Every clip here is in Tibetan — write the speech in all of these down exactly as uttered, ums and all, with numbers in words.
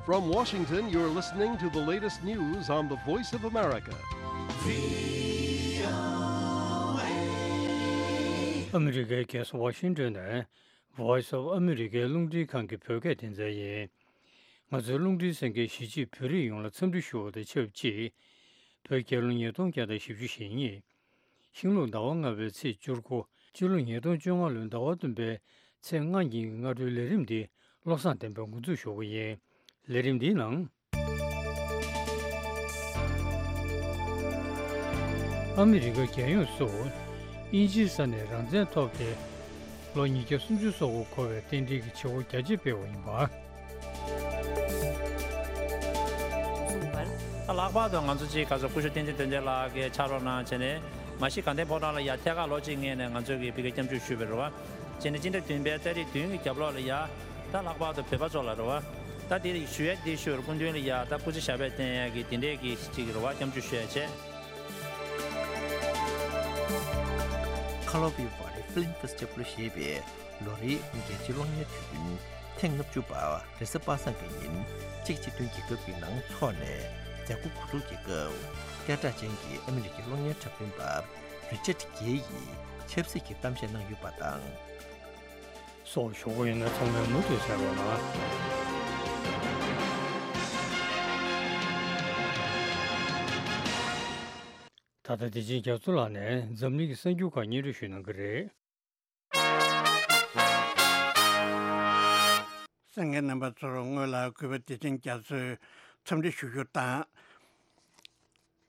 From Washington, you're listening to the latest news on the Voice of America. ཨ་མི་རི་ཀའི་རྒྱལ་ས་ཝ་ཤིང་ཏོན་ནས་Voice of America རླུང་འཕྲིན་ཁང་གི་བོད་སྐད་སྡེ་ཚན་ཡིན། ང་ཚོའི་རླུང་འཕྲིན་གསན་མཁན་གཞིས་བྱེས་བོད་རིགས་ཡོངས་ལ་འཚམས་འདྲི་ཞུ་བ་དང་ཆབས་ཅིག་བོད་རྒྱལ་ལོ་ཉིས་སྟོང་བརྒྱ་དང་བཞི་བཅུ་ཞེ་གཉིས། ཤིང་ལུག་ཟླ་བ་ལྔ་པའི་ཚེས་བཅུ་དགུ། སྤྱི་ལོ་ཉིས་སྟོང་བཅོ་ལྔ་ལོའི་ཟླ་བ་བདུན་པའི་ཚེས་ལྔ་ཉིན་གྱི་སྔ་དྲོའི་ལས་རིམ་འདི་བློ་བཟང་བསྟན་པས་འགོ་འཛུགས་ཞུ་གི་ཡིན། ལས་རིམ་འདིའི་ནང་། ཨ་མི་རི་ཀ་རྒྱལ་ཡོངས་སུ་དབྱིན་ཇིའི་ས་ནས་རང་བཙན་ཐོབ་སྟེ་ལོ་ཉིས་བརྒྱ་སུམ་ཅུ་སོ་དགུ་འཁོར་བའི་རྟེན་འབྲེལ་གྱི་བྱེད་སྒོ་རྒྱ་ཆེ་སྤེལ་བ་ཡིན་པ། གསུངས་པར། ལྷག་པར་དུ་ང་ཚོ་ཅིག་ག་ཚོད་སྐུ་ཞབས་བསྟན་འཛིན་དོན་ལྡན་ལགས་ཀྱི་ཕྱག་རོགས་གནང་བྱས་ནས་མ་གཞི་དགའ་ལྡན་ཕོ་བྲང་ལ་ཡ་ཐད་ཀར་ལོ་གཅིག་སྔོན་ནས་ང་ཚོ་གིས་ཕ་གིར་སྐྱབས་འཇུག་ཞུས་པ་རེད་བ། བྱས་ནས་སྤྱི་ཟླ་བདུན་པའི་ཏ་རིག་བདུན་གྱི་རྒྱབ་ལོགས་ལ་ཡ་ད་ལྷག་པར་དུ་བོད་པ་ཚོ་ལ་རེད་བ། ད་དེ་ཞུ་ཡ་དེ་ཞུ་བར་སྐུ་མདུན་ལ་ཡ་ད་སྐུ་ཚེ་ཞབས་པད་བརྟན་ཡ་གི་དེ་འདྲས་ཀྱི་ཅིག་རེད་བ། སྐྱབས་འཇུག་ཞུ་ཡ་བྱས། Karlovy Vary Film Festival ཞེས་པའི་ལོ་རེའི་རྒྱལ་སྤྱིའི་གློག་བརྙན་དུས་སྟོན་ཐེངས་ལྔ་བཅུ་པ་རེས་གཟའ་པ་སངས་ཀྱི་ཉིན་གཅིག་སྤྱི་མཐུན་རྒྱལ་ཁབ་ཀྱི་ནང་འཚོགས་ནས་མཛད་སྒོ་འགོ་འཛུགས་ཀྱི་སྐབས་སྐད་གྲགས་ཅན་གྱི་ཨ་མི་རི་ཀའི་གློག་བརྙན་འཁྲབ་སྟོན་པ་རི་ཅར་ཌི་གྷེ་ཡིས་ཆབ་སྲིད་ཀྱི་གཏམ་བཤད་གནང་ཡོད་པ་དང་། སོགས་ཞུ་གི་ཡོད་ན་ཚང་མས་མུ་མཐུད་གསན་རོགས་གནང་། ད་ལྟ་བདེ་ཆེན་རྒྱ་མཚོ་ལགས་ནས་འཛམ་གླིང་གི་གསར་འགྱུར་ཁག་སྙན་སྒྲོན་ཞུ་གནང་གི་རེད། གསན་མཁན་རྣམ་པ་ཚོར་སྔོན་ལ་གུས་པ་བདེ་ཆེན་རྒྱ་མཚོས་འཚམས་འདྲི་ཞུ་རྒྱུ་དང་།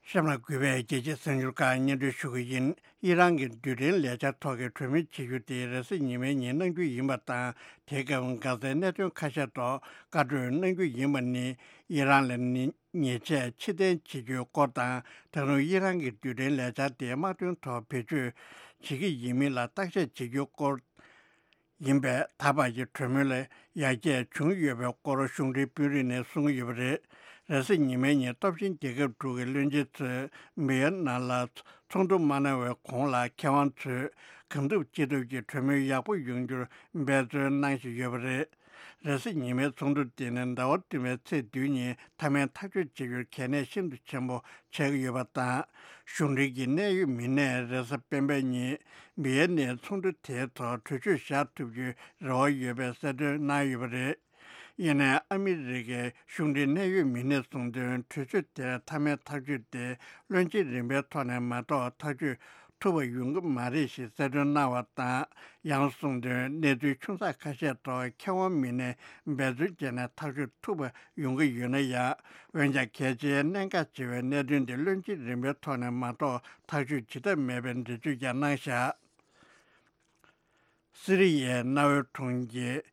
གཤམ་ལ་གུས་པས་རྒྱལ་སྤྱིའི་གསར་འགྱུར་ཁག་སྙན་སྒྲོན་ཞུ་གི་ཡིན། ཨི་རན་གྱི་རྡུལ་ཕྲན་ལས་འཆར་ཐོག་གི་གྲོས་མོལ་བྱེད་རྒྱུ་དེ་རེས་གཟའ་ཉི་མའི་ཉིན་གནང་རྒྱུ་ཡིན་པ་དང་། དེའི་སྐབས་འགག་རྩའི་གནད་དོན་ཁ་ཤས་ཐོག་བཀའ་གྲོས་གནང་རྒྱུ་ཡིན་པ་ནི། ཨི་རན་ལ་ནི་ཉེས་ཆད་ཕྱིར་འཐེན་བྱེད་རྒྱུའི་སྐོར་དང་། ད་དུང་ཨི་རན་གྱི་རྡུལ་ཕྲན་ལས་འཆར་དེ་དམག་དོན་ཐོག་བེད་སྤྱོད་བྱེད་ཀྱི་ཡིན་མིན་ལ་བརྟག་དཔྱད་བྱེད་རྒྱུའི་སྐོར། ཡིན་པས། ད་བར་གྱི་གྲོས་མོལ་ལ་ཡར་རྒྱས་བྱུང་ཡོད་པའི་སྐོར་གཞུང་འབྲེལ་དཔོན་རིགས་ནས་གསུང་གི་ཡོད་པ་རེད། རེས་གཟའ་ཉི་མའི་ཉིན་སྟོབས་ཆེན་རྒྱལ་ཁབ་དྲུག་གི་བློན་ཆེན་ཚོས་བི་ཡེ་ནམ་ལ་ཚོགས་འདུ་མ་གནང་བའི་གོང་ལ་མཁས་དབང་ཚོས་གང་ཐུབ་ཅི་ཐུབ་ཀྱིས་གྲོས་མོལ་ཡག་པོ་ཡོང་རྒྱུར་འབད་བརྩོན་གནང་བཞིན་ཡོད་པ་རེད། རེས་གཟའ་ཉི་མའི་ཚོགས་འདུ་དེ་ནི་ཟླ་བ་བདུན་པའི་ཚེས་བདུན་ཉིན་མཐའ་མའི་ཐག་གཅོད་བྱེད་རྒྱུར་གལ་གནད་ཤིན་ཏུ་ཆེན་པོ་ཆགས་ཀྱི་ཡོད་པ་དང་། གཞུང་འབྲེལ་གྱི་གནད་ཡོད་མི་སྣས་རེས་གཟའ་སྤེན་པའི་ཉིན་བི་ཡེ་ནའི་ཚོགས་འདུ་དེའི་ཐོག་གྲོས་ཆོད་བཞག་ཐུབ་རྒྱུའི་རེ་བ་ཡོད་པའི་གསལ་སྟོན་གནང་ཡོད་པ་རེད། ཡིན་ནའི་ཨ་མི་རི་ཀའི་གཞུང་འབྲེལ་གནད་ཡོད་མི་སྣས་གསུངས་དོན། གྲོས་ཆོད་དེར་མཐའ་མའི་ཐག་གཅོད་དེ་བློན་ཆེན་རིམ་པའི་ཐོག་ནས་མ་གཏོགས་ཐག་གཅོད་ཐུབ་པ་ཡོང་གི་མ་རེད་ཞེས་གསལ་སྟོན་གནང་བ་དང་། ཡང་གསུངས་དོན། གནས་ཚུལ་ཆུང་ཙག་ཁ་ཤས་ཐོག་མཁས་དབང་མི་སྣས་འབད་བརྩོན་བྱས་ནས་ཐག་གཅོད་ཐུབ་པ་ཡོང་གི་ཡོད་ན་ཡང་། འོན་ཀྱང་། གལ་ཆེའི་གནད་འགག་ཆེ་བའི་གནད་དོན་དེ་བློན་ཆེན་རིམ་པའི་ཐོག་ནས་མ་གཏོགས་ཐག་གཅོད་བྱེད་ཐབས་མེད་པའི་འགྲེལ་བརྗོད་ཀྱང་གནང་བཞག་སི་རི་ཡའི་གནའ་བོའི་གྲོང་ཁྱེར་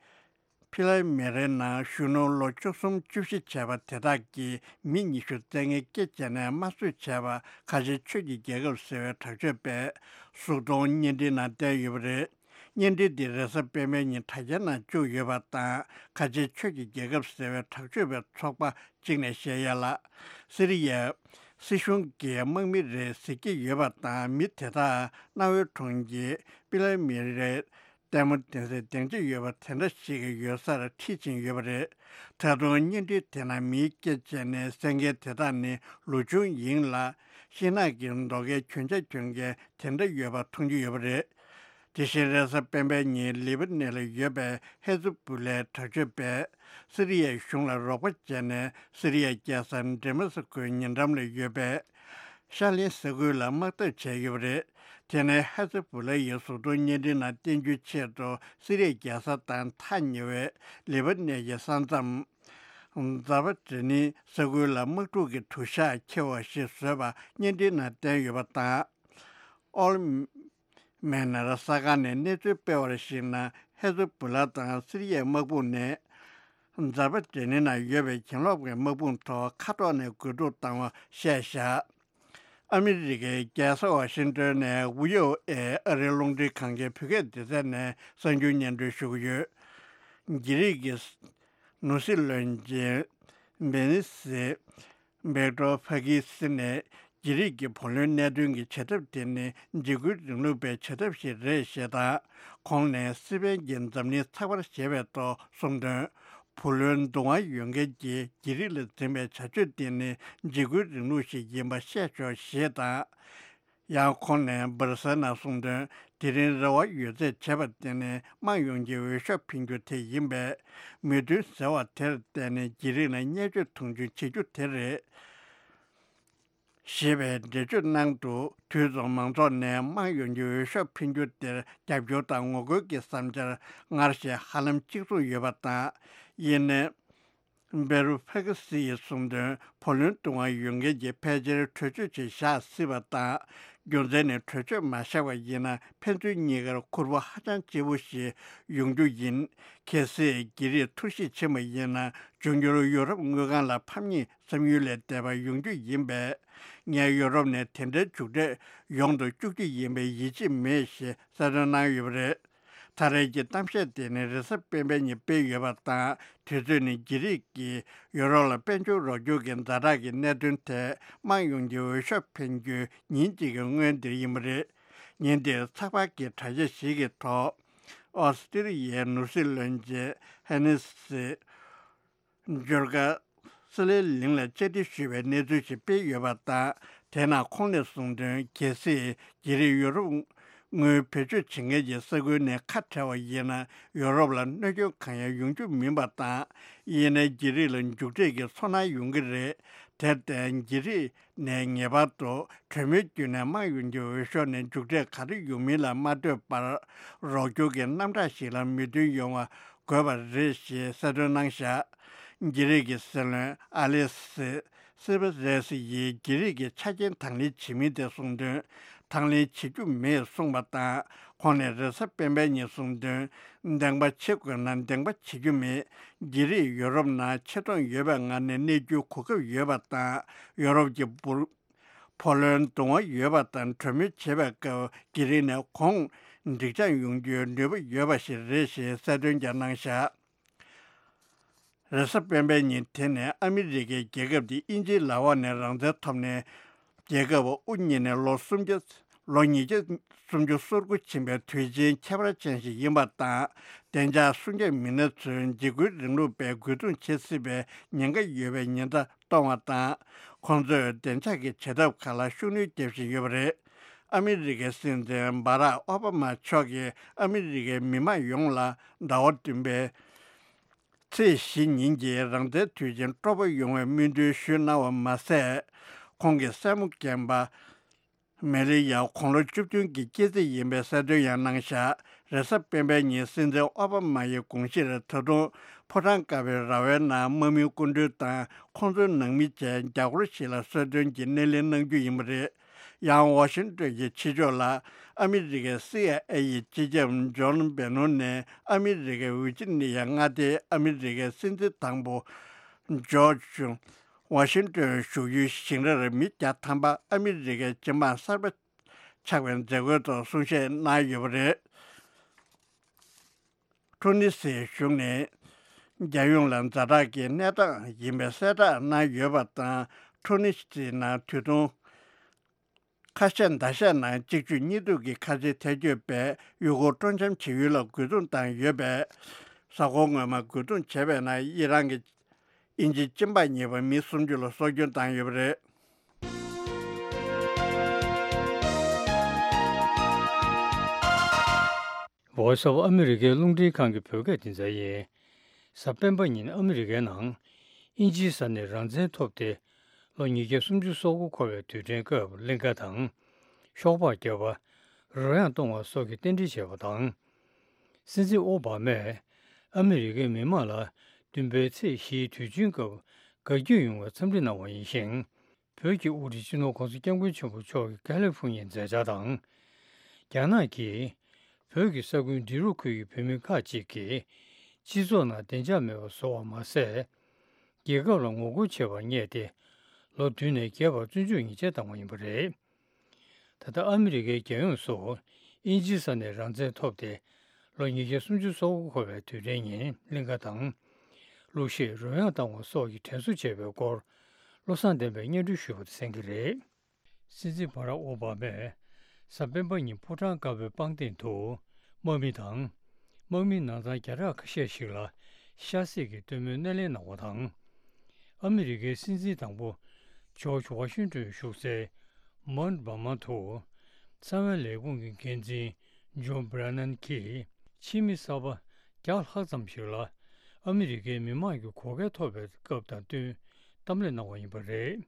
ཕི་ལ་མེ་རའི་ནང་གཞོན་ནུ་ལོ་བཅུ་གསུམ་བཅུ་བཞི་བྱས་པ་དེ་དག་གིས་མི་ཉི་ཤུ་རྩ་ལྔའི་སྐེ་བཅད་ནས་དམར་གསོད་བྱས་པ་ཁ་ཆེ་ཆོས་ཀྱི་རྒྱལ་ཁབ་ཟེར་བའི་དྲག་སྤྱོད་པས་གཟུགས་མཐོང་བརྙན་འཕྲིན་ནང་བསྟན་ཡོད་པ་རེད། བརྙན་འཕྲིན་འདི་རེས་གཟའ་སྤེན་པའི་ཉིན་དྲ་རྒྱའི་ནང་བཅུག་ཡོད་པ་དང་། ཁ་ཆེ་ཆོས་ཀྱི་རྒྱལ་ཁབ་ཟེར་བའི་དྲག་སྤྱོད་པའི་ཚོགས་པ་གཅིག་ནས་བཤད་ཡ་ལ། སི་རི་ཡའི་སྲིད་གཞུང་གིས་དམག་མི་རེད་ཟེར་གྱི་ཡོད་པ་དང་། མི་དེ་དག་གནའ་བོའི་གྲོང་ཁྱེར་པི་ལ་མེ་རའི་ལྟད་མོ་གདན་སའི་སྡིངས་ཆ་ཡོད་པ་དེ་འདྲ་ཞིག་ཡོད་སར་ཁྲིད་ཕྱིན་ཡོད་པ་རེད། ད་དུང་བརྙན་འཕྲིན་དེ་ནང་མིའི་སྐེ་བཅད་ནས་བསད་མཁན་དེ་དག་ནི་ལོ་ཆུང་ཡིན་ལ། ཤིང་ནགས་ཀྱི་རྡོ་ཁའི་གྱོན་ཆས་གྱོན་མཁན་དེ་འདྲ་ཡོད་པ་མཐོང་རྒྱུ་ཡོད་པ་རེད། དེ་བཞིན་རེས་གཟའ་སྤེན་པའི་ཉིན་ལི་བ་ནན་ལ་ཡོད་པའི་ཧེ་ཛ་བུ་ལའི་དྲག་སྤྱོད་པས་སི་རི་ཡའི་གཞུང་ལ་རོགས་པ་བྱས་ནས། སི་རི་ཡའི་རྒྱལ་ས་ཌེ་མ་སི་ཀོའི་ཉེ་འགྲམ་ལ་ཡོད་པའི་ཤར་གླིང་ས་ཁུལ་ལ་དམག་འཐབ་བྱས་ཡོད་པ་རེད། དེ་ནི་ཧེ་ཛ་བུ་ལ་ཡི་གཟུགས་མཐོང་བརྙན་འཕྲིན་ནང་བསྟན་རྒྱུའི་ཆེད་དུ་སི་རི་ཡའི་རྒྱལ་ས་དང་ཐག་ཉེ་བའི་ལི་བ་ནན་གྱི་ས་མཚམས་ཛར་བ་ཇེ་ནི་ས་ཁུལ་ལ་དམག་འཁྲུག་གི་དུ་ཞག་འཁེལ་བ་ཞིག་བཟོས་པ་བརྙན་འཕྲིན་ནང་བསྟན་ཡོད་པ་དང་། ཨོལ་མེ་ནར་གསར་ཁང་ནས་གནས་ཚུལ་སྤེལ་བར་གཞིགས་ན། ཧེ་ཛ་བུ་ལ་དང་སི་རི་ཡའི་དམག་དཔུང་ནས་ཛར་བ་ཇེ་ནི་ནང་ཡོད་པའི་གྱེན་ལོག་གི་དམག་དཔུང་ཐོག་མཁའ་ཐོག་ནས་རྒོལ་རྡུང་བཏང་བ་བཤད་བཞག་ཨ་མི་རི་ཀའི་རྒྱལ་ས་ཝ་ཤིང་ཏོན་ནས་བྷི་ཨོ་ཨེ་ཨ་རིའི་རླུང་འཕྲིན་ཁང་གི་བོད་སྐད་སྡེ་ཚན་ནས་གསར་འགྱུར་སྙན་སྒྲོན་ཞུ་གི་ཡོད། རྒྱ་རིགས་ཀྱི་ནོར་སྲིད་བློན་ཆེན་བེ་ནི་སི་བེག་ཏོ་ཕ་ཁི་སི་ནས་རྒྱ་རིགས་ཀྱི་བུ་ལོན་གནད་དོན་གྱི་བྱེད་ཐབས་དེ་ནི་འཇིགས་སྐུལ་རིང་ལུགས་པའི་བྱེད་ཐབས་ཤིག་རེད་ཞེས་དང་། ཁོང་ནས་སི་པན་གྱིས་འཛམ་གླིང་ཚགས་པར་བྱེད་པའི་ཐོག་གསུངས་དོན། བུ་ལོན་བསྡུ་དབང་ཡོད་མཁན་གྱི་རྒྱ་རིགས་ལ་འཛིན་པའི་བྱ་སྤྱོད་དེ་ནི་འཇིགས་སྐུལ་རིང་ལུགས་ཤིག་ཡིན་པ་བཤད་ཆོག་ཞེས་དང་། ཡང་ཁོང་ནས་འབར་སེལ་ནང་གསུངས་དོན། དེ་རིང་རེ་བ་ཡོད་ཚད་བྱས་པ་དེ་ནི་དམངས་ཡོངས་ཀྱི་འོས་ཤོག་འཕེན་རྒྱུ་དེ་ཡིན་པས། མོས་མཐུན་ཟེར་བ་དེར་བརྟེན་ནས་རྒྱ་རིགས་ལ་བརྙས་བཅོས་མཐོང་ཆུང་བྱེད་རྒྱུ་དེ་རེད། ཞེས་པའི་འགྲེལ་བརྗོད་གནང་འདུག་དུས་མཚུངས་མང་ཚོགས་ནས་དམངས་ཡོངས་ཀྱི་འོས་ཤོག་འཕེན་རྒྱུ་དེར་རྒྱབ་སྐྱོར་དང་ངོ་རྒོལ་གྱི་བསམ་འཆར་སྔར་བཞིན་ཧ་ལམ་གཅིག་མཚུངས་ཡོད་པ་དང་། ཡིན་ནའི། བེ་རུ་ཕེ་ཁི་སི་ཡིས་གསུངས་དོན། བུ་ལོན་བསྡུ་དབང་ཡོད་མཁན་གྱིས་ཕལ་ཆེར་གྲོས་ཆོད་ཅིག་བཞག་སྲིད་པ་དང་། རྒྱུ་མཚན་ནི་གྲོས་ཆོད་མ་བཞག་པ་ཡིན་ན་ཕན་ཚུན་གཉིས་ཀར་ཁུར་པོ་ཧ་ཅང་ལྕི་པོ་ཞིག་ཡོང་རྒྱུ་ཡིན། གལ་སྲིད་རྒྱ་རིགས་ཐུར་བཞེས་ཕྱིན་པ་ཡིན་ན། འབྱུང་འགྱུར་ཡུ་རོབ་དངུལ་ཁང་ལ་ཕམ་ཉེས་བསམ་ཡུལ་ལས་འདས་པ་ཡོང་རྒྱུ་ཡིན་པས། ངས་ཡུ་རོབ་ནས་དེ་འདྲའི་མཇུག་འབྲས་ཡོང་དུ་བཅུག་རྒྱུ་ཡིན་པའི་ཡིད་ཆེས་མེད་ཞེས་གསལ་སྟོན་གནང་ཡོད་པ་རེད། ད་རེས་ཀྱི་གཏམ་བཤད་དེ་ནི་རེས་གཟའ་སྤེན་པའི་ཉིན་སྤེལ་ཡོད་པ་དང་། དུས་ཚོད་ནི་རྒྱ་རིགས་ཀྱིས་ཡུ་རོབ་ལ་དཔལ་འབྱོར་རོགས་སྐྱོར་གྱི་ཛ་དྲག་གི་གནད་དོན་ཐད་དམངས་ཡོངས་ཀྱི་འོས་ཤོག་འཕེན་རྒྱུའི་ཉིན་གཅིག་གི་སྔོན་འདིར་ཡིན་པ་རེད། ཉིན་དེར་ཚགས་པར་གྱི་དྲ་རྒྱ་ཞིག་གི་ཐོག་ཨོ་སི་ཀྲི་ལི་ཡའི་ནོར་སྲིད་བློན་ཆེན་ཧེ་ནི་སི། འབྱོར་སྐར་སི་ལེ་གླིང་ལ་བཅར་འདྲི་ཞུས་པའི་གནས་ཚུལ་ཞིག་སྤེལ་ཡོད་པ་དང་། དེ་ནང་ཁོང་ནས་གསུངས་དོན། གལ་སྲིད་རྒྱ་རིགས་ཡུ་རོབ་དངུལ་བེད་སྤྱོད་བྱེད་མཁན་གྱི་ས་ཁུལ་ནས་ཁ་བྲལ་བ་ཡིན་ན། ཡུ་རོབ་ལ་གནོད་སྐྱོན་གང་ཡང་ཡོང་རྒྱུ་མིན་པ་དང་། ཡིན་ནའི་རྒྱ་རིགས་ལ་མཇུག་འབྲས་ཀྱི་ཚོར་སྣང་ཡོང་གི་རེད། དེར་བརྟེན་རྒྱ་རིགས་ནས་ངེས་པར་དུ་གྲོས་མོལ་བརྒྱུད་ནས་དམངས་ཡོངས་ཀྱི་འོས་ཤོག་ནས་མཇུག་འབྲས་ག་རེ་ཡོང་མིན་ལ་མ་ལྟོས་པར། རོགས་སྐྱོར་གྱི་རྣམ་གྲངས་ཤིག་ལ་མོས་མཐུན་ཡོང་བ་དགོས་པ་རེད་ཞེས་གསལ་སྟོན་གནང་བཞག་རྒྱ་རིགས་ཀྱི་སྲིད་བློན་ཨ་ལེ་སི་སི་པེ་རེ་སི་ཡིས་རྒྱ་རིགས་ཀྱི་ཆ་རྐྱེན་དང་ལེན་བྱེད་མིན་དེ་གསུངས་དོན། དང་ལེན་བྱེད་རྒྱུ་མེད་གསུངས་པ་དང་། ཁོང་ནས་རེས་གཟའ་སྤེན་པའི་ཉིན་གསུངས་དོན། འདེང་པ་བྱེད་དགོས་ན་འདེང་པ་བྱེད་རྒྱུ་མེད། རྒྱ་རིགས་ཡོ་རོབ་ནང་ཆེ་མཐོང་ཡོད་པའི་ངང་ནས་གནས་རྒྱུའི་གོ་སྐབས་ཡོད་པ་དང་། ཡོ་རོབ་ཀྱི་འབུར། བུ་ལོན་བསྡུ་དབང་ཡོད་པ་དང་གྲོས་མོལ་བྱེད་པའི་སྐབས་རྒྱ་རིགས་ནས་གོང་འགྲིག་འཇགས་ཡོང་རྒྱུའི་ནུས་པ་ཡོད་པ་ཞིག་རེད་ཞེས་གསལ་སྟོན་ཀྱང་གནང་བཞག་རེས་གཟའ་སྤེན་པའི་ཉིན་དེ་ནས་ཨ་མི་རི་ཀའི་རྒྱལ་ཁབ་དེ་དབྱིན་ཇིའི་ལག་འོག་ནས་རང་བཙན་ཐོབ་ནས། རྒྱལ་ཁབ་དབུ་བརྙེས་ནས་ལོ་སུམ་བརྒྱ། ལོ་ཉིས་བརྒྱ་སུམ་ཅུ་སོ་དགུ་ཕྱིན་པའི་དུས་ཆེན་ཁྱད་པར་ཅན་ཞིག་ཡིན་པ་དང་། བདེ་འཇགས་སྲུང་སྐྱོབ་མི་སྣ་ཚོས་འཇིགས་སྐུལ་རིང་ལུགས་པས་རྒོལ་རྡུང་བྱེད་སྲིད་པའི་ཉེན་ཁ་ཡོད་པའི་ཉེན་བརྡ་གཏོང་བ་དང་། ཁོང་ཚོས་བདེ་འཇགས་ཀྱི་བྱེད་ཐབས་ཁག་ལ་ཤུགས་སྣོན་བརྒྱབ་བཞིན་ཡོད་པ་རེད། ཨ་མི་རི་ཀའི་སྲིད་འཛིན་སྦ་རག་ཨོ་བྷ་མ་མཆོག་གིས་ཨ་མི་རི་ཀའི་མི་མང་ཡོངས་ལ་ཟླ་བ་བདུན་པའི་ཚེས་བཞི་ཉིན་གྱི་རང་བཙན་དུས་ཆེན་སྤྲོ་པོ་ཡོང་བའི་སྨོན་འདུན་ཞུས་གནང་བ་མ་ཟད། ཁོང་གི་སྲས་མོ་རྒན་པ་མེ་ལི་ཡ་དགུང་ལོ་བཅུ་བདུན་གྱི་སྐྱེས་ཚེས་ཡིན་པའི་གསལ་སྟོན་ཡང་གནང་བཞག་རེས་གཟའ་སྤེན་པའི་ཉིན་སྲིད་འཛིན་ཨོ་བྷ་མ་ཡི་དགོངས་གཞིར་ད་དུང་ཕོ་བྲང་དཀར་པོའི་ར་བའི་ནང་དམག་མིའི་སྐུ་མགྲོན་དང་ཁོང་ཚོའི་ནང་མི་བཅས་རྒྱ་སྒོར་ཞིག་ལ་གསོལ་སྟོན་གྱི་སྣེ་ལེན་གནང་རྒྱུ་ཡིན་པ་རེད། ཡང་ཝ་ཤིང་ཏོན་གྱི་ཕྱི་ཕྱོགས་ལ་ཨ་མི་རི་ཀའི་སི་ཨའི་ཨེ་ཡི་སྤྱི་ཁྱབ་ཇོན་བེ་ནོན་ནས་ཨ་མི་རི་ཀའི་ཝི་ཇི་ནི་ཡ་མངའ་སྡེའི་ཨ་མི་རི་ཀའི་སྲིད་འཛིན་དང་པོ་ཇོར་ཇུ་ཝ་ཤིང་ཏོན་བཞུགས་ཡུལ་ཞིང་རར་མི་བརྒྱ་ཐམ་པ་ཨ་མི་རི་ཀའི་སྤྱི་དམངས་གསར་པ་ཆགས་པའི་མཛད་སྒོའི་ཐོག་གསུང་བཤད་གནང་ཡོད་པ་རེད། ཁྲོ་ནི་སིའི་གཞུང་ནས་རྒྱལ་ཡོངས་ལ་ཛ་དྲག་གི་གནས་སྟངས་ཡིན་པའི་གསལ་བསྒྲགས་གནང་ཡོད་པ་དང་། ཁྲོ་ནི་སི་ནང་དུས་ཐུང་ཁ་ཤས་ཟླ་ཤས་ནང་གཅིག་མཇུག་གཉིས་མཐུད་ཀྱི་ཁ་ཆེ་ཐལ་སྐྱོད་པས་ཡུལ་སྐོར་སྤྲོ་འཆམ་བྱེད་ཡུལ་ལ་རྒོལ་རྡུང་བཏང་ཡོད་པས། གཟའ་འཁོར་སྔོན་མ་རྒོལ་རྡུང་བྱས་པའི་ནང་ཨི་རན་གྱི་དབྱིན་ཇི་གཅིན་པ་གཉིས་པ་མི་སུམ་ཅུ་ལ་སྲོག་སྐྱོན་བཏང་ཡོད་པ་རེད། Voice of America་རླུང་འཕྲིན་ཁང་གི་བོད་སྐད་སྡེ་ཚན་ཡིན། གཟའ་སྤེན་པ་ཉིན་ཨ་མི་རི་ཀའི་ནང་དབྱིན་ཇིའི་ས་ནས་རང་བཙན་ཐོབ་སྟེ་ལོ་ཉིས་བརྒྱ་སུམ་ཅུ་སོ་དགུ་འཁོར་བའི་དུས་དྲན་སྐབས་གླིང་ཁ་དང་། ཤོག་སྦག་བརྒྱབ་པ། རོལ་དབྱངས་གཏོང་བ་སོགས་ཀྱི་རྟེན་འབྲེལ་བྱས་པ་དང་། སྲིད་འཛིན་ཨོ་བྷ་མས་ཨ་མི་རི་ཀའི་མི་དམངས་ལ་བདུན་པའི་ཚེས་བཞིའི་དུས་ཆེན་སྐབས་དགའ་སྐྱིད་ཡོང་བའི་འཚམས་འདྲི་གནང་བ་ཡིན་ཞིང་། བོད་ཀྱི་དབུ་ཁྲིད་སྤྱི་ནོར་༸གོང་ས་༸སྐྱབས་མགོན་ཆེན་པོ་མཆོག་གི་ཀ་ལི་ཧྥུ་ཉིའི་མཛད་འཆར་དང་། རྒྱ་ནག་གིས་བོད་ཀྱི་ས་ཁུལ་འབྲི་རུ་ཁུལ་གྱི་བོད་མི་ཁག་ཅིག་གིས་སྤྱི་ཚོགས་ནང་བདེ་འཇགས་མེད་པར་བཟོ་བ་མ་ཟད། རྒྱལ་ཁབ་ལ་ངོ་རྒོལ་བྱས་པར་བསྙད་དེ། ལོ་བདུན་ནས་བརྒྱད་བར་བཙོན་འཇུག་ཉེས་ཆད་བཏང་བ་ཡིན་པ་རེད། ད་ལྟ་ཨ་མི་རི་ཀའི་རྒྱལ་ཡོངས་སུ་དབྱིན་ཇིའི་ས་ནས་རང་བཙན་ཐོབ་སྟེ་ལོ་ཉིས་བརྒྱ་སུམ་ཅུ་སོ་དགུ་འཁོར་བའི་དུས་དྲན་ཉིན་གླིང་ཁ་དང་། གླུ་གཞས་རོལ་དབྱངས་བཏང་བ་སོགས་ཀྱི་དྲན་གསོ་བྱས་པའི་སྐོར་བློ་བཟང་བསྟན་པས་སྙན་སྒྲོན་ཞུས་པ་དེ་གསན་གྱི་རེད། སྲིད་འཛིན་བྷ་རག་ཨོ་བྷ་མས་གཟའ་སྤེན་པ་ཉིན་ཕོ་བྲང་དཀར་པོའི་པང་སྟེང་དུ་དམག་མི་དང་། དམག་མིའི་ནང་ཚང་བརྒྱ་ཕྲག་ཁ་ཤས་ཤིག་ལ་ ཤ་སྲེག་གི་སྟོན་མོའི་སྣེ་ལེན་གནང་བ་དང་། ཨ་མི་རི་ཀའི་སྲིད་འཛིན་དང་པོ་ཇོརྗ་ཝ་ཤིང་ཏོན་བཞུགས་སའི་མོན་བྷ་མ་དུ་གསང་བའི་ལས་ཁུངས་ཀྱི་འགན་འཛིན་ཇོན་བྷི་ར་ནན་གྱིས་ཕྱི་མི་གསར་པ་བརྒྱ་ལྷག་ཙམ་ཞིག་ལ་ཨ་མི་རི་ཀའི་མི་དམངས་ཀྱི་བགོ་སྐལ་ཐོབ་པའི་སྐབས་དང་བསྟུན་གཏམ་གླེང་གནང་བ་ཡིན་པ་རེད།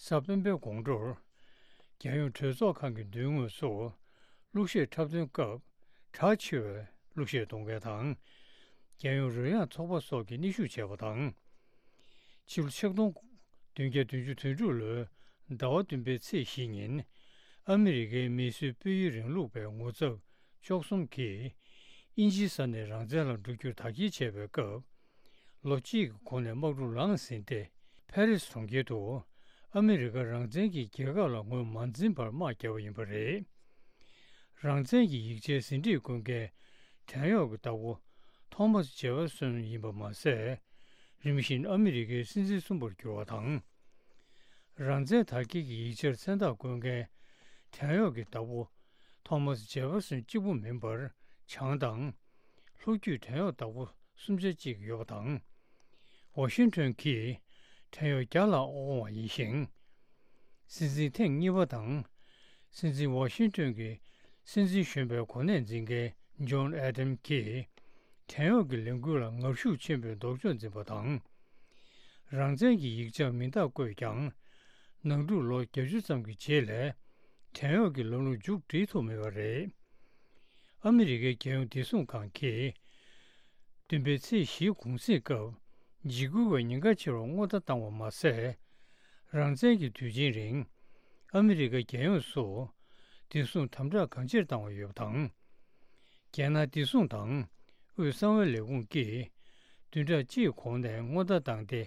གཟའ་སྤེན་པའི་དགོང་དྲོར། རྒྱལ་ཡོངས་གྲོས་ཚོགས་ཁང་གི་མདུན་ངོས་སུ་གླུ་གཞས་འཁྲབ་སྟོན་སྐབས་གྲགས་ཆེ་བའི་གླུ་གཞས་གཏོང་མཁན་དང་། རྒྱལ་ཡོངས་རོལ་དབྱངས་ཚོགས་པ་སོགས་ཀྱིས་སྣེ་ཤུགས་བྱས་པ་དང་། ཕྱི་ལོ་ཆིག་སྟོང་བདུན་བརྒྱ་བདུན་ཅུ་དོན་དྲུག་ལོའི་ཟླ་བ་བདུན་པའི་ཚེས་བཞི་ཉིན། ཨ་མི་རི་ཀའི་མིས་བཟོས་སྤོས་ཡིག་རིང་ལུགས་པའི་ངོ་ཚབ་བཅུ་གསུམ་གྱིས་དབྱིན་ཇིའི་ས་ནས་རང་བཙན་ལ་འགྲོ་རྒྱུར་དར་རྒྱས་བྱས་པའི་སྐབས། ལོ་གཅིག་གི་གོང་ནས་དམག་འཁྲུག་ལངས་ཟིན་ཏེ། ཕ་རི་སི་གྲོང་ཁྱེར་དུ་ཨ་མི་རི་ཀ་རང་བཙན་གྱི་རྒྱལ་ཁབ་ལ་ངོས་མ་འཛིན་པར་དམག་བརྒྱབ་པ་ཡིན་པ་རེད། རང་བཙན་གྱི་ཡིག་ཆའི་ཟིན་བྲིས་བསྐུར་མཁན་བྲན་གཡོག་གི་བདག་པོ་ཐོ་མཱ་སི་ཇེ་ཕེར་སོན་ཡིན་པ་མ་ཟད། རིམ་བཞིན་ཨ་མི་རི་ཀའི་སྲིད་འཛིན་གསུམ་པར་གྱུར་བ་དང་། རང་བཙན་དར་རྒྱས་ཀྱི་ཡིག་ཆར་མཚན་རྟགས་བསྐུར་མཁན་བྲན་གཡོག་གི་བདག་པོ་ཐོ་མཱ་སི་ཇེ་ཕེར་སོན་གཅིག་པུ་མིན་པར་བྱང་དང་། ལྷོ་རྒྱུད་བྲན་གཡོག་བདག་པོ་སུམ་ཆ་གཅིག་ཡོད་པ་དང་། ཝ་ཤིང་ཊོན་གྱིས་བྲན་གཡོག་བརྒྱ་ལྷག་དབང་བ་ཡིན་ཞིང་། སྲིད་འཛིན་ཐེངས་གཉིས་པ་དང་། སྲིད་འཛིན་ཝ་ཤིང་ཊོན་གྱི་སྲིད་འཛིན་གཞོན་པའི་གོ་གནས་འཛིན་མཁན་ཇོན་ཨེ་ཌམ་གྱིས་བྲན་གཡོག་གི་ལས་འགུལ་ལ་ངར་ཤུགས་ཆེན་པོས་ལྡོག་ཕྱོགས་འཛིན་པ་དང་། རང་བཙན་གྱི་ཡིག་ཆར་མིང་རྟགས་བཀོད་ཀྱང་། ནང་འཁྲུག་ལོ་བརྒྱད་ཅུ་ཙམ་གྱི་རྗེས་ལ་བྲན་གཡོག་གི་ལམ་ལུགས་མཇུག་སྒྲིལ་ཐུབ་མེད་པ་རེད། ཨ་མི་རི་ཀའི་རྒྱལ་ཡོངས་བདེ་སྲུང་ཁང་གིས། བདུན་པའི་ཚེས་བཞིའི་གུང་གསེང་སྐབས། འཇིགས་སྐུལ་བའི་ཉེན་ཁ་ཆེ་བར་སྔོན་བརྡ་བཏང་བ་མ་ཟད། རང་བཙན་གྱི་དུས་ཆེན་རིང་། ཨ་མི་རི་ཀ་རྒྱལ་ཡོངས་སུ། བདེ་སྲུང་དམ་དྲག་གང་ཆེར་བཏང་བ་ཡོད་པ་དང་། རྒྱལ་ནང་བདེ་སྲུང་དང་། དབུས་གསང་བའི་ལས་ཁུངས་ཀྱིས། བདུན་ཕྲག་གཅིག་གོང་ནས་སྔོན་བརྡ་བཏང་སྟེ།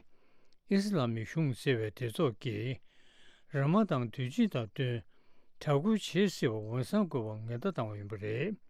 ཨི་སི་ལ་མི་གཞུང་ཟེར་བའི་སྡེ་ཚོགས་ཀྱིས། ར་མ་དན་དུས་ཆེན་དང་བསྟུན། དྲག་རྒོལ་བྱེད་སྲིད་པ་འོས་འཚམ་དགོས་པར་ངན་བརྡ་བཏང་བ་ཡིན་པ་རེད།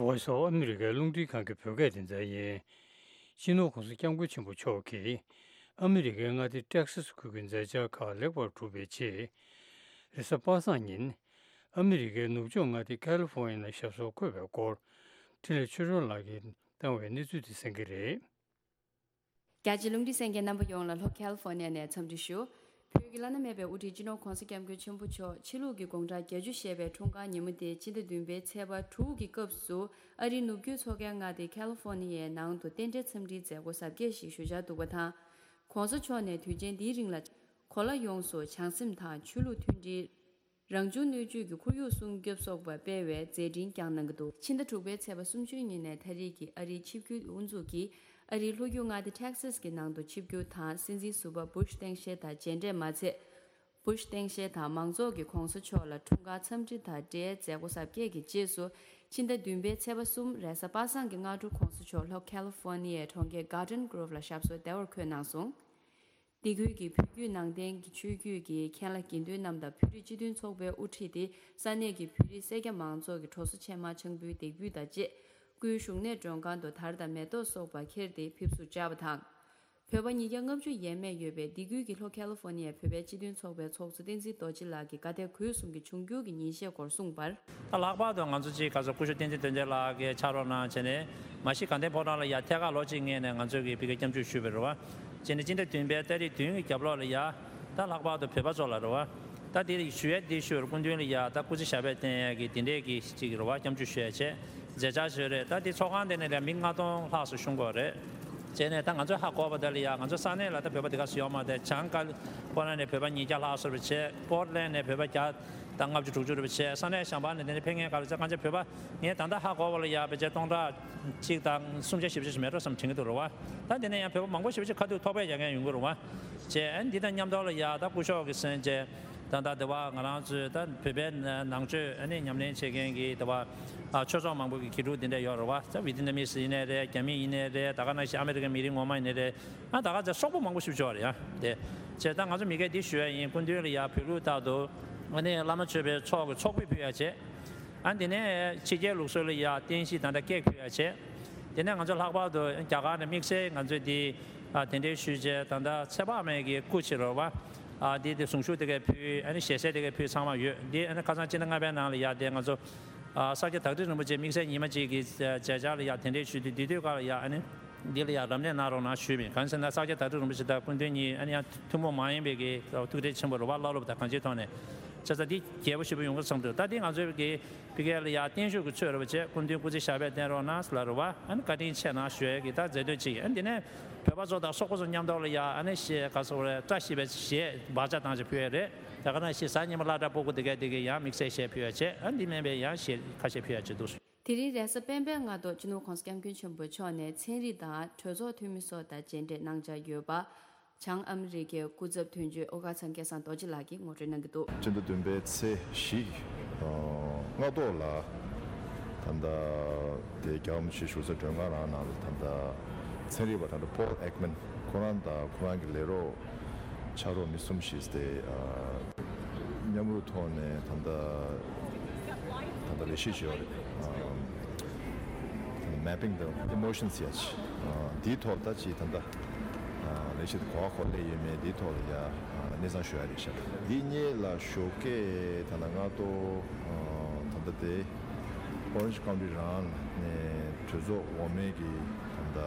Voice of America རླུང་འཕྲིན་ཁང་གི་བོད་སྐད་སྡེ་ཚན་ཡིན། སྤྱི་ནོར་༸གོང་ས་༸སྐྱབས་མགོན་ཆེན་པོ་མཆོག་གིས་ཨ་མི་རི་ཀའི་མངའ་སྡེ་ཏེག་སཱ་སི་ཁུལ་གྱི་མཛད་འཆར་ཁག་ལེགས་པར་གྲུབ་པའི་ཆེད། རེས་གཟའ་པ་སངས་ཉིན། ཨ་མི་རི་ཀའི་ནུབ་ཕྱོགས་མངའ་སྡེ་ཁ་ལི་ཧྥོ་ནི་ཡ་ལ་ཞབས་སོར་འཁོད་པའི་སྐོར། འཕྲིན་ལས་ཆོས་སྒྲོན་ལགས་ཀྱིས་བཏང་བའི་གནས་ཚུལ་དེ་གསན་གྱི་རེད། རྒྱ་ཆེའི་རླུང་འཕྲིན་གསན་མཁན་རྣམ་པ་ཡོངས་ལ་ལྷོ་ཁ་ལི་ཧྥོ་ནི་ཡ་ནས་འཚམས་འདྲི་ཞུ། བོད་ཀྱི་བླ་ན་མེད་པའི་དབུ་ཁྲིད་སྤྱི་ནོར་༸གོང་ས་༸སྐྱབས་མགོན་ཆེན་པོ་མཆོག་ཕྱི་ལུགས་ཀྱི་དགུང་གྲངས་བརྒྱད་ཅུ་བཞེས་པའི་འཁྲུངས་སྐར་ཉིན་མོ་དེ་སྤྱི་ཟླ་བདུན་པའི་ཚེས་པ་དྲུག་གི་སྐབས་སུ་ཨ་རིའི་ནུབ་རྒྱུད་མཚོ་ཁའི་མངའ་སྡེ་ཁ་ལི་ཧྥོ་ནི་ཡའི་ནང་དུ་རྟེན་འབྲེལ་འཚམས་འདྲིའི་མཛད་སྒོ་གཟབ་རྒྱས་ཤིག་ཞུ་འཆར་འདུག་པ་དང་། ༸གོང་ས་མཆོག་ནས་དུས་ཆེན་འདིའི་རིང་ལ་གོ་ལ་ཡོངས་སུ་བྱང་སེམས་དང་ཆོས་ལུགས་མཐུན་སྒྲིལ། རང་བྱུང་སྣོད་བཅུད་ཀྱི་ཁོར་ཡུག་སྲུང་སྐྱོབ་སོགས་པ་སྤེལ་བའི་མཛད་འཕྲིན་བསྐྱངས་གནང་གི་འདུག་ཕྱི་ཟླ་དྲུག་པའི་ཚེས་པ་སུམ་ཅུ་ཉིན་ནས་ད་རེས་ཀྱི་ཨ་རིའི་ཆིབས་བསྒྱུར་དབུ་འཛུགས་ཀྱིས་ཨ་རིའི་ལྷོ་རྒྱུད་མངའ་སྡེ་ཊེག་སཱས་ཀྱི་ནང་དུ་ཆིབས་བསྒྱུར་དང་སྲིད་འཛིན་ཟུར་པ་བུ་ཤ་སྟངས་དཔྱལ་དང་མཇལ་འཕྲད་མ་ཚད། བུ་ཤ་སྟངས་དཔྱལ་དང་མང་ཚོགས་ཀྱིས་༸གོང་ས་མཆོག་ལ་འཁྲུངས་སྐར་འཚམས་འདྲི་དང་འབྲེལ་མཛད་སྒོ་གཟབ་རྒྱས་ཀྱི་རྗེས་སུ་ཕྱི་ཟླ་བདུན་པའི་ཚེས་པ་གསུམ་རེས་གཟའ་པ་སངས་ཀྱི་སྔ་དྲོ་༸གོང་ས་མཆོག་ལྷོ་ཁ་ལི་ཧྥོ་ནི་ཡའི་གྲོང་ཁྱེར་གར་ཌེན་གྷོ་རོབ་ལ་ཞབས་སོར་བདེ་བར་འཁོད་གནང་སོང་། འདི་ཁུལ་གྱི་བོད་བརྒྱུད་ནང་བསྟན་གྱི་ཆོས་བརྒྱུད་ཀྱི་མཁན་བླ་དགེ་འདུན་རྣམས་དང་བོད་རིགས་སྤྱི་མཐུན་ཚོགས་པའི་དབུ་ཁྲིད་དེ་ས་གནས་ཀྱི་བོད་རིགས་སེར་སྐྱ་མང་ཚོགས་ཀྱི་གྲོགས་སུ་ཆེན་མ་ཆང་ཕུའི་འདེགས་འབུལ་དང་བཅས། སྐུའི་བཞུགས་གནས་མགྲོན་ཁང་དུ་དར་དང་མེ་ཏོག་སོགས་པ་ཁྱེར་ཏེ་ཕེབས་བསུ་བཅར་བ་དང་། བོད་པ་ཉིས་བརྒྱ་ལྔ་བཅུ་ཡས་མས་ཡོད་པའི་སྡེ་ཁུལ་གྱི་ལྷོ་ཁ་ལི་ཧྥོ་ནི་ཡའི་བོད་པའི་སྤྱི་མཐུན་ཚོགས་པའི་ཚོགས་གཙོ་བསྟན་འཛིན་རྡོ་རྗེ་ལགས་ཀྱིས་དགའ་དད་གུས་གསུམ་གྱི་འབྱུང་འགྱུར་གྱི་ཉིན་ཤས་སྐོར་གསུངས་པར། ད་ལྷག་པར་དུ་ང་ཚོ་གཅིག་ག་ཚོད་སྐུ་ཞབས་བསྟན་འཛིན་དོན་ལྡན་ལགས་ཀྱིས་ཕྱག་རོགས་གནང་བྱས་ནས་མ་གཞི་དགའ་ལྡན་ཕོ་བྲང་ལ་ཡ་ཐད་ཀར་ལོ་གཅིག་སྔོན་ནས་ང་ཚོ་གིས་ཕ་གིར་སྐྱབས་འཇུག་ཞུས་པ་རེད་བ། བྱས་ནས་སྤྱི་ཟླ་བདུན་པའི་ཏ་རིག་བདུན་གྱི་རྒྱབ་ལོགས་ལ་ཡ། ད་ལྷག་པར་དུ་བོད་པ་ཚོ་ལ་རེད་བ། ད་དེ་ཞུ་ཡས་དེ་ཞུ་བར་སྐུ་མདུན་ལ་ཡ་ད་སྐུ་ཚེ་ཞབས་པད་བརྟན་ཡས་ཀྱི་དེ་འདྲས་ཀྱི་གཅིག་རེད་བ། སྐྱབས་འཇུག་ཞུ་ཡས་བྱས། མཛད་འཆར་བཟོས་རེད། ད་དེ་ཚོགས་ཁང་དེ་ནས་ལ་མི་ལྔ་སྟོང་ལྷག་ཙམ་ཞུགས་ཀྱི་ཡོད་རེད། བྱས་ནས་ད་ང་ཚོས་ཧ་གོ་བ་དེ་ལ་ཡ་ང་ཚོ་ས་གནས་ལ་ད་བོད་པ་དེ་ག་ཚོད་ཡོད་མ་རེད། བྱང་ཀ་ལི་ཧྥོ་ནི་ཡ་ནས་བོད་པ་ཉིས་བརྒྱ་ལྷག་ཙམ་རེད་བྱས། པོར་ཊི་ལན་ནས་བོད་པ་བརྒྱ་དང་ལྔ་བཅུ་དྲུག་ཅུ་རེད་བྱས། ས་གནས་གཞན་པ་ནས་དེ་ནས་ཕེབས་མཁན་ག་ལ་བྱས། གང་ཅི་བོད་པ་ངས་ད་ལྟ་ཧ་གོ་བ་ལ་ཡ་ཕལ་ཆེར་སྟོང་ཕྲག་གཅིག་དང་སུམ་བརྒྱ་བཞི་བཅུ་ཞིག་མེད་འགྲོ་བསམ་དྲན་གྱི་འདུག་རེད་བ། ད་དེ་ནས་ཡང་བོད་པ་མང་པོ་ཞེ་པོ་ཅིག་ཁ་ཐུག་ཐོག་ཕེབས་རྒྱག་མཁན་ཡོང་གི་རེད་བ། བྱས། ཨ་ནི་འདི་དང་མཉམ་དུ་ལ་ཡ་ད་སྐུ་ཞབས་ཀྱི་མཚན་བཅས། ད་ལྟ་དེ་བ་ང་རང་ཚོའི་ད་བོད་པའི་ནང་ཆོས་ཨ་ནི་ཉམས་ལེན་བྱེད་མཁན་གྱི་དེ་བ་ཨ་ཆོས་ཚོགས་མང་པོ་གི་དགེ་ཕྲུག་འདི་འདྲ་ཡོད་རེད་བ། ད་ཝི་ཏི་ནམ་མི་སི་ཡིན་ནའི་རེད། རྒྱ་མི་ཡིན་ནའི་རེད། ད་ག་ནང་བཞིན་ཨ་མེ་རི་ཀའི་མི་རིགས་ངོ་མ་ཡིན་ནའི་རེད། ཨ་ད་ག་ཚོད་སོག་པོ་མང་པོ་ཞིག་ཡོད་རེད་ཡ། དེ་བྱས་ད་ང་ཚོ་མི་སྒེར་འདི་ཞུ་ཡ་ཡིན། སྐུ་མདུན་ལ་ཡ་བོད་ལུགས་ལྟར་དུ་ཨ་ནི་བླ་མ་མཆོད་པའི་ཚོགས་ཀྱི་ཚོགས་ཕུད་ཕུལ་ཡ་བྱས། ཨ་འདི་ནས་ཕྱི་རྒྱལ་ལུགས་སྲོལ་ལ་ཡ་རྟེན་གཞི་ད་ལྟ་ཀེག་ཕུལ་ཡ་བྱས། དེ་ནས་ང་ཚོ་ལྷག་པར་དུ་རྒྱ་གར་ནས་དམིགས་བསལ་ང་ཚོས་འདི་ཨ་གདན་འདྲེན་ཞུས་བྱས། ད་ལྟ་ཚེ་དཔག་མེད་ཀྱི་སྐུ་ཕྱི་རོལ་བ་ཨ་འདི་དེ་གཟུངས་གཞུག་དེ་གས་ཕུལ། ཨ་ནི་ཞལ་ཟས་དེ་གས་ཕུལ་ཚང་མ་ཡོད། འདི་ཨ་ནི་ཁ་སང་སྤྱི་ཟླ་ལྔ་པའི་ནང་ལ་ཡ་དེ་ང་ཚོ་ཨ་ས་སྐྱ་བདག་ཁྲི་རིན་པོ་ཆེ་དམིགས་བསལ་ཉི་མ་གཅིག་གི་མཛད་འཆར་ལ་ཡ་གདན་འདྲེན་ཞུས་དུས། དེ་དུས་སྐབས་ལ་ཡ་ཨ་ནི་འདི་ལ་ཡ་རམ་འདེགས་གནང་རོགས་གནང་ཞུས་པ་ཡིན། གང་ཟེར་ན་ས་སྐྱ་བདག་ཁྲི་རིན་པོ་ཆེ་དང་སྐུ་མདུན་གཉིས་ཨ་ནི་ཡང་ཐུན་མོང་མ་ཡིན་པའི་གི་ཐུགས་འཕྲད་ཆེན་པོ་རེད་བ། བླ་སློབ་དང་གང་ཅིའི་ཐོག་ནས། བྱས་ཙང་འདི་རྒྱས་པོ་ཞེ་པོ་ཡོང་གི་བསམ་འདུག་ད་འདི་ང་ཚོའི་གི་ཕ་གི་ལ་ཡ་བརྟན་བཞུགས་ཀྱི་ཚུལ་རེད་བ་བྱས། སྐུ་མདུན་སྐུ་ཚེ་ཞབས་པད་བརྟན་རོགས་གནང་ལ་རེད་བ། ཨ་ནི་བཀའ་དྲིན་ཆེ་གནང་ཞུ་ཡས་ཀྱི་ད་མཛད་དོན་གཅིག་ཡིན། ཨ་ནི་འདི་ནས་བོད་པ་ཚོ་དང་སོག་པོ་ཚོ་མཉམ་དུ་ལ་ཡ་ཨ་ནི་གཞས་ག་ཚོད་རེད། བཀྲ་ཤིས་པའི་གཞས་སྦ་ཆ་བཏང་བྱས་ཕུལ་ཡས་རེད། ད་ག་ནང་བཞིན་གཟའ་ཉི་མ་སློབ་གྲྭ་སྤུ་གུ་དེ་གས་དེ་གས་ཡང་དམིགས་བསལ་གཞས་ཕུལ་ཡས་བྱས། ཨ་འདི་མིན་པའི་ཡང་གཞས་ཁ་ཤས་ཕུལ་ཡས་བྱས་འདུག་དེ་རིང་རེས་གཟའ་སྤེན་པའི་སྔ་དྲོ་སྤྱི་ནོར་༸གོང་ས་༸སྐྱབས་མགོན་ཆེན་པོ་མཆོག་ནས་ཚན་རིག་དང་གྲོས་ཚོགས་འཐུས་མི་སོགས་དང་མཇལ་འཕྲད་གནང་འཆར་ཡོད་པ། བྱང་ཨ་མི་རི་ཀའི་སྐུ་ཚབ་དོན་གཅོད་ཨོ་དཀར་ཚང་སྐལ་བཟང་རྡོ་རྗེ་ལགས་ཀྱིས་ངོ་སྤྲོད་གནང་གི་འདུག་སྤྱི་ཟླ་བདུན་པའི་ཚེས་བཞི་སྔ་དྲོ་ལ་ད་ལྟ་དེ་རྒྱལ་བ་རིན་པོ་ཆེའི་བཞུགས་ས་མགྲོན་ཁང་རང་ནང་ལ་ད་ལྟ་ཚན་རིག་པ་ཌོག་ཊར་པོལ་ཨེག་མན་ཁོ་རང་དང་ཁོ་རང་གི་ལས་རོགས་ཕྱག་རོགས་མི་གསུམ་ཞིག་དེ་མཉམ་རུབ་ཐོག་ནས་ད་ལྟ་ད་ལྟ་ལས་གཞི་བྱས་ཡོད་རེད། མེ་པིང་དང་ཨི་མོ་ཤན་ཟེར་ཡ་ཅིག་འདིའི་ཐོག་ད་ཅིག་ད་ལྟ་ལས་གཞི་དེ་གོ་བ་གོ་ལེ་ཡོད་མེད་འདིའི་ཐོག་ལ་ཡ་གནས་ཚང་ཞུ་ཡ་རེད་ཤག་འདི་གཉིས་ལ་ཞོགས་ཀས་ད་ལྟ་སྔ་དྲོ་ད་ལྟ་དེ་ཨོ་རེན་ཇི་ཀའུན་ཊི་རང་ནས་གྲོས་ཚོགས་འོག་མའི་གི་ད་ལྟ་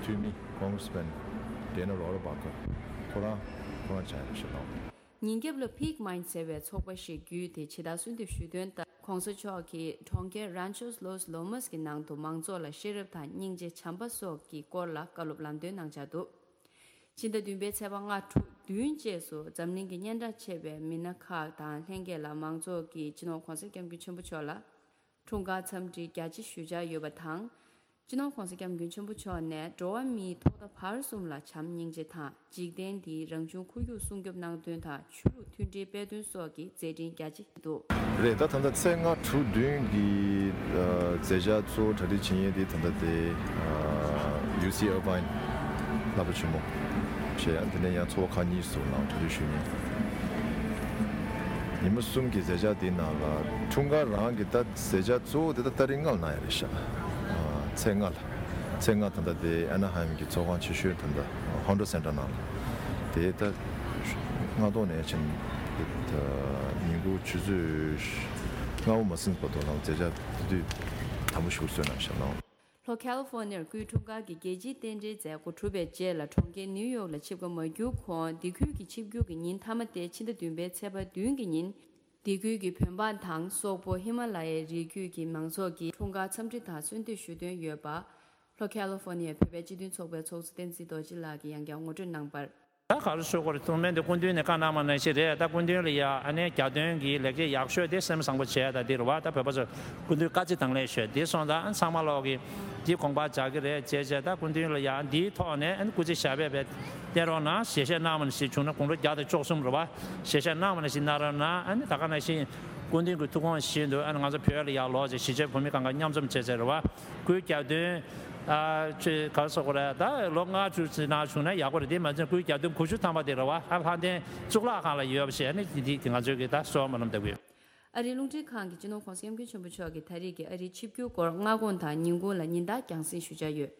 འཐུས་མི་ཀོང་གྷི་རེ་སི་མེན་ཌེ་ན་རོ་བྷར་པ་ཁོ་རང་ཁོ་རང་ཆགས་ཡ་རེད་ཤག་ལགས། ཉིན་རྒྱབ་ལ་Peak Mind་ཟེར་བའི་ཚོགས་པ་ཞིག་བརྒྱུད་དེ་ཇི་ལྟར་གསོལ་འདེབས་ཞུས་དོན་ལྟར། ༸གོང་ས་མཆོག་གིས་གྲོང་ཁྱེར་Ranchos Los Lomas་གི་ནང་དུ་མང་ཚོགས་ལ་ཤེས་རབ་དང་སྙིང་རྗེ་བྱམས་པ་སོགས་ཀྱི་སྐོར་ལ་བཀའ་སློབ་ལམ་སྟོན་གནང་འཆར་འདུག་ཕྱི་ཟླ་བདུན་པའི་ཚེས་པ་ལྔ་དྲུག་བདུན་བཅས་སུ་འཛམ་གླིང་གི་སྙན་གྲགས་ཆེ་བའི་མི་སྣ་ཁག་དང་ལྷན་རྒྱས་ལ་མང་ཚོགས་ཀྱིས་སྤྱི་ནོར་༸གོང་ས་༸སྐྱབས་མགོན་ཆེན་པོ་མཆོག་ལ་འཁྲུངས་སྐར་འཚམས་འདྲི་རྒྱ་ཆེ་ཞུ་འཆར་ཡོད་པ་དང་། སྤྱི་ནོར་༸གོང་ས་༸སྐྱབས་མགོན་ཆེན་པོ་མཆོག་ནས་འགྲོ་བ་མིའི་ཐོག་མཐའ་བར་གསུམ་ལ་བྱམས་སྙིང་རྗེ་དང་འཇིག་རྟེན་འདིའི་རང་བྱུང་ཁོར་ཡུག་སྲུང་སྐྱོབ་གནང་དོན་དང་ཆོས་ལུགས་མཐུན་སྒྲིལ་སྤེལ་དོན་སོགས་ཀྱི་མཛད་འཕྲིན་རྒྱ་ཆེ་འདུག་རེད། ད་ད་ལྟ་ཚེས་ལྔ་དྲུག་བདུན་གྱི་ཨ་མཛད་འཆར་གཙོ་བོ་གྲ་སྒྲིག་བྱེད་མཁན་དེ་ད་ལྟ་དེ་ཨ་ཡུ་སི་ཨར་བྷའིན་བསླབ་པ་ཆེན་མོ་བྱས། ཡང་དེ་ནས་ཡང་ཚོགས་པ་ཁག་གཉིས་སུ་ནང་གྲ་སྒྲིག་ཞུས་མཁན། ཉི་མ་གསུམ་གྱི་མཛད་འཆར་དེའི་ནང་ལ་འཁྲུངས་སྐར་རང་གི་ད་མཛད་འཆར་གཙོ་བོ་དེ་ད་ཏ་རིག་ལྔ་ལ་གནང་ཡ་རེད་ཤག་ཨ་ཚེས་ལྔ་ལ། ཚེས་ལྔ་ད་ལྟ་དེ་ཨ་ན་ཧའེམ་གྱི་ཚོགས་ཁང་ཆེ་ཤོས་ད་ལྟ་ཧོན་ཌོ་སེན་ཊར་ནང་ལ། དེ་ད་སྔ་དྲོ་ནས་ཕྱིན་ད་ཉིན་གུང་ཆུ་ཚོད་ལྔ་པོ་མ་ཟིན་བར་དུ་ནང་མཛད་འཆར་དེ་དུས་དམ་པོ་ཞིག་བཟོས་གནང་ཤག་ལགས། ལྷོ་ཁ་ལི་ཧྥོ་ནི་ཡར་སྐུའི་འཁྲུངས་སྐར་གྱི་རྒྱལ་སྤྱིའི་རྟེན་འབྲེལ་མཛད་སྒོ་གྲུབ་པའི་རྗེས་ལ་གྲོང་ཁྱེར་ནིའུ་ཡོག་ལ་ཆིབས་ཁ་མ་བསྒྱུར་གོང་སྡེ་ཁུལ་གྱི་ཆིབས་བསྒྱུར་གྱི་ཉིན་མཐའ་མ་སྟེ་ཕྱི་ཟླ་བདུན་པའི་ཚེས་པ་བདུན་གྱི་ཉིན། སྡེ་ཁུལ་གྱི་བོད་འབངས་དང་སོག་པོ་ཧི་མ་ལ་ཡའི་རི་རྒྱུད་ཀྱི་མང་ཚོགས་ཀྱིས་འཁྲུངས་སྐར་འཚམས་འདྲི་དང་གསོལ་འདེབས་ཞུ་འདོད་ཡོད་པ། ལྷོ་ཁ་ལི་ཧྥོ་ནི་ཡའི་བོད་པའི་སྤྱི་མཐུན་ཚོགས་པའི་ཚོགས་གཙོ་བསྟན་འཛིན་རྡོ་རྗེ་ལགས་ཀྱིས་ཡང་བསྐྱར་ངོ་སྤྲོད་གནང་བར། ད་ག་རེ་ཞུ་དགོས་རེད། ཐུགས་སྨོན་དེ་སྐུ་མདུན་ནས་བཀའ་གནང་བ་ནང་བཞིན་རེད། ད་སྐུ་མདུན་ལ་ཡ་ཨ་ནེ་རྒྱ་སྟོན་གྱི་ལེགས་སྐྱེས་ཡག་ཤོས་དེ་སེམས་བཟང་པོ་བྱས། ད་འདི་རུ་བ་ད་བོད་པ་ཚོ་སྐུ་མདུན་བཀའ་སྩལ་དང་ལེན་ཞུས་དེ་སོང་ཙང་ཨ་ཚང་མ་ལོག་གི་འདི་དགོངས་པ་འཇགས་ཀྱི་རེད་ཅེས་བྱས། ད་སྐུ་མདུན་ལ་ཡ་འདིའི་ཐོག་ནས་ཨ་ནི་སྐུ་ཚེ་ཞབས་པད་བརྟན་རོགས་གནང་ཞལ་བཞེས་གནང་བ་ནང་བཞིན་བྱུང་ན་དགུང་ལོ་བརྒྱ་དང་བཅུ་གསུམ་རུ་བ་ཞལ་བཞེས་གནང་བ་ནང་བཞིན་གནང་རོགས་གནང་། ཨ་ནི་ད་ག་ནང་བཞིན་སྐུ་མདུན་གྱི་ཐུགས་དགོངས་བཞིན་དུ་ཨ་ནི་ང་ཚོ་བོད་ལ་ཡ་ལོག་ཅེས་གཞིས་བྱེས་བོད་མི་གང་ག་མཉམ་འཛོམས་བྱས་ཚེ་རུ་བ་སྐུའི་རྒྱ་སྟོན། ཨ་ཅེ་ག་རེ་ཟེར་དགོས་རེད། ད་ལོ་ལྔ་བཅུ་ཙམ་ནང་བྱུང་ན་ཡག་པོ་རེད། དེ་མ་ཚད་སྐུའི་རྒྱ་སྟོན་དགུ་བཅུ་ཐམ་པ་དེ་རེད་བ། ཨ་ལྷ་ལྡན་གཙུག་ལག་ཁང་ལ་ཡོད་པ་ཞིག་ཨ་ནི་འདི་འདི་ང་ཚོའི་གི་ད་གསོལ་བ་སྨོན་ལམ་འདེབས་ཀྱི་ཡོད། ཨ་རིའི་རླུང་འཕྲིན་ཁང་གི་སྤྱི་ནོར་༸གོང་ས་༸སྐྱབས་མགོན་ཆེན་པོ་མཆོག་གི་ད་རེས་ཀྱི་ཨ་རིའི་ཆིབས་བསྒྱུར་སྐོར་སྔ་དགོང་དང་ཉིན་གུང་ལ་ཉིན་ལྟར་རྒྱང་སྲིང་ཞུ་འཆར་ཡོད།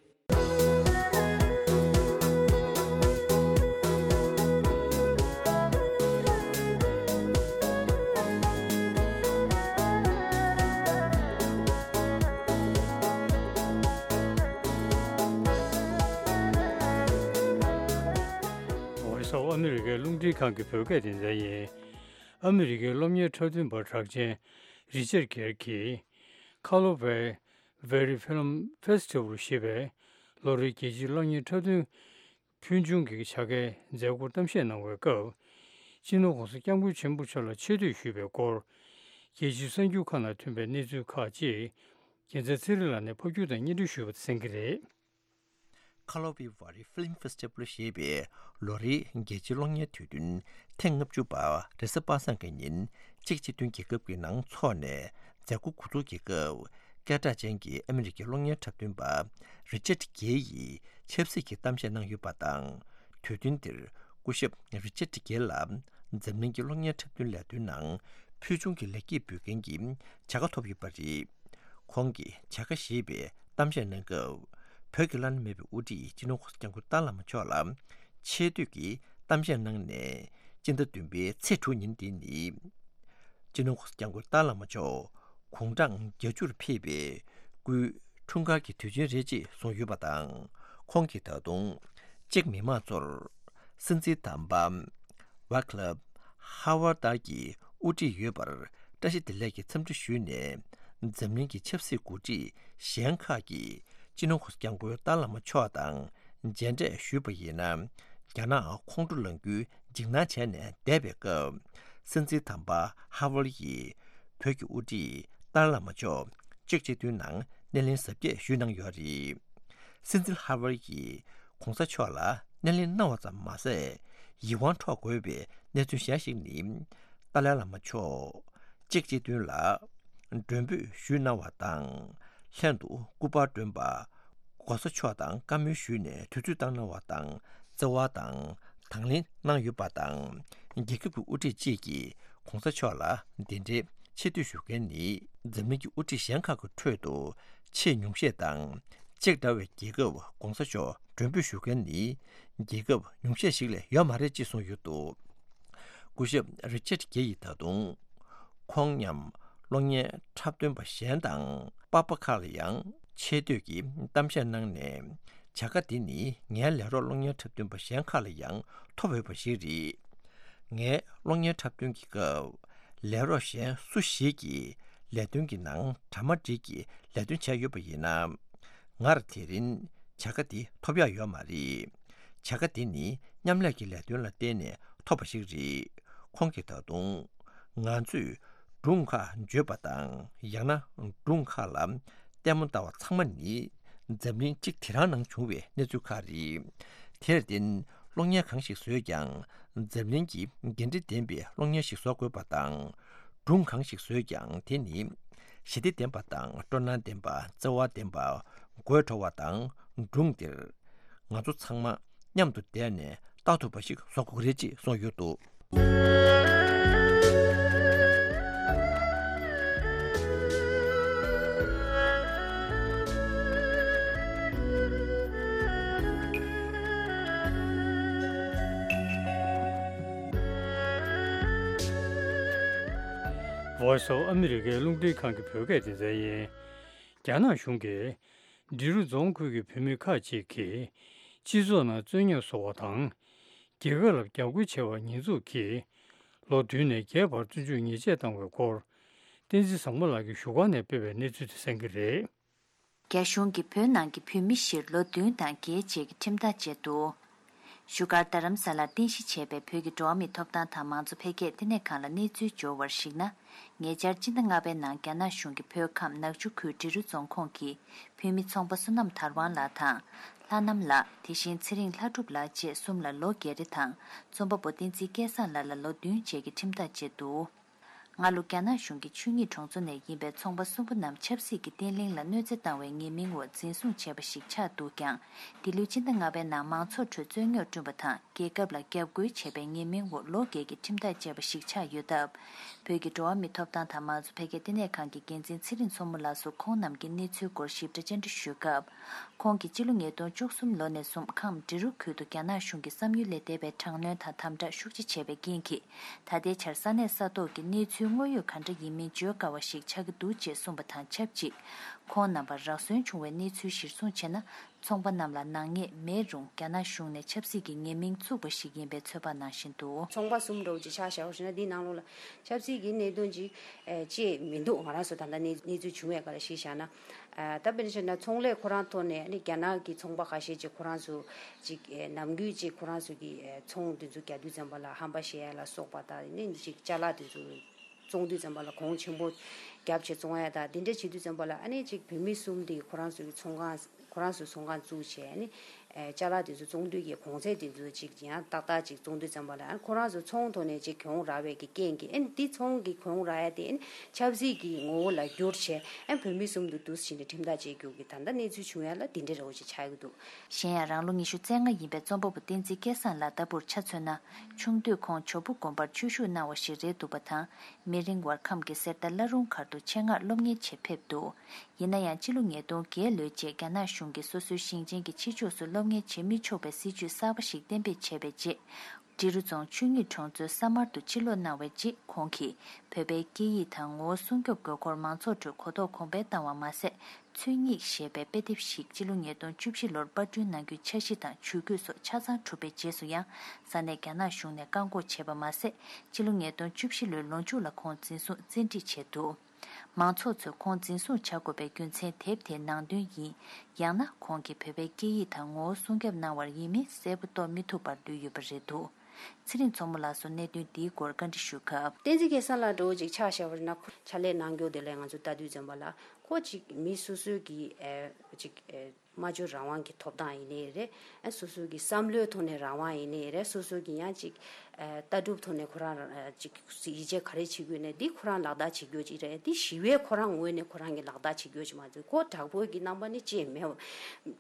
ཝོ་ཡིས་ཨོཕ་ཨ་མི་རི་ཀའི་རླུང་འཕྲིན་ཁང་གི་བོད་སྐད་སྡེ་ཚན་ཡིན། ཨ་མི་རི་ཀའི་སློབ་གཉེར་འཁྲབ་སྟོན་པ་གྲགས་ཅན་རི་ཅར་གྷེར་གྱིས། ཁ་ལོ་བའི་Valley Film Festival ཞེས་པའི་ལོ་རེའི་རྒྱལ་སྤྱིའི་གློག་བརྙན་འཁྲབ་སྟོན་ཕུལ་བྱུང་གི་བྱ་དགའི་མཛད་སྒོར་གཏམ་བཤད་གནང་བའི་སྐབས། སྤྱི་ནོར་༸གོང་ས་༸སྐྱབས་མགོན་ཆེན་པོ་མཆོག་ལ་ཆེ་བསྟོད་ཞུས་པའི་སྐོར། རྒྱལ་སྤྱིའི་གསར་འགྱུར་ཁག་ནང་ཐོན་པའི་གནས་ཚུལ་ཁག་ཅིག་རྒྱལ་མཚན་ཚེ་རིང་ལགས་ནས་ཕབ་སྒྱུར་དང་སྙན་སྒྲོན་ཞུས་པ་དེ་གསན་གྱི་རེད། ཁ་ལོ་བི་ཝ་རི་ཕི་ལིམ་ཕེ་སི་ཊི་བལ་ཞེས་པའི་ལོ་རེའི་རྒྱལ་སྤྱིའི་གློག་བརྙན་དུས་སྟོན་ཐེངས་ལྔ་བཅུ་པ་རེས་གཟའ་པ་སངས་ཀྱི་ཉིན་ཅེཀ་སྤྱི་མཐུན་རྒྱལ་ཁབ་ཀྱི་ནང་འཚོགས་ནས་མཛད་སྒོ་འགོ་འཛུགས་ཀྱི་སྐབས། སྐད་གྲགས་ཅན་གྱི་ཨ་མི་རི་ཀའི་གློག་བརྙན་འཁྲབ་སྟོན་པ་རི་ཅར་གྷེ་ཡིས་ཆབ་སྲིད་ཀྱི་གཏམ་བཤད་གནང་ཡོད་པ་དང་། དུས་སྟོན་འདིར་སྐུ་ཞབས་རི་ཅར་གྷེ་ལ་འཛམ་གླིང་གི་གློག་བརྙན་འཁྲབ་སྟོན་ལས་དོན་ནང་ཕུལ་བྱུང་གི་ལེགས་སྐྱེས་འབུལ་མཁན་གྱི་བྱ་དགའ་ཐོབ་ཡོད་པ་རེད། ཁོང་གིས་བྱ་དགའ་ཞེས་པའི་གཏམ་བཤད་གནང་སྐབས། བོད་ཀྱི་བླ་ན་མེད་པའི་དབུ་ཁྲིད་སྤྱི་ནོར་༸གོང་ས་༸སྐྱབས་མགོན་ཏཱ་བླ་མ་མཆོག་ལ་ཆེ་བསྟོད་ཀྱི་གཏམ་བཤད་གནང་ནས། སྤྱི་ཟླ་བདུན་པའི་ཚེས་དྲུག་ཉིན་འདི་ནི། སྤྱི་ནོར་༸གོང་ས་༸སྐྱབས་མགོན་ཏཱ་བླ་མ་མཆོག་དགུང་གྲངས་བརྒྱད་ཅུར་ཕེབས་པའི་སྐུའི་འཁྲུངས་སྐར་གྱི་དུས་ཆེན་རེད་ཅེས་གསུངས་ཡོད་པ་དང་། ཁོང་གིས་ད་དུང་ཅེཀ་མི་དམངས་ཚོར་སྲིད་འཛིན་དམ་པ་ཝ་ཀླབ་ཧ་ཝར་ཏར་གྱི་དབུ་ཁྲིད་ཡོད་པར་བཀྲ་ཤིས་བདེ་ལེགས་ཀྱི་འཚམས་འདྲི་ཞུས་ནས། འཛམ་གླིང་གི་ཆབ་སྲིད་འགོ་ཁྲིད་གཞན་ཁག་གིས་སྤྱི་ནོར་༸གོང་ས་༸སྐྱབས་མགོན་ཏཱ་བླ་མ་མཆོག་དང་མཇལ་འཕྲད་ཞུས་པ་ཡིན་ན། རྒྱ་ནག་ཁོང་ཁྲོ་ལངས་རྒྱུའི་འཇིགས་སྣང་བྱས་ནས་བསྡད་པའི་སྐབས། སྲིད་འཛིན་དམ་པ་ཧ་ཝར་ཡིས་བོད་ཀྱི་དབུ་ཁྲིད་ཏཱ་ལའི་བླ་མ་མཆོག་ཅེཀ་སྤྱི་མཐུན་ནང་སྣེ་ལེན་གཟབ་རྒྱས་ཞུས་གནང་ཡོད་རེད། སྲིད་འཛིན་ཧ་ཝར་ཡིས་༸གོང་ས་མཆོག་ལ་སྣེ་ལེན་གནང་བ་ཙམ་མ་ཟད། ཡིད་དབང་འཕྲོག་དགོས་པའི་གནས་ཚུལ་གཞན་ཞིག་ནི། ཏཱ་ལའི་བླ་མ་མཆོག་ཅེཀ་སྤྱི་མཐུན་ལ་མགྲོན་འབོད་ཞུས་གནང་བ་དང་། ལྷན་དུ་སྐུ་པར་བསྐྲུན་པ། ༸གོང་ས་མཆོག་དང་བཀའ་མོལ་ཞུས་ནས་དུས་ཚོད་བཏང་གནང་བ་དང་། བརྩེ་བ་དང་དང་ལེན་གནང་ཡོད་པ་དང་། རྒྱལ་ཁབ་ཀྱི་དབུ་ཁྲིད་ཅིག་གིས་༸གོང་ས་མཆོག་ལ་འདི་འདྲའི་ཆེ་བསྟོད་ཞུ་མཁན་ནི། འཛམ་གླིང་གི་དབུ་ཁྲིད་གཞན་ཁག་གི་ཁྲོད་དུ་ཆེས་ཉུང་ཤས་དང་། ཅེཀ་འདྲ་བའི་རྒྱལ་ཁབ་༸གོང་ས་མཆོག་མགྲོན་འབོད་ཞུ་མཁན་ནི་རྒྱལ་ཁབ་ཉུང་ཤས་ཤིག་ལས་ཡོད་མ་རེད་ཅེས་གསུངས་ཡོད་འདུག་སྐུ་ཞབས་རི་ཅར་གྷེ་ཡིས་ད་དུང་། ཁོང་མཉམ་གློག་བརྙན་འཁྲབ་སྟོན་པ་གཞན་དང་པར་པ་ཁག་ལ་ཡང་ཆེ་བསྟོད་ཀྱི་གཏམ་བཤད་གནང་ནས། བྱ་དགའ་འདི་ནི་ངའི་ལས་རོགས་གློག་བརྙན་འཁྲབ་སྟོན་པ་གཞན་ཁག་ལ་ཡང་ཐོབ་ཡོད་པ་ཞིག་རེད། ངའི་གློག་བརྙན་འཁྲབ་སྟོན་གྱི་སྐབས། ལས་རོགས་གཞན་སུ་ཞིག་གིས་ལས་དོན་གྱི་ནང་གྲ་མ་འགྲིག་གི་ལས་དོན་བྱས་ཡོད་པ་ཡིན་ན། ངར་དེ་རིང་བྱ་དགའ་འདི་ཐོབ་ཡག་ཡོད་མ་རེད། བྱ་དགའ་འདི་ནི་མཉམ་ལས་ཀྱི་ལས་དོན་ལ་བརྟེན་ནས་ཐོབ་པ་ཞིག་རེད། ཁོང་གིས་ད་དུང་། ང་ཚོས་སྒྲུང་ཁག་བརྗོད་པ་དང་། ཡང་ན་སྒྲུང་ཁག་ལ་ལྟད་མོ་ལྟ་བ་ཚང་མ་ནི། འཛམ་གླིང་གཅིག་དེ་རང་ནང་བྱུང་བའི་གནས་ཚུལ་ཁག་རེད། དེར་བརྟེན། གློག་བརྙན་གང་ཞིག་བཟོས་ཀྱང་། འཛམ་གླིང་གི་འགན་འཁྲི་ལྡན་པའི་གློག་བརྙན་ཞིག་བཟོ་དགོས་པ་དང་། སྒྲུང་གང་ཞིག་བཟོས་ཀྱང་། དེ་ནི་ཞི་བདེ་ལྡན་པ་དང་། སྤྲོ་སྣང་ལྡན་པ། བརྩེ་བ་ལྡན་པ། དགོད་བྲོ་བ་དང་། སྒྲུང་འདིར་ང་ཚོ་ཚང་མ་མཉམ་དུ་བསྡད་ནས་ལྟ་ཐུབ་པ་ཞིག་བཟོ་དགོས་རེད་ཅེས་གསུངས་ཡོད་འདུག Voice of America རླུང་འཕྲིན་ཁང་གི་བོད་སྐད་སྡེ་ཚན་ཡིན། རྒྱ་ནག་གཞུང་གིས། འབྲི་རུ་རྫོང་ཁུལ་གྱི་བོད་མི་ཁག་ཅིག་གིས་སྤྱི་ཚོགས་ནང་རྩོད་རྙོག་བཟོ་བ་དང་། རྒྱལ་ཁབ་ལ་རྒྱབ་སྐྱོར་བྱས་པར་ཉེས་འཛུགས་ཀྱིས། ལོ་བདུན་ནས་བརྒྱད་བར་བཙོན་འཇུག་ཉེས་ཆད་བཏང་བའི་སྐོར། བསྟན་འཛིན་བཟང་མོ་ལགས་ཀྱིས་བཞུགས་སྒར་ནས་སྤེལ་བའི་གནས་ཚུལ་དེ་གསན་གྱི་རེད། རྒྱ་གཞུང་གིས་བོད་ནང་གི་བོད་མི་བཞིར་ལོ་བདུན་དང་བརྒྱད་བཅས་ཀྱི་ཁྲིམས་ཐག་བཅད་འདུག་བཞུགས་སྒར་རྡ་རམ་ས་ལར་རྟེན་གཞི་བྱས་པའི་བོད་ཀྱི་འགྲོ་བ་མིའི་ཐོབ་ཐང་དང་མང་གཙོ་འཕེལ་རྒྱས་ལྟེ་གནས་ཁང་ལ་གནས་ཚུལ་འབྱོར་བར་གཞིགས་ན། ཉེ་ཆར་སྤྱི་ཟླ་ལྔ་པའི་ནང་རྒྱ་ནག་གཞུང་གིས་བོད་ཁམས་ནག་ཆུ་ཁུལ་འབྲི་རུ་རྫོང་ཁོངས་ཀྱི་བོད་མི་ཚོང་པ་བསོད་ནམས་དར་དབང་ལགས་དང་། ལྷ་ནམ་ལགས། དེ་བཞིན་ཚེ་རིང་ལྷ་སྒྲུབ་ལགས་བཅས་གསུམ་ལ་ལོ་བརྒྱད་རེ་དང་། རྩོམ་པ་པོ་བསྟན་འཛིན་སྐལ་བཟང་ལགས་ལ་ལོ་བདུན་བཅས་ཀྱི་ཁྲིམས་ཐག་བཅད་འདུག་སྔ་ལོ་རྒྱ་ནག་གཞུང་གི་ཆོས་ཉིད་གྲོང་ཚོ་ནས་ཡིན་པའི་ཚོང་པ་གསུམ་པོ་རྣམས་ཆབ་སྲིད་ཀྱི་བརྟན་ལྷིང་ལ་གནོད་འཚེ་བཏང་བའི་ཉེས་མིང་འོག་འཛིན་བཟུང་བྱས་པ་ཞིག་ཆགས་འདུག་ཀྱང་། འདི་ལོའི་སྤྱི་ཟླ་ལྔ་པའི་ནང་མང་ཚོགས་ཁྲོད་རྩོད་རྙོག་བསྐྲུན་པ་དང་། རྒྱལ་ཁབ་ལ་རྒྱབ་རྒོལ་བྱས་པའི་ཉེས་མིང་འོག་ལོ་འགའི་གི་ཁྲིམས་ཐག་བཅད་པ་ཞིག་ཆགས་ཡོད་སྟབས། བོད་ཀྱི་འགྲོ་བ་མིའི་ཐོབ་ཐང་དང་མང་གཙོ་འཕེལ་རྒྱས་ལྟེ་གནས་ཁང་གི་འགན་འཛིན་ཚེ་རིང་མཚོ་མོ་ལགས་སུ་ཁོང་རྣམས་ཀྱི་གནས་ཚུལ་སྐོར་ཞིབ་ཕྲ་བཅར་འདྲི་ཞུས་སྐབས། ཁོང་གིས་སྤྱི་ལོ་ཉིས་སྟོང་བཅུ་གསུམ་ལོ་ནས་བཟུང་ཁམས་འབྲི་རུ་ཁུལ་དུ་རྒྱ་ནག་གཞུང་གི་བསམ་ཡུལ་ལས་འདས་པའི་དྲག་གནོན་དང་དམ་དྲག་ཤུགས་ཆེ་བྱས་པའི་རྐྱེན་གྱིས། ད་ལྟའི་ཆར་ས་གནས་ས་ཐོག་གི་གནས་ཚུལ་དངོས་ཡོད་ག་འདྲ་ཡིན་མིན་བརྗོད་དཀའ་བ་ཞིག་ཆགས་ཀྱི་འདུག་ཅེས་གསུངས་པ་དང་ཆབས་ཅིག་ཁོང་རྣམ་པར་རག་སོན་བྱུང་བའི་གནས་ཚུལ་གཞིར་བཟུང་བྱས་ན། ཚོང་པ་རྣམས་ལ་ནག་ཉེས་མེད་རུང་རྒྱ་ནག་གཞུང་ནས་ཆབ་སྲིད་ཀྱི་ཉེས་མིང་བཙུགས་པ་ཞིག་ཡིན་པའི་ཚོད་དཔག་གནང་བཞིན་འདུག་ཚོང་པ་གསུམ་འདྲ་བོ་ཅིག་ཆ་བཞག་པ་ཞིག་ན། འདིའི་ནང་ལོགས་ལ་ཆབ་སྲིད་ཀྱི་གནད་དོན་ཅིག་ཨེ་ཅིག་མི་འདུག་ང་རང་ཚོ་ད་ལྟ་གནས་གནས་ཚུལ་བྱུང་བའི་སྐོར་ལ་གཞི་བཞག་ན། ཨ་ད་དཔེར་ན་བཤད་ན་ཚོང་ལས་ཁོ་རང་ཐོག་ནས་ནི་རྒྱ་ནག་གི་ཚོང་པ་ཁ་ཤས་ཅིག་ཁོ་རང་ཚོ་ཅིག་ཨེ་ནམ་རྒྱུན་ཅིག་ཁོ་རང་ཚོ་གི་ཨེ་ཚོང་དེ་ཚོ་རྒྱག་དུས་ཙམ་པ་ལ་ཧམ་པ་བཤད་ཡ་ལ་སོགས་པ་དང་ནི་ཅིག་ཅ་ལག་དེ་ཚོ་བཙོང་དུས་ཙམ་པ་ལ་གོང་ཆེན་པོ་རྒྱབ་བྱས་བཙོང་ཡ་དང་དེ་འདྲ་བྱེད་དུས་ཙམ་པ་ལ་ཨ་ནི་ཅིག་བོད་མི་གསུམ་དེ་ཁོ་རང་ཚོ་གི་ཚོང་ཁང་ཁོ་རང་ཚོ་ཚོང་ཁང་བཙུགས་བྱས་ནི་ཨེ་ཅ་ལག་དེ་ཚོ་བཙོང་དུས་ཀྱི་གོང་ཚད་དེ་ཚོ་ཅིག་ཡང་ཏག་ཏག་ཅིག་བཙོང་དུས་ཙམ་པ་ལ་ཨ་ཁོ་རང་ཚོ་ཚོང་ཐོག་ནས་ཅིག་གྱོང་རག་པའི་གི་རྐྱེན་གྱིས་ཨ་ནི་དེ་ཚོང་གི་གྱོང་རག་ཡ་དེ་ཨ་ནི་ཆབ་སྲིད་ཀྱི་ངོ་བོ་ལ་བསྒྱུར་བྱས་ཨ་ནི་བོད་མི་གསུམ་དུ་འདུག་ཟིན་ནས་ཁྲིམས་ཐག་བཅད་རྒྱུ་གི་ད་ལྟ་གནས་ཚུལ་བྱུང་ཡ་ལ་དེ་འདྲ་རེ་བ་ཅིག་ཆགས་ཀྱི་འདུག་གཞན་ཡང་རང་ལོ་ཉི་ཤུ་རྩ་ལྔ་ཡིན་པའི་རྩོམ་པ་པོ་བསྟན་འཛིན་སྐལ་བཟང་ལགས་ལྟ་བུར་ཆ་མཚོན་ན། ཆུང་དུས་ཁོང་ཇོ་བོ་དགོན་པར་ཆོས་ཞུགས་གནང་བ་ཞིག་རེད་འདུག་པ་དང་། མི་རིང་བར་ཁམས་ཀྱི་གསེར་རྟ་བླ་རུང་མཁར་དུ་ཆེད་མངགས་སློབ་གཉེར་ཆེད་ཕེབས་འདུག་ཡིན་ན་ཡང་སྤྱི་ལོ་ཉིས་སྟོང་བརྒྱད་ལོའི་རྗེས་རྒྱ་ནག་གཞུང་གིས་སོ་སོའི་ཞིང་ཆེན་གྱི་ཕྱི་ཕྱོགས་སུ་སློབ་གཉེར་བྱེད་མི་ཆོག་པའི་སྲིད་ཇུས་གསར་པ་ཞིག་གཏན་འབེབས་བྱས་པའི་རྗེས། འབྲི་རུ་རྫོང་ཆོས་ཉིད་གྲོང་ཚོའི་ས་དམར་དུ་ཕྱིར་ལོག་གནང་བའི་རྗེས་ཁོང་གིས་བོད་པའི་སྐད་ཡིག་དང་ངོ་བོ་སྲུང་སྐྱོབ་དགོས་སྐོར་མང་ཚོགས་ཁྲོད་གོ་རྟོགས་གོང་འཕེལ་བཏང་བ་མ་ཟད། ཆོས་ཉིད་ཞེས་པའི་དཔེ་དེབ་ཞིག་སྤྱི་ལོ་ཉིས་སྟོང་བཅུ་བཞི་ལོར་པར་སྐྲུན་གནང་རྒྱུའི་འཆར་གཞི་དང་ཇུས་འགོད་སོགས་ཆ་ཚང་གྲུབ་པའི་རྗེས་སུ་ཡང་ས་གནས་རྒྱ་ནག་གཞུང་ནས་བཀག་འགོག་བྱས་པ་མ་ཟད། སྤྱི་ལོ་ཉིས་སྟོང་བཅུ་བཞི་ལོའི་ལོ་མཇུག་ལ་ཁོང་འཛིན་བཟུང་བཙན་ཁྲིད་བྱས་འདུག་མང་ཚོགས་ཚོས་ཁོང་འཛིན་བཟུང་བྱ་དགོས་པའི་རྒྱུ་མཚན་དེབ་དེའི་ནང་དོན་ཡིན། ཡང་ན་ཁོང་གིས་བོད་པའི་སྐད་ཡིག་དང་ངོ་བོ་སྲུང་སྐྱོབ་གནང་བར་ཡིན་མིན་གསལ་པོ་རྟོགས་མི་ཐུབ་པར་ལུས་ཡོད་པ་རེད་འདུག་ཚེ་རིང་མཚོ་མོ་ལགས་སུ་གནད་དོན་འདིའི་སྐོར་བཀའ་འདྲི་ཞུས་སྐབས། བསྟན་འཛིན་སྐལ་བཟང་ལགས་འདྲ་བོ་ཅིག་ཆ་བཞག་པ་ཡིན་ན་ཁོ་ཕྱག་ལས་གནང་རྒྱུ་དེ་ལས་ང་ཚོ་ལྟ་དུས་ཙམ་པ་ལ་ཁོ་ཅིག་མི་སོ་སོའི་གི་ཨེ་ཅིག་ཨེ་སྨྲ་བརྗོད་རང་དབང་གི་ཐོབ་ཐང་ཡིན་ནའི་རེད། ཨེ་སོ་སོའི་གི་བསམ་བློའི་ཐོག་ནས་རང་དབང་ཡིན་ནའི་རེད། སོ་སོའི་གི་ཡང་ཅིག་ཨེ་ལྟ་གྲུབ་ཐོག་ནས་ཁོ་རང་ཨེ་ཅིག་ཡིད་ཆེས་ག་རེ་བྱེད་དགོས་ནས་འདི་ཁོ་རང་ལག་བསྟར་བྱེད་རྒྱུ་ཅིག་རེད། འདི་ཞི་བའི་ཁོ་རང་ངོས་ནས་ཁོ་རང་གི་ལག་བསྟར་བྱེད་རྒྱུ་ཅིག་མ་ཚད་ཁོ་དྲག་པོའི་གི་རྣམ་པ་ནི་ཅིག་མེད་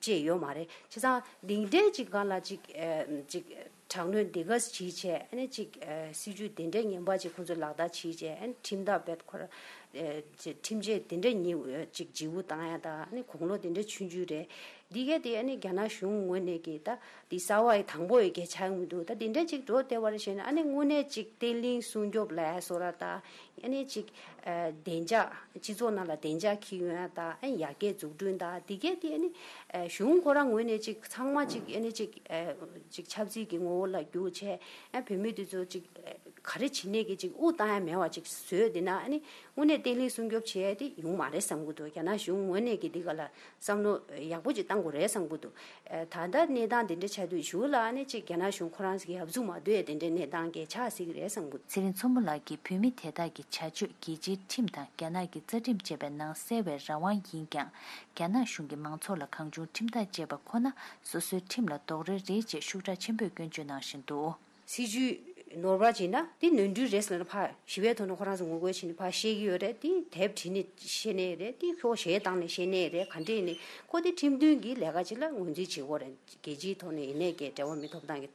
ཅིག་ཡོད་མ་རེད། བྱས་ཙང་འདི་འདྲའི་ཅིག་སྒང་ལ་ཅིག་ཨེ་ཅིག་དྲག་གནོན་འདི་ག་བྱེད་བྱས་ཨ་ནི་ཅིག་ཨ་སྲིད་ཇུས་དེ་འདྲའི་ངན་པ་ཅིག་ཁོང་ཚོས་ལག་བསྟར་བྱེད་བྱས་ཨ་ནི་ཁྲིམས་ཐག་རྦད་ཁོ་ར་ཨ་ཅིག་ཁྲིམས་ཆད་དེ་འདྲ་ཉེ་ཅིག་ལྗིད་པོ་བཏང་ཡ་དང་ཨ་ནི་དགུང་ལོ་དེ་འདྲ་ཆུང་ཆུང་རེད། འདི་གས་དེ་ཨ་ནི་རྒྱ་ནག་གཞུང་ངོས་ནས་ཀྱི་ད་འདི་གསར་བ་ཡི་དང་པོ་ཡི་གས་ཆགས་མི་འདུག་ད་དེ་འདྲ་ཅིག་འགྲོ་བསྡད་པ་རེད་བྱས་ན་ཨ་ནི་དངོས་གནས་ཅིག་བརྟན་ལྷིང་སྲུང་སྐྱོབ་ལ་ཡ་སོ་ར་ད་ཨ་ནི་ཅིག་ཨ་བདེ་འཇགས་སྤྱི་ཚོགས་ནང་ལ་བདེ་འཇགས་འཁྱེར་ཡོང་ཡ་ད་ཨ་ནི་ཡར་རྒྱས་འཛུགས་སྐྲུན་ད་འདི་གས་དེ་ཨ་ནི་ཨ་གཞུང་ཁོ་རང་ངོས་ནས་ཅིག་ཚང་མ་ཅིག་ཨ་ནི་ཅིག་ཨ་ཅིག་ཆབ་སྲིད་ཀྱི་ངོ་བོ་ལ་བསྒྱུར་བྱས་ཨ་བོད་མི་དེ་ཚོ་ཅིག་ག་རེ་བྱེད་ནས་ཀྱི་ཅིག་དབུགས་བཏང་ཡ་མེད་པ་ཅིག་བཟོས་བསྡད་ན་ཨ་ནི་དངོས་གནས་བརྟན་ལྷིང་སྲུང་སྐྱོབ་བྱས་ཏེ་ཡོང་མ་རེད་བསམ་གྱི་འདུག་རྒྱ་ནག་གཞུང་ངོས་ནས་ཀྱི་འདི་ག་ལ་བསམ་བློ་ཡག་པོ་ཅིག་བཏང་དགོས་རེད་བསམ་གྱི་འདུག་ད་ལྟ་གནས་སྟངས་དེ་འདྲ་ཆགས་དུས་གཞུག་ལ་ཨ་ནི་ཅིག་རྒྱ་ནག་གཞུང་ཁོ་རང་ཚོ་གི་ཡབ་གཟུགས་མ་སྡོད་ཡ་དེ་འདྲའི་གནས་སྟངས་ཀྱི་ཆགས་སྲིད་ཀྱི་རེད་བསམ་གྱི་འདུག་ཚེ་རིང་མཚོ་མོ་ལགས་ཀྱིས་བོད་མི་དེ་དག་གི་བྱ་སྤྱོད་རྒྱལ་སྤྱིའི་ཁྲིམས་དང་རྒྱ་ནག་གི་རྩ་ཁྲིམས་བཅས་པའི་ནང་གསལ་བའི་རང་དབང་ཡིན་ཀྱང་། རྒྱ་ནག་གཞུང་གིས་མང་ཚོགས་ལ་གང་བྱུང་ཁྲིམས་ཐག་བཅད་པ་ཁོ་ན་སོ་སོའི་ཁྲིམས་ལ་རྡོག་རོལ་རེད་ཅེས་ཤུགས་དྲག་ཆེན་པོས་སྐྱོན་བརྗོད་གནང་བཞིན་འདུག་སྲིད་ཇུས་ནོར་བ་བྱས་ན་དེ་ནོར་འཁྲུལ་རེད་ཟེར་ན་ཕར་ཞི་བའི་ཐོག་ནས་ཁོ་རང་ཚོ་ངོ་རྒོལ་བྱས་ནས་ཕར་བཤད་ཀྱི་ཡོད་རེད། དེ་དེབ་བྲིས་ནས་བཤད་ནའི་རེད། དེ་ཤོག་གཞས་བཏང་ནས་བཤད་ནའི་རེད། ག་འདྲས་ནས་ཁོ་དེ་ཁྲིམས་མཐུན་གྱི་ལས་ཀ་ཅིག་ལ་ངོས་འཛིན་བྱེད་དགོས་རེད། རྒྱལ་སྤྱིའི་ཐོག་ནས་ཡིན་ནའི་གི་འབྲེལ་བ་མི་ཐོབ་ཐང་གི་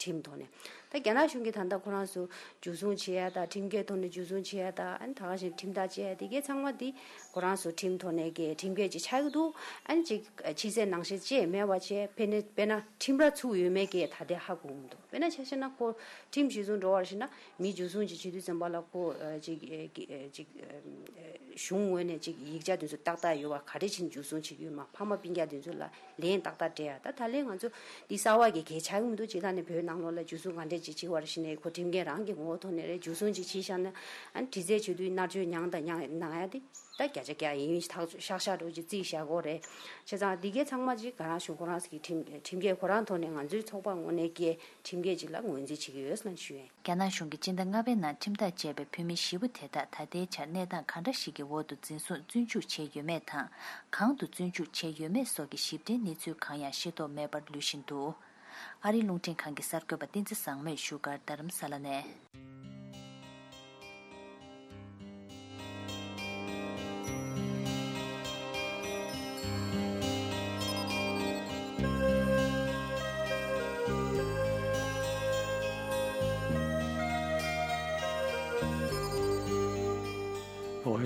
ཁྲིམས་ཐོག་ནས་ད་རྒྱ་ནག་གཞུང་གིས་ད་ལྟ་ཁོ་རང་ཚོ་འཇུ་བཟུང་བྱེད་ཡ་ད་ཁྲིམས་འགལ་ཐོག་ནས་འཇུ་བཟུང་བྱེད་ཡ་ད་ཨ་ནི་ད་ག་བཞིན་ཁྲིམས་ཐག་བཅད་ཡ་དེ་གའི་ཚང་མ་དེ་ཁོ་རང་ཚོ་ཁྲིམས་ཐོག་ནས་གི་ཁྲིམས་འགལ་ཅིག་ཆགས་ཀྱི་འདུག་ཨ་ནི་ཅིག་ཕྱི་གསལ་ནང་གསལ་བཅས་མེད་པ་བྱས་ཕེ་ནས་དཔེར་ན་ཁྲིམས་ར་ཚུགས་ཡོད་མེད་གི་ད་ལྟ་ཧ་གོ་མི་འདུག་དཔེར་ན་ཆ་བཞག་ན་ཁོ་ཁྲིམས་གཞི་བཟུང་འགྲོ་བར་བྱས་ན་མི་འཇུ་བཟུང་ཅིག་བྱེད་དུས་ཙམ་པ་ལ་ཁོ་ཅིག་ཅིག་གཞུང་ངོས་ནས་ཅིག་ཡིག་ཆ་དེ་ཚོ་ཏག་ཏག་ཡོད་པ་ག་རེ་བྱས་ནས་འཇུ་བཟུང་བྱེད་ཀྱི་ཡོད་མ་ཕ་མ་སྤུན་ཀྱག་དེ་ཚོ་ལ། ལན་ཏག་ཏག་སྤྲད་ཡ། ད་ད་ལན་ང་ཚོ་འདི་གསར་བ་གི་གལ་ཆགས་ཀྱི་མི་འདུག་སྤྱིར་བཏང་ནས་བོད་ནང་ལོགས་ལ་འཇུ་བཟུང་ག་འདྲས་ཅིག་བྱེད་པ་རེད་ཟེར་ནས་ཁོ་ཁྲིམས་འགལ་རང་གི་ངོ་བོ་ཐོག་ནས་རེད། འཇུ་བཟུང་ཅིག་བྱས་བཞག་ན་ཨ་ནི་དྲི་རྩད་བྱེད་དུས་མནར་གཅོད་མྱངས་དང་མྱངས་གནང་ཡ་དེ་ད་བརྒྱ་ཆ་བརྒྱ་ཡིན་ཤག་ཤག་འགྲོ་ཅིག་རྩིས་བཞག་དགོས་རེད། བྱས་ཙང་འདི་གའི་ཚང་མ་ཅིག་ག་རང་གཞུང་ཁོ་རང་ཚོ་གི་ཁྲིམས་ཁྲིམས་འགལ་ཁོ་རང་ཐོག་ནས་ང་ཚོའི་ཚོགས་པ་ངོས་ནས་ཀྱི་ཁྲིམས་འགལ་ཅིག་ལ་ངོས་འཛིན་བྱེད་ཀྱི་ཡོད་ཟེར་ཞུ་ཡ་ཡིན། རྒྱ་ནག་གཞུང་གིས་སྤྱི་ཟླ་ལྔ་པའི་ནང་ཁྲིམས་ཐག་བཅད་པའི་བོད་མི་བཞི་པོ་དེ་དག་ད་ལྟའི་ཆར་གནས་སྟངས་གང་འདྲ་ཞིག་གི་འོག་ཏུ་འཛིན་བཟུང་བཙོན་འཇུག་བྱས་ཡོད་མེད་དང་། གང་དུ་བཙོན་འཇུག་བྱས་ཡོད་མེད་སོགས་ཀྱི་ཞིབ་ཕྲའི་གནས་ཚུལ་གང་ཡང་ཤེས་རྟོགས་མེད་པར་ལུས་བཞིན་འདུག་ཨ་རིའི་རླུང་འཕྲིན་ཁང་གི་གསར་འགོད་པ་བསྟན་འཛིན་བཟང་མོས་བཞུགས་སྒར་རྡ་རམ་ས་ལ་ནས།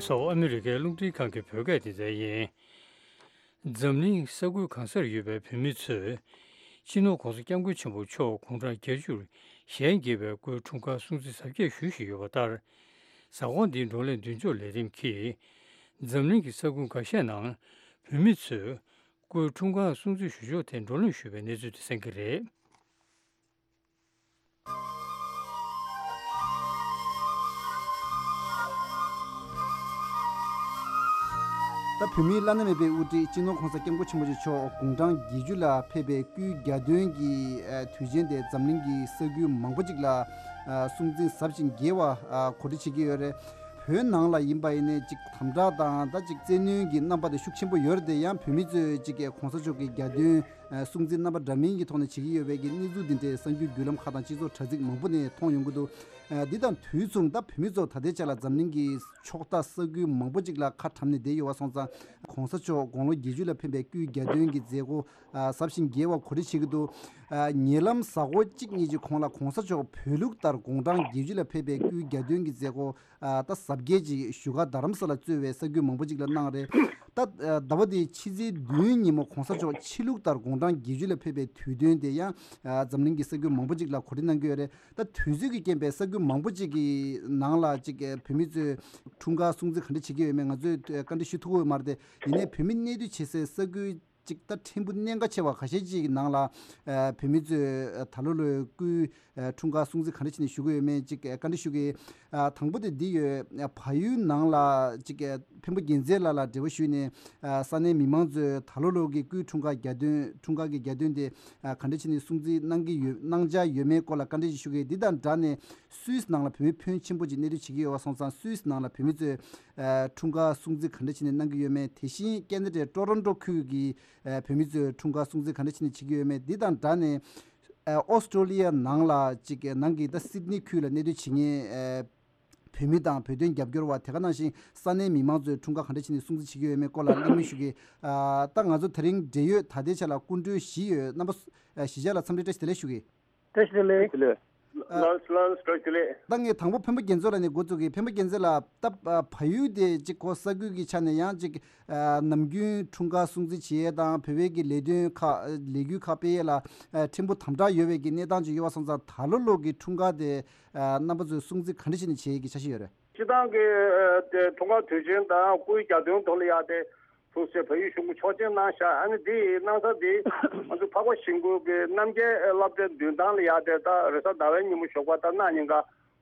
སོགས་ཨ་མི་རི་ཀའི་རླུང་འཕྲིན་ཁང་གི་བོད་སྐད་སྡེ་ཚན་ཡིན། འཛམ་གླིང་ས་ཁུལ་གང་སར་ཡོད་པའི་བོད་མི་ཚོས་སྤྱི་ནོར་༸གོང་ས་༸སྐྱབས་མགོན་ཆེན་པོ་མཆོག་དགུང་གྲངས་བརྒྱད་ཅུར་གཞལ་ཡས་བརྒྱད་པའི་སྐུའི་འཁྲུངས་སྐར་སྲུང་བརྩི་གཟབ་རྒྱས་ཞུ་བཞིན་ཡོད་པ་ལྟར། གཟའ་འཁོར་འདིའི་བགྲོ་གླེང་མདུན་ལྕོག་ལས་རིམ་གྱིས་འཛམ་གླིང་གི་ས་ཁུལ་འགའ་ཤས་ནང་བོད་མི་ཚོས་སྐུའི་འཁྲུངས་སྐར་སྲུང་བརྩི་ཞུ་ཕྱོགས་ཐད་བགྲོ་གླེང་ཞུས་པའི་གནས་ཚུལ་དེ་གསན་གྱི་རེད། ད་བོད་མིའི་བླ་ན་མེད་པའི་དབུ་ཁྲིད་སྤྱི་ནོར་༸གོང་ས་༸སྐྱབས་མགོན་ཆེན་པོ་མཆོག་དགུང་གྲངས་བརྒྱད་ཅུ་ལ་ཕེབས་པའི་སྐུའི་གྱ་སྟོན་གྱི་དུས་ཆེན་དེ་འཛམ་གླིང་གི་ས་ཁུལ་མང་པོ་ཅིག་ལ་སྲུང་བརྩི་ཟབ་ཅིང་རྒྱས་པ་གོ་སྒྲིག་བྱེད་ཀྱི་ཡོད་རེད། བོད་ནང་ལ་ཡིན་པ་ཡིན་ནའི་ཅིག་དམ་དྲག་དང་ད་ཅིག་བཙན་གནོན་གྱི་རྣམ་པ་དེ་ཤུགས་ཆེན་པོ་ཡོད་རེད་དེ། ཡང་བོད་མི་ཚོས་ཅིག་༸གོང་ས་མཆོག་གི་གྱ་སྟོན་སྲུང་བརྩི་རྣམ་པ་འདྲ་མིན་གྱི་ཐོག་ནས་བྱེད་ཀྱི་ཡོད་པའི་གི་གནས་ཚུལ་འདི་འདྲའི་གསར་འགྱུར་བརྒྱུད་ལམ་ཁག་དང་སྤྱི་ཚོགས་དྲ་ཚིགས་མང་པོ་ནས་མཐོང་ཡོང་གི་འདུག་ཨ། འདི་དང་དུས་མཚུངས་ད་བོད་མི་ཚོ་ད་ལྟའི་ཆ་ལ་འཛམ་གླིང་གི་ཕྱོགས་མཐའ་ས་ཁུལ་མང་པོ་ཅིག་ལ་ཁ་བཀྲམ་ནས་བསྡད་ཡོད་པ་སོང་ཙང་། ༸གོང་ས་མཆོག་དགུང་ལོ་བརྒྱད་ཅུ་ལ་ཕེབས་པའི་སྐུའི་གྱ་སྟོན་གྱི་མཛད་སྒོ་ཨ་ཟབ་ཞིང་རྒྱས་པ་གོ་སྒྲིག་བྱེད་ཀྱི་འདུག་ཨ། ཉེ་ལམ་གཟའ་འཁོར་གཅིག་གཉིས་ཀྱི་གོང་ལ་༸གོང་ས་མཆོག་བོད་ལུགས་ལྟར་དགུང་གྲངས་བརྒྱད་ཅུ་ལ་ཕེབས་པའི་སྐུའི་གྱ་སྟོན་གྱི་མཛད་སྒོ་ཨ་ད་གཟབ་རྒྱས་ཅིག་བཞུགས་སྒར་རྡ་རམ་ས་ལ་གཙོས་པའི་ས་ཁུལ་མང་པོ་ཅིག་ལ་གནང་རེད། ད་ཨ་ཟླ་བ་འདིའི་ཕྱི་ཚེས་བདུན་ཉིན་མོ་༸གོང་ས་མཆོག་ཕྱི་ལུགས་ལྟར་དགུང་གྲངས་བརྒྱད་ཅུ་ལ་ཕེབས་པའི་དུས་སྟོན་དེ་ཡང་ཨ་འཛམ་གླིང་གི་ས་ཁུལ་མང་པོ་ཅིག་ལ་གོ་སྒྲིག་གནང་གི་ཡོད་རེད། ད་དུས་ཚོད་ཀྱི་རྐྱེན་པས་ས་ཁུལ་མང་པོ་ཅིག་གི་ནང་ལ་ཅིག་བོད་མི་ཚོས་འཁྲུངས་སྐར་སྲུང་བརྩི་ག་འདྲ་བྱེད་ཀྱི་ཡོད་མེད་ང་ཚོས་བཀའ་འདྲི་ཞུ་ཐུབ་ཀྱི་ཡོད་མ་རེད་དེ། ཡིན་ནའི་བོད་མི་གནས་སྡོད་བྱེད་སའི་ས་ཁུལ་ཅིག་ད་ཕྲན་བུ་གནད་འགག་ཆེ་བ་ཁ་ཤས་ཅིག་གི་ནང་ལ་ཨ་བོད་མི་ཚོས་ད་ལོ་ལོའི་སྐུའི་ཨ་འཁྲུངས་སྐར་སྲུང་བརྩི་ག་འདྲ་བྱས་ནས་ཞུ་གི་ཡོད་མེད་ཅིག་བཀའ་འདྲི་ཞུ་གི། ཨ་དང་པོ་དེ་འདི་ཡོད། ཨ་བལ་ཡུལ་ནང་ལ་ཅིག་ཨ་འཕན་པོ་རྒྱལ་མཚན་ལགས་ལ་འབྲེལ་བ་ཞུས་ནས་ཨ་ས་གནས་མི་མང་ཚོས་ད་ལོ་ལོ་གི་སྐུའི་འཁྲུངས་སྐར་གྱ་སྟོན་འཁྲུངས་སྐར་གྱི་གྱ་སྟོན་དེ་ཨ་ག་འདྲ་བྱས་ནས་སྲུང་བརྩི་གནང་གི་ཡོད་གནང་འཆར་ཡོད་མེད་སྐོར་ལ་བཀའ་འདྲི་ཞིག་ཞུ་གི། འདི་དང་སྦྲགས་ནས་སུད་སི་ནང་ལ་བོད་མི་ཕོན་ཆེན་པོ་ཅིག་གནས་སྡོད་བྱེད་ཀྱི་ཡོད་པ་སོང་ཙང་། སུད་སི་ནང་ལ་བོད་མི་ཚོས་ཨ་འཁྲུངས་སྐར་སྲུང་བརྩི་ག་འདྲ་བྱས་ནས་གནང་གི་ཡོད་མེད། དེ་བཞིན་ཁེ་ན་ཌའི་ཊོ་རོན་ཊོ་ཁུལ་གྱི་ཨ་བོད་མི་ཚོས་འཁྲུངས་སྐར་སྲུང་བརྩི་ག་འདྲ་བྱས་ནས་བྱེད་ཀྱི་ཡོད་མེད། འདི་དང་སྦྲགས་ནས། ཨོ་སི་ཀྲོ་ལི་ཡ་ནང་ལ་ཅིག་ནང་གི་ད་སིད་ནི་ཁུལ་ལ་གནས་སྡོད་བྱེད་མཁན་ཨ་བོད་མི་དང་བོད་དོན་རྒྱབ་སྐྱོར་བ། དེ་ག་ནང་བཞིན་ས་གནས་མི་མང་ཚོས་འཁྲུངས་སྐར་ག་འདྲ་བྱས་ནས་སྲུང་བརྩི་བྱེད་ཀྱི་ཡོད་མེད་སྐོར་ལ་གླེང་མོལ་ཞུ་གི། ཨ་ད་ང་ཚོ་དེ་རིང་འབྲེལ་ཡོད་ད་ལྟའི་ཆ་ལ་སྐུ་མགྲོན་བཞི་ཡོད། རྣམ་པ་ཨ་གཞིས་ཆགས་ལ་འཚམས་འདྲི་བཀྲ་ཤིས་བདེ་ལེགས་ཞུ་གི། བཀྲ་ཤིས་བདེ་ལེགས། བཀྲ་ཤིས་བདེ་ལེགས། ལགས་ལགས་བཀྲ་ཤིས་བདེ་ལེགས། ད་ངས་དང་པོ་འཕན་པོ་རྒྱལ་མཚན་ལགས་ནས་འགོ་བཙུགས་གི། འཕན་པོ་རྒྱལ་མཚན་ལགས། ད་ཨ་བལ་ཡུལ་དེ་ཅིག་གོ་ས་ཁུལ་གྱི་ཆ་ནས་ཡང་ཅིག་ཨ་ནམ་རྒྱུན་འཁྲུངས་སྐར་སྲུང་བརྩི་བྱེད་ཡས་དང་བོད་པའི་གི་ལས་དོན་ཁག་ལས་འགུལ་ཁག་སྤེལ་ཡས་ལ་ཨ་ཕྲན་བུ་དམ་དྲག་ཡོད་པའི་གི་གནས་སྟངས་ཅིག་ཡོད་པ་སོང་ཙང་། ད་ལོ་ལོ་གི་འཁྲུངས་སྐར་དེ་ཨ་རྣམ་པ་ཚོས་སྲུང་བརྩི་ག་འདྲ་བྱས་ནས་བྱེད་ཡས་ཀྱི་འཆར་གཞི་ཡོད་རེད། སྤྱི་བཏང་གི་ཨ་དེ་འཁྲུངས་སྐར་དུས་ཆེན་དང་སྐུའི་གྱ་སྟོན་ཐོག་ལ་ཡ་དེ་ཐུགས་སྲས་བལ་ཡུལ་གཞུང་གི་ཆོག་མཆན་གནང་ཤག་ཨ་ནི་དེ་གནང་ས་དེ་ང་ཚོ་འཕགས་པ་ཤིང་ཀུན་གྱི་རྣམ་རྒྱལ་སློབ་གྲྭའི་མདུན་ཐང་ལ་ཡ་དེ་ད་རེས་གཟའ་ཟླ་བའི་ཉིན་མོ་ཞོགས་པ་ད་གནངས་ཉིན་ཀ་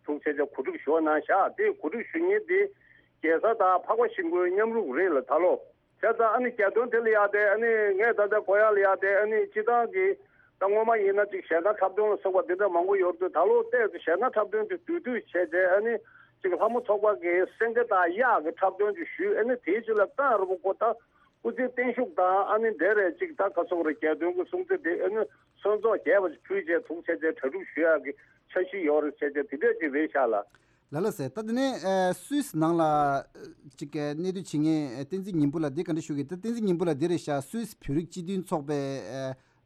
ཐུགས་སྲས་དེ་གོ་སྒྲིག་ཞུ་བ་གནང་ཤག་དེ་གོ་སྒྲིག་ཞུ་མཁན་དེ་རྒྱལ་ས་དང་འཕགས་པ་ཤིང་ཀུན་མཉམ་རུབ་རེད་ལ། ད་ལོ་བྱས་ཙང་ཨ་ནི་གྱ་སྟོན་དེ་ལ་ཡ་དེ་ཨ་ནི་ངས་ད་ལྟ་གོ་ཡག་ལ་ཡ་དེ་ཨ་ནི་སྤྱི་བཏང་གི་ད་སྔོན་མ་ཡིན་ན་ཅིག་ཞལ་ཐང་འཁྲབ་སྟོན་ལ་སོགས་པ་འདི་འདྲ་མང་པོ་ཡོད་དུས། ད་ལོ་ཏོག་ཙམ་ཞལ་ཐང་འཁྲབ་སྟོན་དེ་དུས་དུས་བྱས་ཏེ་ཨ་ནི་ཅིག་ལྷ་མོ་ཚོགས་པ་གི་སེང་གེ་དང་གཡག་གི་འཁྲབ་སྟོན་ཅིག་ཞུས། ཨ་ནི་དེའི་རྗེས་ལ་ད་རུ་པོ་ཁོ་ད་སྐུ་ཚེ་བརྟན་བཞུགས་དང་ཨ་ནི་འདྲ་རེད། ཅིག་ད་ག་སོགས་རེད། གྱ་སྟོན་གྱི་སྲུང་བརྩི་དེ་ཨ་ནི་སོན་ཚོགས་རྒྱས་པ་ཞིག་ཕུལ་བྱས་ཐུགས་ཆེ་ཆེ་གྲ་སྒྲིག་ཞུ་ཡག་གི་འཆར་གཞི་ཡོད་རེད་བྱས་ཏེ་དེ་འདྲས་ཅིག་རེད་ཤག་ལ། ལ་ལ་ཟེར། ད་དེ་ནས་ཨ་སུད་སི་ནང་ལ་ཅིག་གནས་སྡོད་བྱེད་མཁན་བསྟན་འཛིན་ཉི་འབུམ་ལགས་འདི་ག་འདྲ་ཞུ་གི། ད་བསྟན་འཛིན་ཉི་འབུམ་ལགས་འདི་རེད་ཤག་སུད་སི་བོད་རིགས་སྤྱི་མཐུན་ཚོགས་པའི་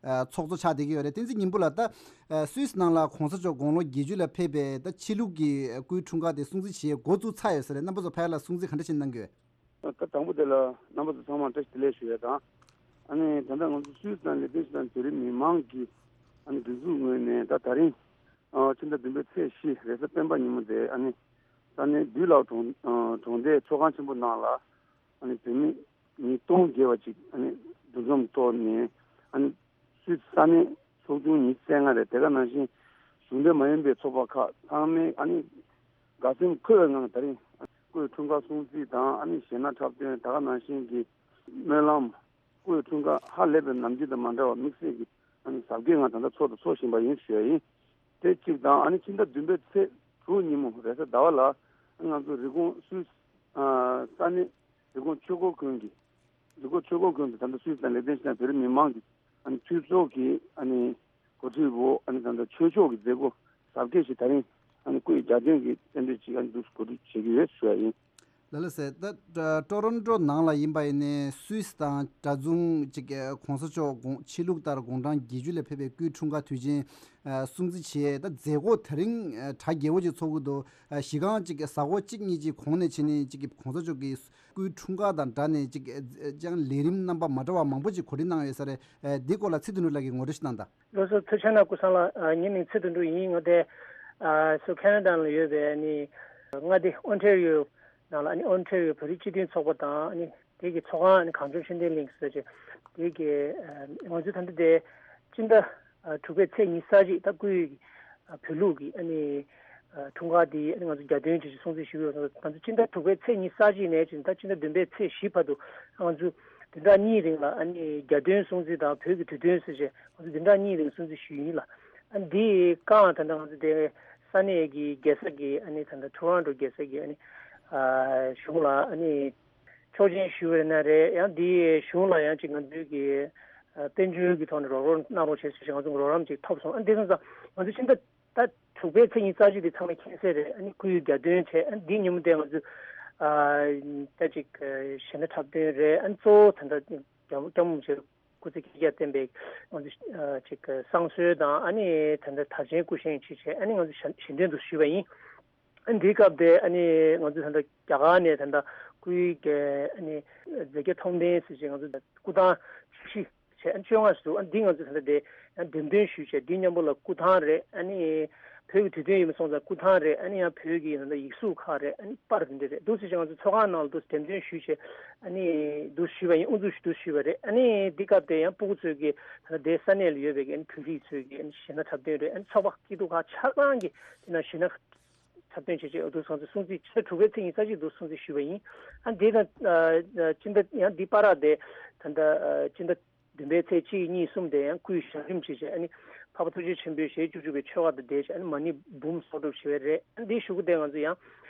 ཨ་ཚོགས་གཙོ་ཆགས་བསྡད་ཀྱི་ཡོད་རེད། བསྟན་འཛིན་ཉི་འབུམ་ལགས། ད་སུད་སི་ནང་ལ་༸གོང་ས་མཆོག་དགུང་ལོ་བརྒྱད་ཅུ་ལ་ཕེབས་པའི་ད་ཕྱི་ལུགས་ཀྱི་སྐུའི་འཁྲུངས་སྐར་དེ་སྲུང་བརྩི་བྱེད་འགོ་བཙུགས་ཚར་ཡོད་ས་རེད། རྣམ་པ་ཚོ་ཕ་ཡ་ལ་སྲུང་བརྩི་ག་འདྲ་བྱས་གནང་གི་ཡོད། ད་དང་པོ་དེ་ལ་རྣམ་པ་ཚོ་ཚང་མར་བཀྲ་ཤིས་བདེ་ལེགས་ཞུ་ཡས་དང་། ཨ་ནི་ད་ལྟ་ང་ཚོ་སུད་སི་ནང་ལ་བསྡད་བཞིན་པའི་བོད་རིགས་མི་མང་གི་ཨ་ནི་སྒྲིག་འཛུགས་ངོས་ནས་ད་ད་རིང་ཨ་ཕྱི་ཟླ་བདུན་པའི་ཚེས་བཞི་རེས་གཟའ་སྤེན་པ་ཉིན་མོ་དེ་ཨ་ནི་ས་གནས་དུད་ལའོ་གྲོང་ཨ་གྲོང་སྡེའི་ཚོགས་ཁང་ཆེན་པོ་ནང་ལ་ཨ་ནི་བོད་མི་ཉིས་སྟོང་བརྒལ་བ་ཅིག་ཨ་ནི་འདུ་འཛོམས་ཐོག་ནས་ཨ་ནི་སུད་སི་ས་གནས་ཚོགས་ཆུང་ཉི་ཤུ་རྩ་ལྔ་རེད། དེ་ག་ནང་བཞིན་གཞུང་འབྲེལ་མ་ཡིན་པའི་ཚོགས་པ་ཁག་ཚང་མས་ཨ་ནི་དགའ་སེམས་འཁོལ་བའི་ངང་ད་རིང་སྐུའི་འཁྲུངས་སྐར་སྲུང་བརྩི་དང་ཨ་ནི་གཞས་སྣ་འཁྲབ་སྟོན། དེ་ག་ནང་བཞིན་གྱི་སྨོན་ལམ། སྐུའི་འཁྲུངས་སྐར་ཧ་ལས་པའི་ནམ་རྒྱུན་དང་མ་འདྲ་བར་དམིགས་བསལ་གྱི་ཨ་ནི་གཟབ་རྒྱས་ངང་ད་ལྟ་འཚོགས་དང་འཚོགས་བཞིན་པ་ཡིན་ཞུ་ཡ་ཡིན། དེ་གཅིག་དང་། ཨ་ནི་ཕྱི་ཟླ་བདུན་པའི་ཚེས་དྲུག་ཉིན་མོ་རེས་གཟའ་ཟླ་བ་ལ་ང་ཚོ་རི་ཀོན་སུད་ཨ་ས་གནས་རི་ཀོན་ཆོས་འཁོར་དགོན་གྱི་རི་ཀོན་ཆོས་འཁོར་དགོན་དུ་ད་ལྟ་སུད་སི་དང་ལེག་ཏེན་སི་ཏན་བོད་རིགས་མི་མང་གི་ཨ་ནི་འཐུས་ཚོགས་ཀྱི་ཨ་ནི་འགོ་ཁྲིད་འོག་ཨ་ནི་ད་ལྟ་ཆོས་ཕྱོགས་ཀྱི་མཛད་སྒོ་གཟབ་རྒྱས་ཤིག་ད་རིང་ཨ་ནི་སྐུའི་གྱ་སྟོན་གྱི་རྟེན་འབྲེལ་ཅིག་ཨ་ནི་འདུག་གོ་སྒྲིག་བྱེད་ཀྱི་ཡོད་ཞུ་བ་ཡིན། ལགས་ལགས་སེ། ད་ཊོ་རོན་ཊོ་ནང་ལ་ཡིན་པ་ཡིན་ནའི་སུད་སི་དང་གྲྭ་བཙུན་ཅིག་གོང་ས་མཆོག་དགོངས་ཆོས་ལུགས་ལྟར་དགུང་གྲངས་བརྒྱད་ཅུ་ལ་ཕེབས་པའི་སྐུའི་འཁྲུངས་སྐར་དུས་ཆེན་སྲུང་བརྩི་བྱས། ད་མཛད་སྒོ་དེ་རིང་གྲ་རྒྱས་པོ་ཅིག་ཚོགས་ཀྱི་འདུག་གཞི་རྐང་ཅིག་གཟའ་འཁོར་གཅིག་གཉིས་ཅིག་གོང་ནས་བྱས་ནས་ཅིག་གོང་ས་མཆོག་གི་སྐུའི་འཁྲུངས་སྐར་དང་སྦྲགས་ནས་ཅིག་ཅང་ལས་རིམ་རྣམ་པ་མ་འདྲ་བ་མང་པོ་ཅིག་གོ་སྒྲིག་གནང་ཡོད་ས་རེད། འདིའི་སྐོར་ལ་ཚེ་དོན་གྲུབ་ལགས་ཀྱིས་ངོ་སྤྲོད་ཞིག་གནང་དང་། ལགས་སོ། ཐུགས་རྗེ་གནང་སྐུ་བཟང་ལགས། ཨ། ངའི་མིང་ཚེ་དོན་གྲུབ་ཡིན། ང་དེ་ཨ་སུ་ཁེ་ན་ཌ་ལ་ཡོད་པའི་ཨ་ནི་མངའ་སྡེ་ཨོན་ཊེ་རི་ཡོ་ནང་ལ། ཨ་ནི་ཨོན་ཊེ་རི་ཡོ་བོད་རིགས་སྤྱི་མཐུན་ཚོགས་པ་དང་། ཨ་ནི་དེ་གི་ཚོགས་ཁང་། ཨ་ནི་གངས་ལྗོངས་ཤེས་ལྡན་གླིང་ཟེར་བྱས་དེ་གི་ཨ་ང་ཚོ་ད་ལྟ་དེ་སྤྱི་ཟླ་ཨ་དྲུག་པའི་ཚེས་ཉི་ཤུ་རྩ་གཅིག་ད་སྐུའི་ཨ་བོད་ལུགས་ཀྱི་ཨ་ནི་ཨ་འཁྲུངས་སྐར་འདི་ཨ་ནི་ང་ཚོ་གྱ་སྟོན་བྱས་ཤིང་སྲུང་བརྩི་ཞུ་གི་ཡོད། ང་ཚོ་སྤྱི་ཟླ་དྲུག་པའི་ཚེས་ཉི་ཤུ་རྩ་གཅིག་ནས་བྱས་ད་སྤྱི་ཟླ་བདུན་པའི་ཚེས་བཞི་བར་དུ་ང་ཚོ་བདུན་ཕྲག་གཉིས་རིང་ལ་ཨ་ནི་གྱ་སྟོན་སྲུང་བརྩི་དང་བོད་ཀྱི་དུས་སྟོན་ཟེར་བྱས་ང་ཚོ་བདུན་ཕྲག་གཉིས་རིང་སྲུང་བརྩི་ཞུས་ཡིན་ལགས། ཨ་ནི་འདི་སྒང་ད་ལྟ་ང་ཚོ་དེ་ས་གནས་ཀྱི་རྒྱལ་ས་གི་ཨ་ནི་ད་ལྟ་ཊོ་རོན་ཊོ་རྒྱལ་ས་གི་ཨ་ནི་ཨ་གཞུང་ལ་ཨ་ནི་ཆོག་མཆན་ཞུས་པ་ཡིན་ན་རེད། ཡང་འདི་གཞུང་ལ་ཡང་ཅིག་ང་ཚོའི་གི་ཨ་དཔལ་འབྱོར་གྱི་ཐོག་ནས་རོགས་རམ་གནང་རོགས་བྱེད་ཟེར་བྱས་ང་ཚོ་རོགས་རམ་ཅིག་ཐོབ་སོང་། ཨ་ནི་དེ་སོང་ཙང་ང་ཚོ་ཕྱི་ཟླ་ད་དྲུག་པའི་ཚེས་ཉི་ཤུ་རྩ་གཅིག་དེ་ཚང་མས་མཁྱེན་གསལ་རེད། ཨ་ནི་སྐུའི་གྱ་སྟོན་བྱས། ཨ་ནི་འདིའི་ཉིན་མོ་དེ་ང་ཚོས་ཨ་ད་ཅིག་གཞས་སྣ་འཁྲབ་སྟོན་རེད། ཨ་ནི་གཙོ་བོ་ད་ལྟ་སྐྱབས་སྐྱབས་མགོན་ཆེན་སྐུ་ཚེ་བསྐལ་བརྒྱར་བརྟན་པའི་ང་ཚོ་ཨ་ཅིག་བསང་གསོལ་དང་། ཨ་ནི་ད་ལྟ་དར་ཆེན་སྐུ་བཞེངས་བྱས་བྱས། ཨ་ནི་ང་ཚོ་ཞལ་ཞལ་འདོན་དུ་ཞུས་པ་ཡིན། ཨ་ནི་འདིའི་སྐབས་དེ་ཨ་ནི་ང་ཚོ་ད་ལྟ་རྒྱ་གར་ནས་ད་ལྟ་སྐུའི་གི་ཨ་ནི་མཛད་བརྒྱ་མཐོང་ལྡན་ཟེར་བྱས་ང་ཚོ་སྐུ་ཐང་བཅུ་བཞི་བྱས། ཨ་ནི་བཅོ་ལྔ་ཞིག་འདུག་ཨ་ནི་འདི་ང་ཚོས་ད་ལྟ་དེ་ཡང་འགྲེམས་སྟོན་ཞུས་བྱས། འདི་མཉམ་པོ་ལ་སྐུ་ཐང་རེད། ཨ་ནི་བོད་ཀྱི་དུས་སྟོན་ཡིན་པ་སོང་ཙང་སྐུ་ཐང་རེད། ཨ་ནི་ཡང་བོད་ཀྱི་ད་ལྟ་ཡིག་གཟུགས་ཁག་རེད། ཨ་ནི་པར་དེ་འདྲ་རེད། འདུག་སེ་བྱས་ང་ཚོ་ཚོགས་ཁང་ནང་ལ་འདུག་སེ་འགྲེམས་སྟོན་ཞུས་བྱས། ཨ་ནི་འདུག་ཞུས་པ་ཡིན། དབུ་འཛུགས་ཞུས་འདུག་ཞུས་པ་རེད། ཨ་ནི་འདི་སྐབས་དེ་ཡང་སྤུ་གུ་ཚོས་ཀྱི་ད་ལྟ་དེ་ས་གནས་ལ་ཡོད་པའི་ཨ་ནི་བོད་རིགས་ཚོས་ཀྱི་ཨ་ནི་གཞས་སྣ་འཁྲབ་སྟོན་རེད། ཨ་ནི་ཚོགས་པ་སྐྱིད་སྡུག་ཁག་ཆ་ཚང་གི་དེ་ན་གཞས་སྣ་འཁྲབ་སྟོན་བྱེད་ཆེད་འདུག་སོང་ཙང་སྲུང་བརྩི་ཕྱི་ཟླ་དྲུག་པའི་ཚེས་ཉི་ཤུ་རྩ་གཅིག་འདུག་སྲུང་བརྩི་ཞུས་པ་ཡིན། ཨ་འདི་དང་ཨ་ཨ་སྤྱི་ཟླ་ཡང་འདི་བར་དེ་ད་ལྟ་ཨ་སྤྱི་ཟླ་བདུན་པའི་ཚེས་གཅིག་གཉིས་གསུམ་དེ་ཡང་སྐུའི་ཞབས་རིམ་བྱེད་ཆེད། ཨ་ནི་འཕགས་པ་ཐུགས་རྗེ་ཆེན་པོའི་ཞལ་བཅུ་དྲུག་པའི་ཆོ་ག་དང་འབྲེལ་བྱས་ཨ་ནི་མ་ཎི་འབུམ་གསོག་སྒྲུབ་བྱེད་པ་རེད། ཨ་འདིའི་གཞུག་གུ་དེ་ང་ཚོ་ཡང་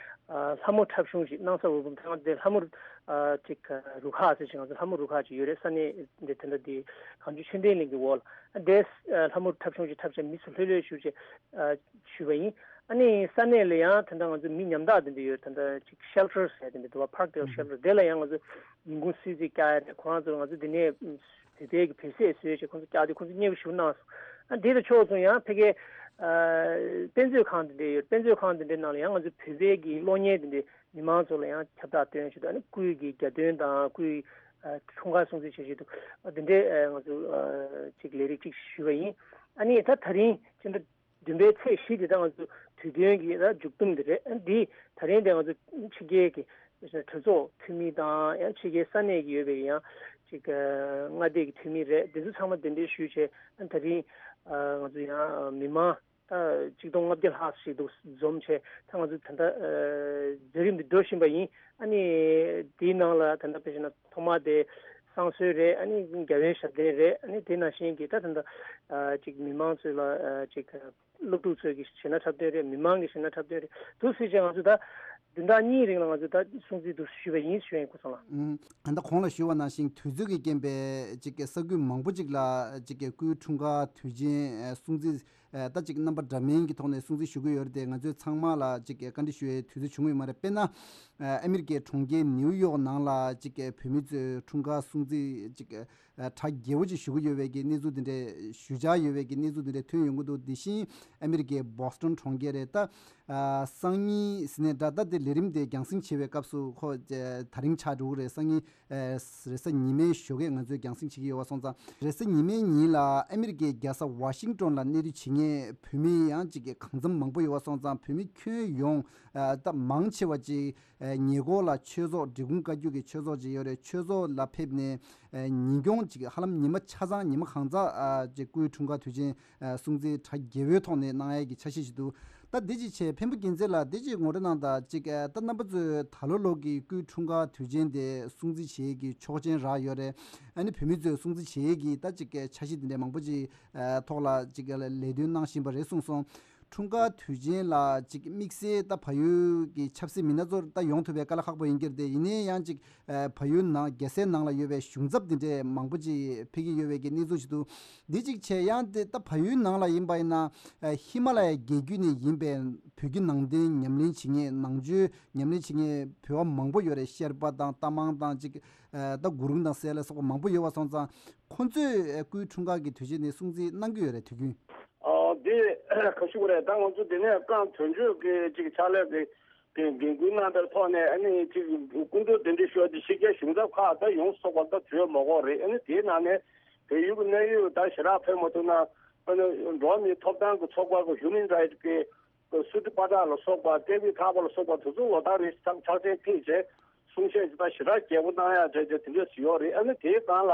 ཨ་ལྷ་མོ་འཁྲབ་གཞུང་ཞིག་གནང་ས། འོད་འབུམ་ཐང་དེ་ལྷ་མོ་ཨ་ཅིག་རུ་ཁག་ཟེར་ཞིག་ང་ཚོ་ལྷ་མོ་རུ་ཁག་ཅིག་ཡོད་རེད། ས་གནས་འདི་དེ་འདྲ་དེ་གངས་ལྗོངས་ཤེས་ལྡན་གླིང་གི་འོག་ལ། ཨ་དེ་ལྷ་མོ་འཁྲབ་གཞུང་ཞིག་འཁྲབ་བྱས་མི་ཚོ་ལྷོད་ལྷོད་བཞུགས་བྱས་ཨ་ཞུས་པ་ཡིན། ཨ་ནི་ས་གནས་ལ་ཡང་ད་ལྟ་ང་ཚོ་མི་ཉམ་ཐག་དེ་འདྲ་ཡོད། ད་ལྟ་ཅིག་ཤེལ་ཊར་ཟེར་དེ་འདྲ་འདུག་བ། པར་ཀེལ་ཤེལ་ཊར་དེ་ལ་ཡང་ང་ཚོ་ཉིན་གུང་གསོལ་ཚིགས་བཀྱག་ཡ་རེད། ཁོ་རང་ཚོ་ང་ཚོ་འདི་ནས་བོད་པའི་གི་བོད་ཟས་བཟོས་བྱས་ཁོ་ཚོ་བཀྱག་དུས་ཁོ་ཚོ་མཉེས་པོ་ཞེ་པོ་གནང་སོང་། ཨ་འདི་དང་ཕྱོགས་མཚུངས་ཡང་ཕ་གིའི་ཨ་དཔེ་མཛོད་ཁང་དེ་འདྲ་ཡོད། དཔེ་མཛོད་ཁང་དེ་འདྲའི་ནང་ལ་ཡང་ང་ཚོ་བོད་པའི་གི་གློག་བརྙན་དེ་འདྲ་མི་མང་ཚོ་ལ་ཡང་ཁྱབ་བསྒྲགས་སྟོན་ཆེད་དུ། ཨ་ནི་སྐུའི་གི་གྱ་སྟོན་དང་སྐུའི་ཨ་འཁྲུངས་སྐར་སྲུང་བརྩི་བྱེད་ཆེད་དུ་ཨ་དེ་འདྲའི་ཨ་ང་ཚོ་ཨ་ཅིག་ལས་རིགས་ཅིག་ཞུས་པ་ཡིན། ཨ་ནི་ད་ད་རིང་སྤྱི་ཟླ་བདུན་པའི་ཚེས་བཞི་དེ་ད་ང་ཚོ་དུས་སྟོན་གྱི་ད་མཇུག་སྡོམ་དེ་རེད། ཨ་འདི་ད་རིང་དེ་ང་ཚོ་ཕྱི་རྒྱལ་གྱི་གྲོས་ཚོགས་འཐུས་མི་དང་། ཡང་ཕྱི་རྒྱལ་ས་གནས་ཀྱི་ཡོད་པའི་ཡང་ཅིག་ཨ་མངའ་སྡེ་གི་འཐུས་མི་རེད། དེ་ཚོ་ཚང་མ་གདན་འདྲེན་ཞུས་བྱས། ཨ་ད་རིང་ཨ་ང་ཚོ་ཡང་མི་མང་ད་ཆིག་སྟོང་ལྔ་བརྒྱ་ལྷག་ཞིག་འདུག་འཛོམས་བྱས། ད་ང་ཚོ་ད་ལྟ་ཨ་མཛད་རིམ་འདི་འགྲོ་བཞིན་པ་ཡིན། ཨ་ནི་དེའི་ནང་ལ་ད་ལྟ་དཔེ་བཞག་ན་ཐོག་མ་དེ་བསང་གསོལ་རེད། ཨ་ནི་རྒྱལ་བའི་ཞབས་བརྟན་རེད། ཨ་ནི་དེ་ནང་བཞིན་གྱི་ད་ད་ལྟ་ཨ་ཅིག་མི་མང་ཚོས་ལ་ཨ་ཅིག་སློབ་ཕྲུག་ཚོས་ཀྱི་གཞས་སྣ་འཁྲབ་སྟོན་རེད། མི་མང་གི་གཞས་སྣ་འཁྲབ་སྟོན་རེད། འདུག་སེ་བྱས་ང་ཚོ་ད་བདུན་ཕྲག་གཉིས་རིང་ལ་ང་ཚོ་ད་སྲུང་བརྩི་འདུག་ཞུས་པ་ཡིན་ཞུ་ཡ་ཡིན། སྐུ་ཚང་ལགས། ཨུམ། ད་ལྟ་གོང་ལ་ཞུས་པ་ནང་བཞིན་དུས་ཚོད་ཀྱི་རྐྱེན་པས་ཅིག་གི་ས་ཁུལ་མང་པོ་ཅིག་ལ་ཅིག་གི་སྐུའི་འཁྲུངས་སྐར་དུས་ཆེན་ཨ་སྲུང་བརྩི་ཨ་ད་ཅིག་རྣམ་པ་འདྲ་མིན་གྱི་ཐོག་ནས་སྲུང་བརྩི་ཞུ་གི་ཡོད་རེད་དེ། ང་ཚོས་ཚང་མ་ལ་ཅིག་གི་བཀའ་འདྲི་ཞུ་ཡའི་དུས་ཚོད་བྱུང་ཡོད་མ་རེད། དཔེར་ན་ཨ་ཨ་མི་རི་ཀའི་གྲོང་ཁྱེར་ནིའུ་ཡོག་ནང་ལ་ཅིག་གི་བོད་མི་ཚོས་འཁྲུངས་སྐར་སྲུང་བརྩི་ཅིག་གི་ཨ་གྲ་རྒྱས་པོ་ཅིག་ཞུ་གི་ཡོད་པའི་གི་གནས་ཚུལ་དེ་འདྲས་ཞུ་འཆར་ཡོད་པའི་གི་གནས་ཚུལ་དེ་འདྲས་ཐོན་ཡོང་གི་འདུག་དེ་བཞིན་ཨ་མི་རི་ཀའི་བྷོ་སི་ཊོན་གྲོང་ཁྱེར་རེད། ད་ཨ་སང་ཉིན་ཟེར་ནས་འདྲ། ད་དེ་ལས་རིམ་དེ་རྒྱང་སྲིང་བྱེད་པའི་སྐབས་སུ་ཁོ་ཨ་དེ་རིང་ཆགས་འགྲོ་གི་རེད། སང་ཉིན་ཨ་རེས་གཟའ་ཉི་མའི་ཞོགས་ཀས་ང་ཚོས་རྒྱང་སྲིང་བྱེད་ཀྱི་ཡོད་པ་སོང་ཙང་། རེས་གཟའ་ཉི་མའི་ཉིན་ལ་ཨ་མི་རི་ཀའི་རྒྱལ་ས་ཝ་ཤིང་ཊོན་ལ་གནས་སྡོད་བྱེད་མཁན་བོད་མི་ཡང་ཅིག་གི་གང་འཚམ་མང་པོ་ཡོད་པ་སོང་ཙང་། བོད་མི་ཁྱོན་ཡོངས་ཨ་ད་མང་ཆེ་བ་ཅིག་ཨ་ཉེ་འཁོར་ལ་ཆོས་ཚོགས་འབྲི་གུང་བཀའ་བརྒྱུད་ཀྱི་ཆོས་ཚོགས་ཅིག་ཡོད་རེད། ཆོས་ཚོགས་ལ་ཕེབས་ནས་ཨ་ཉིན་གུང་ཅིག་ཧ་ལམ་ཉི་མ་ཆ་ཚང་ཉི་མ་གང་ཚ་ཨ་ཅིག་སྐུའི་འཁྲུངས་སྐར་དུས་ཆེན་ཨ་སྲུང་བརྩི་གྲ་རྒྱས་པོའི་ཐོག་ནས་གནང་ཡས་ཀྱི་འཆར་གཞི་ཞིག་འདུག་ད་འདི་ཅིག་བྱས། འཕན་པོ་རྒྱལ་མཚན་ལགས་འདི་ཅིག་ངོ་སྤྲོད་གནང་དང་། ཅིག་ཨ་ད་རྣམ་པ་ཚོས་ད་ལོ་ལོ་གི་སྐུའི་འཁྲུངས་སྐར་དུས་ཆེན་དེ་སྲུང་བརྩི་བྱེད་ཡས་ཀྱི་ཆོག་མཆན་རག་ཡོད་རེད། ཨ་ནི་བོད་མི་ཚོས་སྲུང་བརྩི་བྱེད་ཡས་ཀྱི་ད་ཅིག་འཆར་གཞི་འདི་འདྲ་མང་པོ་ཅིག་ཨ་ཐོག་ལ་ཅིག་ལས་དོན་གནང་བཞིན་པ་རེད་གསུངས་སོང་། འཁྲུངས་སྐར་དུས་ཆེན་ལ་ཅིག་དམིགས་བསལ་ད་བལ་ཡུལ་གྱི་ཆབ་སྲིད་མི་སྣ་ཚོར་ད་ཡོང་ཐུབ་པའི་དཀའ་ལས་ཁག་པོ་ཡིན་གྱི་རེད་དེ། ཡིན་ནའི་ཡང་ཅིག་ཨ་བལ་ཡུལ་ནང་རྒྱལ་སའི་ནང་ལ་ཡོད་པའི་གཞུང་ཚབ་འདི་འདྲའི་མང་པོ་ཅིག་ཕེབས་ཀྱི་ཡོད་པའི་གི་གནས་ཚུལ་ཞིག་འདུག་འདི་གཅིག་བྱས། ཡང་དེ་ད་བལ་ཡུལ་ནང་ལ་ཡིན་པ་ཡིན་ན་ཨ་ཧི་མ་ལ་ཡའི་རྒྱལ་རྒྱུད་ནས་ཡིན་པའི་བོད་ཀྱི་ནང་བསྟན་ཉམས་ལེན་བྱེད་མཁན། ནང་ཆོས་ཉམས་ལེན་བྱེད་མཁན་བོད་པ་མང་པོ་ཡོད་རེད། ཤེར་པ་དང་རྟ་མང་དང་ཅིག་ཨ་ད་གུ་རུ་དང་ཟེར་ལ་སོགས་པ་མང་པོ་ཡོད་པ་སོང་ཙང་། ཁོ་ཚོས་ཨ་སྐུའི་འཁྲུངས་སྐར་གྱི་དུས་ཆེན་ནས་སྲུང་བརྩི་གནང་གི་ཡོད་རེད། དུས་རྒྱུན། ཨ་འདི་ག་ཞུ་དགོས་རེད། ད་ང་ཚོ་འདི་ནས་རྐང་དོན་གཅོད་ཀྱི་ཅིག་ཕྱག་ལས་ཀྱི་ཀྱི་འགན་ཁུར་གནང་བའི་ཐོག་ནས། ཨ་ནི་ཅིག་སྐུ་མགྲོན་གདན་འདྲེན་ཞུ་བ་དེ་ཕྱི་རྒྱལ་གཞུང་ཚབ་ཁག་ད་ཡོངས་སུ་རྫོགས་པ་ད་བོད་མི་སྐོར་རེད། ཨ་ནི་དེའི་ནང་ནས་བལ་ཡུལ་གྱི་གནད་ཡོད་ད་ཞེ་དྲག་ཕེབས་མ་ཐུབ་ན། ཨ་ནི་འགྲོ་བ་མིའི་ཐོབ་ཐང་གི་ཚོགས་པ་གི་Human Rights་གི་སུ་ཏི་པ་ཏྲ་ལ་སོགས་པ། ཏེ་བི་ཐག་པ་ལ་སོགས་པ་དེ་ཚོ་ལོ་ལྟར་རེ་ཚགས་ཚགས་ཆེན་ཕེབས་བྱས། གསུང་བཤད་ཅིག་ད་ཞེ་དྲག་རྒྱས་པོ་གནང་ཡག་བྱས་བྱས་དེ་འདྲ་ཞིག་ཡོད་རེད། ཨ་ནི་དེའི་སྒང་ལ་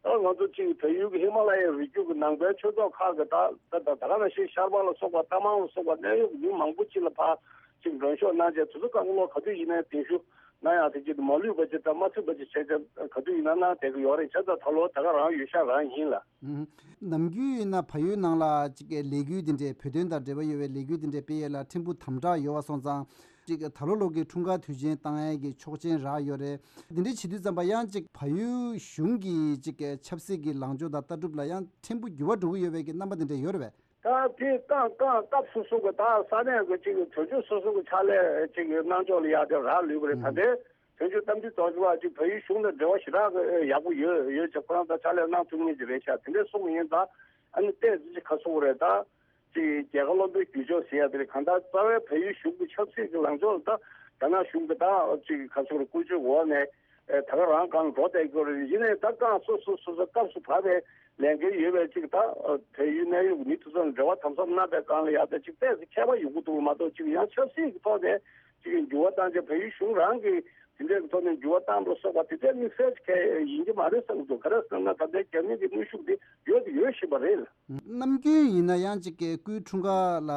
ད་ང་ཚོ་ཅིག་བལ་ཡུལ་གྱི་ཧི་མ་ལ་ཡའི་རི་རྒྱུད་ཀྱི་ནང་པའི་ཆོས་ཚོགས་ཁག་གི་ད་ད་ད་ག་ནང་བཞིན་ཤར་པ་ལ་སོགས་པ། རྟ་མང་ལ་སོགས་པ་གནད་ཡོད་མི་མང་པོ་ཅིག་ལ་ཕར་ཅིག་མགྲོན་ཤོག་གནང་བྱས། དེ་ཚོ་བཀའ་སློབ་ག་དུས་ཡིན་ན་གདན་ཞུ་གནང་ཡག་དེ་ཅིག་མ་ལུས་པ་ཅིག་དང་མ་མཐུན་པ་ཅིག་བྱས་བྱས་ག་དུས་ཡིན་ན་གནང་བསྡད་ཀྱི་ཡོད་རེད། བྱས་ཙང་ད་ལོ་ད་ག་རང་ཡོད་ཤག་རང་ཡིན་ལ། ཨུམ། ནམ་རྒྱུན་ཡིན་ན་བལ་ཡུལ་ནང་ལ་ཅིག་ལས་འགུལ་འདི་འདྲའི་བོད་དོན་དང་འབྲེལ་བ་ཡོད་པའི་ལས་འགུལ་འདི་འདྲའི་སྤེལ་ཡས་ལ་ཕྲན་བུ་དམ་དྲག་ཡོད་པ་སོང་ཙང་། ཅིག་ད་ལོ་ལོ་གི་འཁྲུངས་སྐར་དུས་ཆེན་བཏང་ཡས་ཀྱི་ཆོག་མཆན་རག་ཡོད་རེད། འདི་འདྲའི་བྱེད་དུས་ཙམ་པ་ཡང་ཅིག་བལ་ཡུལ་གཞུང་གི་ཅིག་ཆབ་སྲིད་ཀྱི་ལངས་ཕྱོགས་དང་ལྟ་གྲུབ་ལ་ཡང་ཕྲན་བུ་འགྱུར་བ་འགྲོ་གི་ཡོད་པའི་གི་རྣམ་པ་འདི་འདྲ་ཡོད་རེད་པས། ད་དེ་རྐང་རྐང་སྐབས་སོ་སོ་གི་ད་ས་གནས་ཀྱི་ཅིག་དོན་གཅོད་སོ་སོ་གི་ཕྱག་ལས་ཅིག་གནང་ཕྱོགས་ལ་ཡག་དེ་རག་ལུས་པ་རེད། ད་ལྟའི་དོན་གཅོད་རྟ་མགྲིན་རྡོ་རྗེ་ལགས་ཅིག་བལ་ཡུལ་གཞུང་དང་འབྲེལ་བ་ཞེ་དྲག་གི་ཡག་པོ་ཡོད་ཡོད་ཅིག་ཁོ་རང་ད་ཕྱག་ལས་གནང་ཐུབ་མཁན་ཅིག་རེད་ཤག་དེ་འདྲ་གསུངས་པ་ཡིན་ཙང་། ཨ་ནི་ཏོག་ཙམ་ཅིག་ག་ཟེར་དགོས་རེད། ད་ཅིག་རྒྱལ་ཁ་བློ་འདོད་རྒྱུ་ཕྱོགས་ཟེར་ཡ་དེ་རེད། གང་ལྟར་རྩ་བའི་བལ་ཡུལ་གཞུང་གི་ཆབ་སྲིད་ཀྱི་ལངས་ཕྱོགས་ལ་ད་རྒྱ་ནག་གཞུང་གི་ད་ཅིག་ག་ཟེར་དགོས་རེད། བཀོལ་སྤྱོད་འོག་ནས་ཨེ་ད་ག་རང་སྒང་འགྲོ་བསྡད་ཀྱི་ཡོད་རེད། ཡིན་ནའི་ད་རྐང་སོ་སོ་སོ་སོ་སྐབས་སུ་བབས་པའི་ལས་འགན་ཡོད་པའི་ཅིག་ད་བལ་ཡུལ་གནད་ཡོད་ཀྱི་མི་དེ་ཚོ་ལ་འབྲེལ་བ་དམ་ཟབ་གནང་པའི་སྒང་ལ་ཡ་ད་ཅིག་ཏོག་ཙམ་ཁྱད་པར་ཡོང་གི་འདུག་མ་གཏོགས། ཅིག་ཡང་ཆབ་སྲིད་ཀྱི་ཐོག་ནས་ཅིག་འགྱུར་བ་བཏང་བྱས། བལ་ཡུལ་གཞུང་རང་གིས་དེ་འདྲའི་ཐོག་ནས་འགྱུར་བ་བཏང་པ་ལ་སོགས་པ་དེ་འདྲའི་དམིགས་བསལ་གྱི་ཡིན་གྱི་མ་རེད་བསམ་གྱི་འདུག་ག་རེ་ཟེར་ན་ད་ལྟའི་རྒྱ་མི་གི་དངོས་ཤུགས་དེ་ཡོད་དེ་ཡོད་བཞིན་པ་རེད་ལ། ནམ་རྒྱུན་ཡིན་ན་ཡང་ཅིག་གི་སྐུའི་འཁྲུངས་སྐར་ལ་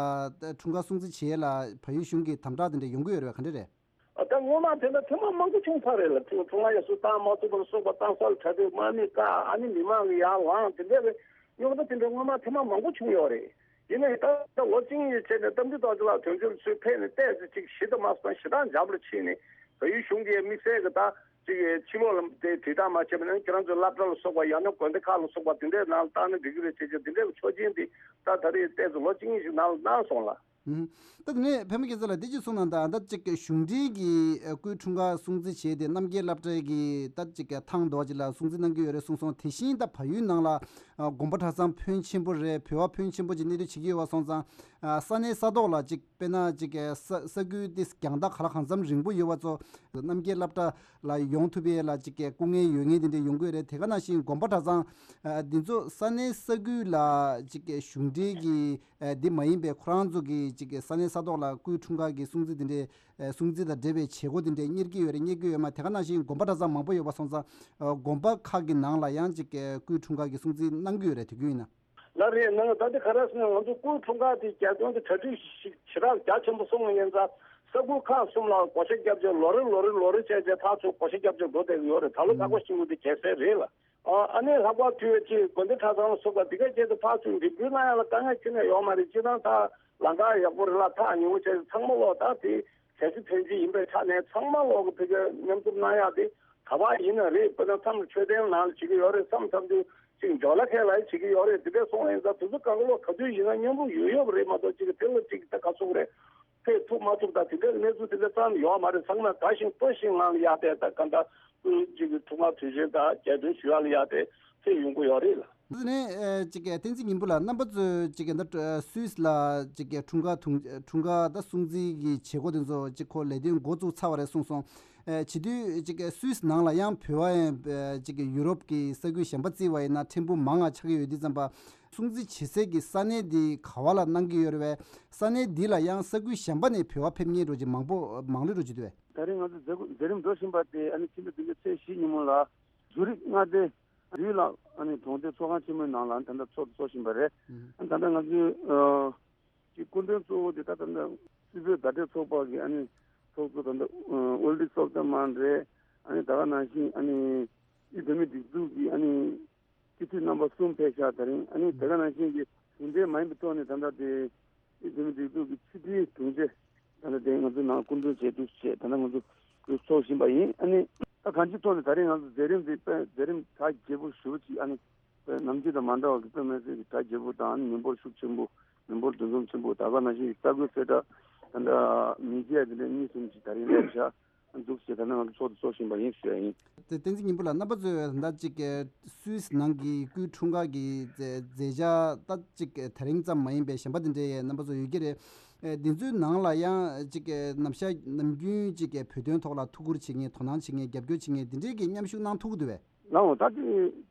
འཁྲུངས་སྐར་སྲུང་བརྩི་བྱེད་ཡས་ལ་བལ་ཡུལ་གཞུང་གི་དམ་དྲག་དེ་འདྲ་ཡོང་གི་ཡོད་རེད་པས། ག་འདྲ་རེད། ཨ་ད་སྔོན་མ་དེ་འདྲ་ཐེངས་མ་མང་པོ་བྱུང་ཚར་རེད་ལ། འཁྲུངས་འཁྲུངས་སྐར་ཡར་སོང་བཏང་མ་ཐུབ་པ་ལ་སོགས་པ། བཏང་ས་ལ་གྲ་སྒྲིག་དམག་མི་བཀག་ཨ་ནི་མི་མང་གི་ཡར་ལངས། དེ་འདྲ་རེད། རྙོག་དྲ་དེ་འདྲ་སྔོན་མ་ཐེངས་མ་མང་པོ་བྱུང་ཡོད་རེད། ཡིན་ནའི་ད་ད་ལོ་གཅིག་གཉིས་ཡི་ཚེ་ནས་རྟ་མགྲིན་རྡོ་རྗེ་ལགས་དོན་གཅོད་ཚོས་ཕེབས་ནས་ཏོག་ཙམ་ཅིག་ཞི་དང་མ་སོང་ཞེ་དྲག་འཇགས་པ་ལ་ཕྱིན་ནས། བལ་ཡུལ་གཞུང་གིས་དམིགས་བསལ་གྱི་ད་ཅིག་ཕྱི་ལོགས་ལ་དེ་དྲིལ་བསྒྲགས་མ་བྱས་པ་ན་ཁྱེད་རང་ཚོའི་སློབ་གྲྭ་ལ་སོགས་པ། ཡང་ན་དགོན་སྡེ་ཁག་ལ་སོགས་པ་དེ་འདྲའི་ནང་ལ་བཏང་ན་འགྲིག་གི་རེད་ཅེས་ཀྱང་དེ་འདྲའི་ཆོག་མཆན་དེ་ད་ད་རེས་ཏོག་ཙམ་ལོ་གཅིག་གཉིས་ཤིག་ནང་ལ་གནང་སོང་ལ། ཨུམ། ད་དེ་ནས་པད་མ་སྐྱིད་ཚལ་ལགས་འདི་ཅིག་གསུངས་ན། ད་ད་ཅིག་གཞུང་འབྲེལ་གྱི་ཨ་སྐུའི་འཁྲུངས་སྐར་སྲུང་བརྩི་བྱས་ཏེ་རྣམ་རྒྱལ་སློབ་གྲྭའི་གི་ད་ཅིག་ཐང་རྡོ་རྗེ་ལ་སྲུང་བརྩི་གནང་གི་ཡོད་རེད་གསུངས་སོང་། དེ་བཞིན་ད་བལ་ཡུལ་ནང་ལ་ཨ་དགོན་པ་གྲྭ་ཚང་ཕོན་ཆེན་པོ་རེད། བོད་པ་ཕོན་ཆེན་པོ་ཅིག་གནས་སྡོད་བྱེད་ཀྱི་ཡོད་པ་སོང་ཙང་། ཨ་ས་གནས་ས་ཐོག་ལ་ཅིག་དཔེར་ན་ཅིག་ས་ས་ཁུལ་དེ་རྒྱང་ཐག་ག་ལ་གང་འཚམ་རིང་པོ་ཡོད་པ་ཚོ་རྣམ་རྒྱལ་སློབ་གྲྭ་ལ་ཡོང་ཐུབ་ཡས་ལ་ཅིག་སྐུ་ངལ་ཡོད་མཁན་དེ་འདྲ་ཡོང་གི་ཡོད་རེད། དེ་ག་ནང་བཞིན་དགོན་པ་གྲྭ་ཚང་ཨ་འདི་ཚོ་ས་གནས་ས་ཁུལ་ལ་ཅིག་གཞུང་འབྲེལ་གྱི་ཨ་འདི་མ་ཡིན་པའི་ཁོ་རང་ཚོ་གི་ཅིག་ས་གནས་ས་ཐོག་ལ་སྐུའི་འཁྲུངས་སྐར་གྱི་སྲུང་བརྩི་དེ་འདྲའི་ཨ་སྲུང་བརྩི་དང་འབྲེལ་བའི་བྱེད་སྒོ་དེ་འདྲའི་གཉེར་གྱི་ཡོད་རེད། གཉེར་གྱི་ཡོད་མ། དེ་ག་ནང་བཞིན་དགོན་པ་གྲྭ་ཚང་མང་པོ་ཡོད་པ་སོང་ཙང་ཨ་དགོན་པ་ཁག་གི་ནང་ལ་ཡང་ཅིག་སྐུའི་འཁྲུངས་སྐར་གྱི་སྲུང་བརྩི་གནང་གི་ཡོད་རེད། དུས་རྒྱུན་ཡིན་ན། ལགས་རེད། ནང་ད་ལྟ་ག་རེ་ཟེར་ན་ང་ཚོ་སྐུའི་འཁྲུངས་སྐར་དེ་རྒྱ་སྐྱོང་དེ་གྲ་སྒྲིག་ཞིག་ཞེ་དྲག་རྒྱ་ཆེན་པོ་སོང་བ་ཡིན་ཙང་ས་ཁུལ་ཁག་གསུམ་ལ་བགོ་བཤའ་བརྒྱབ་བྱས་ལོ་རེ་ལོ་རེ་ལོ་རེ་བྱས་བྱས་ཕར་ཚུར་བགོ་བཤའ་བརྒྱབ་བྱས་འགྲོ་བསྡད་ཀྱི་ཡོད་རེད། ད་ལོ་ལྷག་པ་ཤིང་བུ་དེ་གལ་སྲིད་རེད་ལ། ཨ་ནི་ལྷག་པར་དུ་ཅིག་དགོན་སྡེ་གྲྭ་ཚང་ལ་སོགས་པ་འདི་ག་བྱས་ཏེ་ཕར་ཚུར་འགྲིམ་འགྲུལ་གནང་ཡ་ལ་དཀའ་ངལ་ཁྱོན་ནས་ཡོད་མ་རེད། སྤྱིར་བཏང་ད་ལམ་ཁ་ཡག་པོ་རེད་ལ། ཐག་ཉེ་བོ་བྱས་ཚང་མ་ལོག་ད་དེ་གལ་སྲིད་ཕན་ཆད་ཡིན་པའི་ཆ་ནས་ཚང་མ་ལོག་གི་ཕ་གིར་མཉམ་འཛོམས་གནང་ཡག་དེ་ག་པར་ཡིན་ན་རེད། དཔེར་ན་མཚམས་མཆོད་རྟེན་ནང་ལ་བྱེད་ཀྱི་ཡོད་རེད། མཚམས་མཚམས་དུ་ཅིག་འཇོ་ལ་ཁའི་ལ་བྱེད་ཀྱི་ཡོད་རེད། དེ་འདྲ་སོང་ཡིན་ཙང་དེ་ཚོ་གང་ག་ལོག་ག་དུས་ཡིན་ན་མཉམ་རུབ་ཡོད་ཡོད་པ་རེད་མ་གཏོགས་ཅིག་དེ་ལ་ཅིག་ད་ག་ཚོད་རེད། ཕེབས་ཐུབ་མ་ཐུབ་དང་དེ་འདྲའི་གནས་ཚུལ་དེ་འདྲ་ཙམ་ཡོད་མ་རེད། ཚང་མས་དགའ་ཞིང་སྤྲོ་ཞིང་ངང་ལ་ཡར་དེ་ད་ག་འདྲ་སྐུའི་ཅིག་འཁྲུངས་སྐར་དུས་ཆེན་དང་རྒྱས་སྟོན་ཞུ་ཡག་ལ་ཡར་དེ་ཕེབས་ཡོང་གི་ཡོད་རེད་ལ། དེ་ནས་ཨ་ཅིག་བསྟན་འཛིན་སྙིང་པོ་ལགས། རྣམ་པ་ཚོས་ཅིག་ད་སུད་སི་ལ་ཅིག་འཁྲུངས་སྐར་དུང་འཁྲུངས་སྐར་ད་སྲུང་བརྩི་གི་བྱེད་སྒོ་དེ་ཚོ་ཅིག་ཁོ་ལས་དོན་འགོ་བཙུགས་ཚར་བ་རེད་གསུངས་སོང་། ཨ་བྱེད་དུས་ཅིག་སུད་སི་ནང་ལ་ཡང་བོད་པ་ཡང་ཨ་ཅིག་ཡུ་རོབ་ཀྱི་ས་ཁུལ་གཞན་པ་བརྩིས་པ་ཡིན་ན་ཕྲན་བུ་མང་ང་ཆགས་ཀྱི་ཡོད་དུས་ཙམ་པ། སྲུང་བརྩི་བྱེད་སའི་གི་ས་གནས་འདི་ག་བ་ལ་གནང་གི་ཡོད་རེད་པས། ས་གནས་འདི་ལ་ཡང་ས་ཁུལ་གཞན་པ་ནས་བོད་པ་ཕེབས་མཁན་འགྲོ་ཅིག་མང་པོ་མང་ལོས་འགྲོ་ཅིག་འདུག་པས། ད་རིང་ང་ཚོ་མཛད་སྒོ་མཛད་རིམ་འགྲོ་བཞིན་པ་དེ་ཨ་ནི་ཕྱི་ཟླ་བདུན་པའི་ཚེས་བཞི་ཉིན་མོ་ལ་ཛུ་རིག་མངའ་སྡེ་རིའུ་ལག་ཨ་ནི་གྲོང་སྡེ་ཚོགས་ཁང་ཆེན་མོའི་ནང་ལ་ད་ལྟ་ཚོགས་འདུ་ཚོགས་བཞིན་པ་རེད། ཨ་ནི་ད་ལྟ་ང་ཚོའི་ཨ་ཀྱི་སྐུ་མགྲོན་གཙོ་བོ་དེ་ད་ད་ལྟ་སུད་བོད་བརྡ་སྤྲོད་ཚོགས་པ་གི་ཨ་ནི་ཚོགས་གཙོ་ད་ལྟ་ཨོལ་ཌི་སོབ་ཏ་མན་རེད། ཨ་ནི་ད་ག་ནང་བཞིན་ཨ་ནི་ཨི་བོད་མིའི་སྒྲིག་འཛུགས་ཀྱི་ཨ་ནི་སྤྱི་འཐུས་རྣམ་པ་གསུམ་ཕེབས་ཤག་དེ་རིང་ཨ་ནི་དེ་ག་ནང་བཞིན་གྱི་གཞུང་འབྲེལ་མ་ཡིན་པའི་ཐོག་ནས་ད་ལྟ་དེ་ དེ་མིན་སྒྲིག་འཛུགས་ཀྱི་ཕྱི་དྲིལ་དྲུང་ཆེ། ད་ནི་དེ་ང་ཚོའི་ནང་སྐུ་མགྲོན་བྱས་འདུག་ཅེས་ད་ནི་ང་ཚོ་གུས་ཚོགས་བཞིན་པ་ཡིན། ཨ་ནི་ད་གང་ཅིའི་ཐོག་ནས་ད་རེས་ང་ཚོ་མཛད་རིམ་འདི་དཔེ་མཛད་རིམ་གྲ་རྒྱས་པོ་ཞེ་པོ་ཅིག་ཨ་ནི་དཔེ་ནམ་རྒྱུན་དང་མ་འདྲ་བ་གི་དཔེ་མི་སྲིད་ཀྱི་གྲ་རྒྱས་པོ་དང་ཨ་ནི་མི་འབོར་ཤུགས་ཆེན་པོ། མི་འབོར་འདུ་འཛོམས་ཆེན་པོ། ད་ག་ནང་བཞིན་གྱི་ས་ཁུལ་གསལ་བསྒྲགས་ད་ལྟ་མི་ཌི་ཡ་འདི་འདྲ་གཉིས་གསུམ་ཅིག་ད་རེས་སླེབས་བཞག་འདུག་ཅེས་ད་ནི་ང་ཚོ་ཚོགས་འདུ་ཚོགས་བཞིན་པ་ཡིན་ཞུ་ཡ་ཡིན། དེ་བསྟན་འཛིན་སྙིང་པོ་ལགས། རྣམ་པ་ཚོས་ད་ཅིག་སུད་སི་ནང་གི་སྐུའི་འཁྲུངས་སྐར་གྱི་མཛད་མཛད་འཆར་ད་ཅིག་དེ་རིང་ཙམ་མ་ཡིན་པའི་གཞན་པ་དེ་འདྲའི་རྣམ་པ་ཚོ་ཡོད་ཀྱི་རེད། ཨེ་འདི་ཚོའི་ནང་ལ་ཡང་ཅིག་ནམ་ཞག་ནམ་རྒྱུན་ཅིག་བོད་དོན་ཐོག་ལ་ཐུགས་ཁུར་བྱེད་མཁན། དོ་སྣང་བྱེད་མཁན། རྒྱབ་སྐྱོར་བྱེད་མཁན་འདི་འདྲའི་གི་མཉམ་ཞུགས་གནང་ཐུབ་ཀྱི་འདུག་བས། ལའོ་ད་དེ་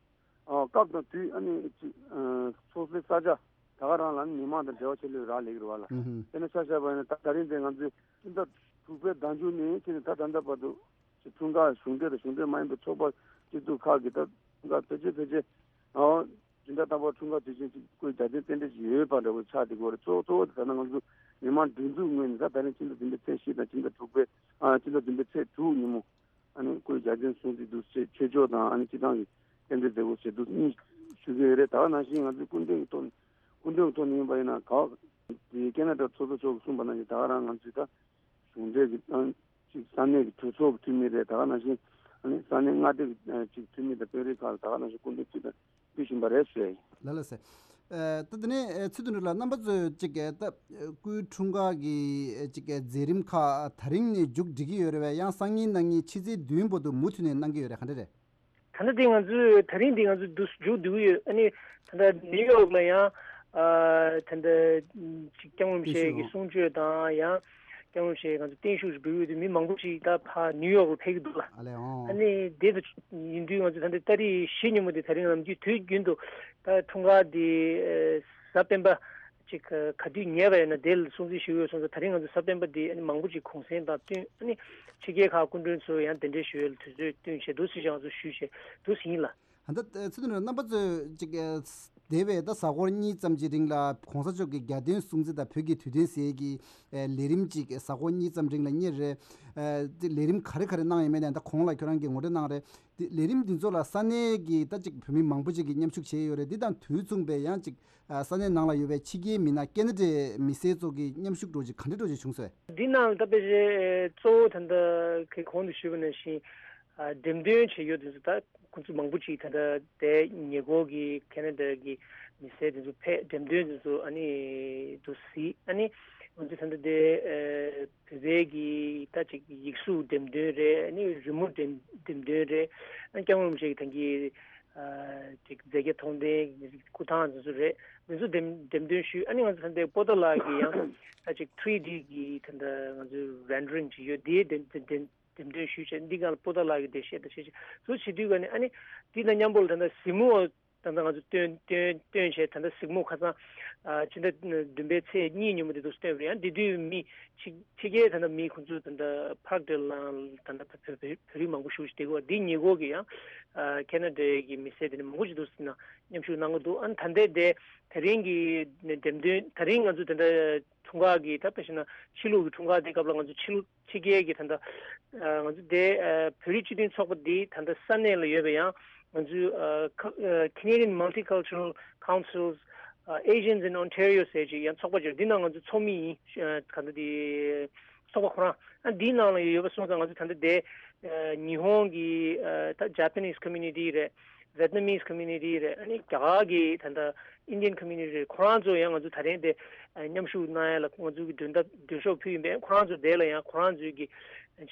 སྐབས་དང་དུས་ཨ་ནི་ཅིག་ཚོགས་སའི་ས་ཆ་ད་ག་རང་ལ་ནི་མི་མང་དང་འབྲེལ་བ་ཆེ་ལོས་རག་ལས་ཀྱི་རེད་བ་ལ། ཨུ་ཧུ། དེ་ནས་ཆ་བཞག་པ་ཡིན་ན་ད་ད་རིང་དེ་ང་ཚོས་ཕྱི་ཟླ་དྲུག་པའི་ཟླ་མཇུག་ནས་ཕྱིན་ནས་ད་ད་ལྟ་བར་དུ་ཅིག་འཁྲུངས་སྐར་གཞུང་འབྲེལ་དང་གཞུང་འབྲེལ་མ་ཡིན་པའི་ཚོགས་པ་སྤྱི་ཚོགས་ཁག་གིས་ད་འཁྲུངས་སྐར་ཕལ་ཆེར་ཕལ་ཆེར་ཨོ་སྤྱི་ཟླ་དང་པོ་འཁྲུངས་སྐར་དུས་ཆེན་ཅིག་བཀོད་རྒྱ་ཆེན་རྟེན་འབྲེལ་ཞིག་ཡོད་པ་འདྲ་བོ་ཆགས་བསྡད་ཀྱི་ཡོད་རེད། གཙོ་གཙོ་བོ་དེ་ད་ལྟ་ང་ཚོ་མི་མང་སྒྲིག་འཛུགས་ངོས་ནས་ད་ད་རིང་སྤྱི་ཟླ་བདུན་པའི་ཚེས་བཞི་དང་སྤྱི་ཟླ་དྲུག་པའི་ཨ་སྤྱི་ཟླ་བདུན་པའི་ཚེས་དྲུག་ཉིན་མོ། ཨ་ནི་བཀོད་རྒྱ་ཆེན་སྲུང་བརྩི་འདུག་ཅེས་ཆོས་ཕྱོགས་དང་ཨ་ནི་སྤྱི་བཏང་གི་རྟེན་འབྲེལ་མཛད་སྒོ་བྱེད་འདུག་གཉིས་ཞུ་གི་ཡོད་རེད། ད་ག་ནང་བཞིན་ང་ཚོའི་སྐུ་མགྲོན་གྱི་ཐོག་ནས་སྐུ་མགྲོན་གྱི་ཐོག་ནས་ཡིན་པ་ཡིན་ན་ག་དེ་ཁེ་ན་ཌ་ཚོགས་གཙོ་མཆོག་གིས་གསུངས་པ་ནང་བཞིན་ད་ག་རང་ང་ཚོས་ད་གཞུང་འབྲེལ་གྱི་ཨ་ཅིག་ས་གནས་ཀྱི་གྲོས་ཚོགས་ཀྱི་འཐུས་མི་རེད། ད་ག་ནང་བཞིན་ཨ་ནི་ས་གནས་མངའ་སྡེ་གི་ཨ་ཅིག་འཐུས་མི་དང་དཔོན་རིགས་ཁག་ལ་ད་ག་ནང་བཞིན་སྐུ་མགྲོན་ཅིག་དང་། ཕུལ་བཞིན་པ་རེད་ཟེར། ལགས་ལགས་སེ། ཨ་ད་དེ་ནས་ཨ་ཚེ་བརྟན་ལགས་རྣམ་པ་ཚོས་ཅིག་ཨ་ད་སྐུའི་འཁྲུངས་སྐར་གྱི་ཨ་ཅིག་ཨ་མཛད་རིམ་ཁག་ད་རིང་ནས་མཇུག་སྒྲིལ་གྱི་ཡོད་རེད་བས། ཡང་སང་ཉིན་གནངས་ཉིན་ཕྱི་ཚེས་བདུན་བར་དུ་མུ་མཐུད་ནས་གནང་གི་ཡོད་རེད། ག་འདྲ་རེད། ད་ལྟ་དེ་ང་ཚོས་ད་རིང་འདི་ང་ཚོ་འདུག་མཇུག་བསྡུ་གི་ཡོད། ཨ་ནི་ད་ལྟ་ནིའུ་ཡོག་ལ་ཡང་ཨ་ད་ལྟ་ཅིག་སྐྱབས་མགོན་རིན་པོ་ཆེ་གི་གསུང་ཆོས་དང་ཡང་། སྐྱབས་མགོན་ཞེས་ང་ཚོ་བརྟན་བཞུགས་ཞུ་འབུལ་ཡོད་དུས་མི་མང་པོ་ཞིག་ད་ཕར་ནིའུ་ཡོག་ལ་ཕེབས་ཀྱི་འདུག་ལ། ཨ་ལས་ཨོ། ཨ་ནི་དེ་ལྟ་ཡིན་དུས་ང་ཚོ་ད་ལྟ་ཏ་རིག་བཞི་ཉིན་མོ་དེ་ད་རིང་ནམ་རྒྱུན་དུས་རྒྱུན་དུ་ད་འཁྲུངས་སྐར་དེ་གཟའ་སྤེན་པ་ཅིག་ག་དུས་ཉེ་བ་ཡིན་ན་དེ་ལ་སྲུང་བརྩི་ཞུ་ཡོད་སོང་ཙང་། ད་རིང་ང་ཚོ་གཟའ་སྤེན་པ་དེ་ཨ་ནི་མང་པོ་ཅིག་གུང་སེང་དང་བསྟུན། ཨ་ནི་ཕྱི་རྒྱལ་ཁག་སྐུ་མགྲོན་ཚོ་ཡང་གདན་འདྲེན་ཞུ་ཡས་ལ་དུས་ཚོད་བསྟུན་བྱས་འདུག་ཟེར་ཞིག་ང་ཚོ་ཞུས་བྱས་འདུག་ཟེར་ཡིན་ལ། ད་ལྟ་ཚེ་བརྟན་རྣམ་པ་ཚོས་ཅིག་འདས་པའི་ད་གཟའ་འཁོར་གཉིས་ཙམ་གྱི་རིང་ལ་གོང་ས་མཆོག་གི་རྒྱལ་དོན་སྲུང་བརྩི་དང་བོད་ཀྱི་དུས་སྟོན་ཟེར་གྱི་ལས་རིམ་ཅིག་གཟའ་འཁོར་གཉིས་ཙམ་རིང་ལ་གཉེར་རེད། དེ་ལས་རིམ་ག་རེ་ག་རེ་གནང་ཡོད་མེད་ནས་ད་གོང་ལ་ཁྱོད་རང་གིས་ངོ་སྤྲོད་གནང་རེད། དེ་ལས་རིམ་འདི་ཚོ་ལ་ས་གནས་ཀྱི་ད་ཅིག་བོད་མི་མང་པོ་ཅིག་གིས་མཉམ་ཞུགས་བྱས་ཡོད་རེད། འདི་དང་དུས་མཚུངས་པའི་ཡང་ཅིག་ས་གནས་ནང་ལ་ཡོད་པའི་ཕྱི་རྒྱལ་མི་སྣ་ཁེ་ན་ཌའི་མི་སེར་ཚོ་གི་མཉམ་ཞུགས་འདྲ་ཅིག་ག་འདྲ་འདྲ་ཅིག་བྱུང་སོང་། འདི་ནང་ད་དཔེ་ཆ་གཙོ་བོ་ད་ལྟ་གི་གོང་དུ་ཞུས་པ་ནང་བཞིན་འགྲེམས་སྟོན་བྱས་ཡོད་དུས་ད། ཁོང་ཚོ་མང་པོ་ཅིག་ད་ལྟ་དེ་ཉེ་འཁོར་གྱི་ཁེ་ན་ཌ་གི་མི་སེར་དེ་ཚོ་ཕེབས། འགྲེམས་སྟོན་དེ་ཚོ་ཨ་ནི་དུ་གཟིགས། ཨ་ནི་ང་ཚོ་ད་ལྟ་དེ་ཨ་བོད་པའི་གི་ད་ཅིག་ཡིག་གཟུགས་འགྲེམས་སྟོན་རེད། ཨ་ནི་རི་མོ་འགྲེམས་འགྲེམས་སྟོན་རེད། ཨ་ནི་སྐྱབས་མགོན་རིན་པོ་ཆེ་གི་ད་གིན་ཨ་ཅིག་མཛད་བརྒྱ་མཐོང་ལྡན་སྐུ་ཐང་དེ་ཚོ་རེད། དེ་ཚོ་འགྲེམས་འགྲེམས་སྟོན་ཞུས། ཨ་ནི་ང་ཚོ་ད་ལྟ་པོ་ཏཱ་ལ་གི་ཡང་ད་ཅིག་ཐི་རི་ཌི་གི་ད་ལྟ་ང་ཚོ་རེན་ཌ་རིང་ཅིག་ཡོད། དེ་འགྲེམས་འགྲེམས་འགྲེམས་སྟོན་ཞུས་བྱས། འདི་སྒང་ལ་པོ་ཏཱ་ལ་གི་འགྲེལ་བཤད་དང་བྱས་བྱས་ཚུར་བྱེད་དུས་ག་ནས་ཨ་ནི་འདི་དང་མཉམ་པོ་ལ་ད་ལྟ་གཟིགས་མོ་ད་ལྟ་ང་ཚོ་སྟོན་སྟོན་སྟོན་བྱས། ད་ལྟ་གཟིགས་མོ་ཁ་སང་ཨ་ཕྱི་ཟླ་བདུན་པའི་ཚེས་གཉིས་ཉིན་མོ་དེ་དུས་སྟོན་པ་རེད། ཡང་དེ་དུས་མི་ཕྱི་ཕྱི་རྒྱལ་ད་ལྟ་མི་ཁོང་ཚོ་ད་ལྟ་པཱར་ཀ་ཌི་ལའང་ད་ལྟ་བོད་བོད་བོད་རིགས་མང་པོ་ཞིག་བསྡད་ཀྱི་ཡོད། འདི་ཉེ་འཁོར་གྱི་ཡང་ཨ་ཁེ་ན་ཌའི་གི་མི་སེར་དེ་འདྲ་མང་པོ་ཞིག་འདུག་ཟེར་ན་མཉམ་ཞུགས་གནང་གི་འདུག་ཨ་ནི་ད་ལྟའི་དེ་དེ་རིང་གི་འགྲེམས་སྟོན་ད་རིང་ང་ཚོ་ད་ལྟ་འཁྲུངས་སྐར་གྱི་ད་དཔེ་བྱས་ན་ཕྱི་ལུགས་ཀྱི་འཁྲུངས་སྐར་དེ་སྐབས་ལ་ང་ཚོ་ཕྱི་ལུགས་ཕྱི་རྒྱལ་གྱི་ད་ལྟ་ང་ཚོ་དེ་བོད་རིགས་སྤྱི་མཐུན་ཚོགས་པ་འདི་ད་ལྟ་ས་གནས་ལ་ཡོད་པའི་ཡང་ང་ཚོའི་Canadian Multicultural Council's Asians in Ontario ཟེར་ཅིག་ཡང་ཚོགས་པ་ཅིག་འདི་ནང་ང་ཚོ་ཚོགས་མི་ཡིན། ག་ད་དེ་ཚོགས་པ་ཁོ་རང་ཨ་འདིའི་ནང་ལ་ཡོད་པ་སོང་ཙང་ང་ཚོ་ད་ལྟ་དེ་ཉི་ཧོང་གི་ད་Japanese community རེད། Vietnamese community རེད། ཨ་ནི་རྒྱ་གར་གྱི་ད་ལྟ་Indian community རེད། ཁོ་རང་ཚོ་ཡང་ང་ཚོ་ད་རིང་དེ་མཉམ་ཞུགས་གནང་ཡ་ལ་ང་ཚོ་གི་མགྲོན་བརྡ་མགྲོན་ཤོག་ཕུལ་ཡིན་པས། ཁོ་རང་ཚོ་དེ་ལ་ཡང་ཁོ་རང་ཚོའི་གི་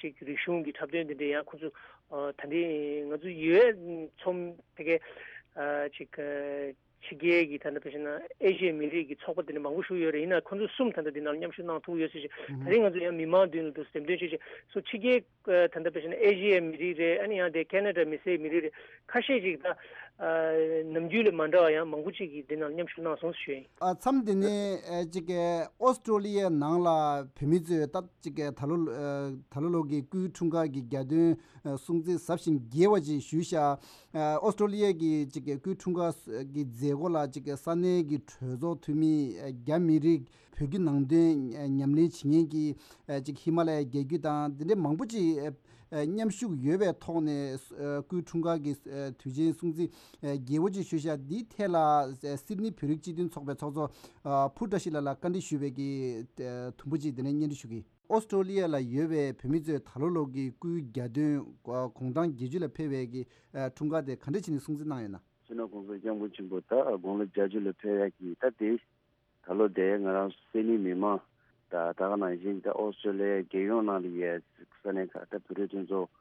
ཅིག་རིག་གཞུང་གི་འཁྲབ་སྟོན་དེ་འདྲ་ཡང་ཁོ་ཚོ་ད་རིང་ང་ཚོ་ཡོད་ཚོམས་དེ་གའི་ཅིག་ཕྱི་རྒྱལ་གྱི་ད་ལྟ་དཔེ་བྱས་ན་ཨེ་ཤི་ཡའི་མི་རིགས་ཀྱི་ཚོགས་པ་དེ་འདྲ་མང་པོ་ཞིག་ཡོད་རེད། ཡིན་ན་ཁོ་ཚོ་གསུམ་ད་ལྟ་འདི་ནང་མཉམ་ཞུགས་གནང་ཐུབ་ཡོད་ཟེར་ཞིག་ད་རིང་ང་ཚོ་ཡང་མི་མང་མདུན་ལ་འདུག་འགྲེམས་སྟོན་བྱེད་ཅིག་སོ་ཕྱི་རྒྱལ་ད་ལྟ་དཔེ་བྱས་ན་ཨེ་ཤི་ཡའི་མི་རིགས་རེད། ཨ་ནི་ཡང་དེ་ཁེ་ན་ཌ་མི་སེར་མི་རིགས་རེད། ཁ་ཤས་ཅིག་ད་ནམ་རྒྱུན་ལས་མ་འདྲ་བ་ཡང་མང་པོ་ཅིག་གིས་འདི་ནང་མཉམ་ཞུགས་གནང་སོང་ཞུ་ཡིན། ཨ་མཚམས་འདི་ནས་ཅིག་ཨོ་སི་ཀྲོ་ལི་ཡའི་ནང་ལ་བོད་མི་ཚོས་ད་ཅིག་ད་ལོ་ད་ལོ་ལོ་གི་སྐུའི་འཁྲུངས་སྐར་གྱི་རྒྱལ་སྟོན་སྲུང་བརྩི་ཟབ་ཞིང་རྒྱས་པ་ཅིག་ཞུས་ཤག་ཨོ་སི་ཀྲོ་ལི་ཡའི་གི་ཅིག་སྐུའི་འཁྲུངས་སྐར་གྱི་མཛད་སྒོ་ལ་ཅིག་ས་གནས་ཀྱི་གྲོས་ཚོགས་འཐུས་མི་རྒྱ་མི་རིགས་བོད་བརྒྱུད་ནང་བསྟན་ཉམས་ལེན་བྱེད་མཁན་གྱི་ཅིག་ཧི་མ་ལ་ཡའི་རྒྱལ་རྒྱུད་དང་འདི་འདྲའི་མང་པོ་ཅིག་ མཉམ་ཞུགས་ཡོད་པའི་ཐོག་ནས་སྐུའི་འཁྲུངས་སྐར་གྱི་དུས་ཆེན་སྲུང་བརྩི་རྒྱས་པོ་ཅིག་ཞུས་ཤག་འདིའི་ཐད་ལ་སིད་ནི་བོད་རིགས་སྤྱི་མཐུན་ཚོགས་པའི་ཚོགས་གཙོ་ཕུར་བཀྲ་ཤིས་ལགས་ལ་བཀའ་འདྲི་ཞུས་པའི་གི་དུམ་བུ་ཅིག་དེ་ནས་སྙན་སྒྲོན་ཞུ་གི། ཨོ་སི་ཀྲོ་ལི་ཡ་ལ་ཡོད་པའི་བོད་མི་ཚོས་ད་ལོ་ལོ་གི་སྐུའི་གྱ་སྟོན་དགུང་གྲངས་བརྒྱད་ཅུ་ལ་ཕེབས་པའི་གི་འཁྲུངས་སྐར་དེ་ག་འདྲ་བྱས་ནས་སྲུང་བརྩི་གནང་ཡོད་ན། སྤྱི་ནོར་གོང་ས་སྐྱབས་མགོན་ཆེན་པོ་ད་དགུང་ལོ་བརྒྱད་ཅུ་ལ་ཕེབས་ཡག་གི་ད་དེ། ད་ལོ་དེ་ང་རང་སིད་ནི་མི་མང་དང་ད་ག་ནང་བཞིན་ད་ཨོ་སི་ཀྲོ་ལི་ཡའི་རྒྱལ་ཡོངས་ནང་ལ་ཡོད་ས་གནས་ཁག་ད་བོད་རིགས་མཐུན་ཚོགས་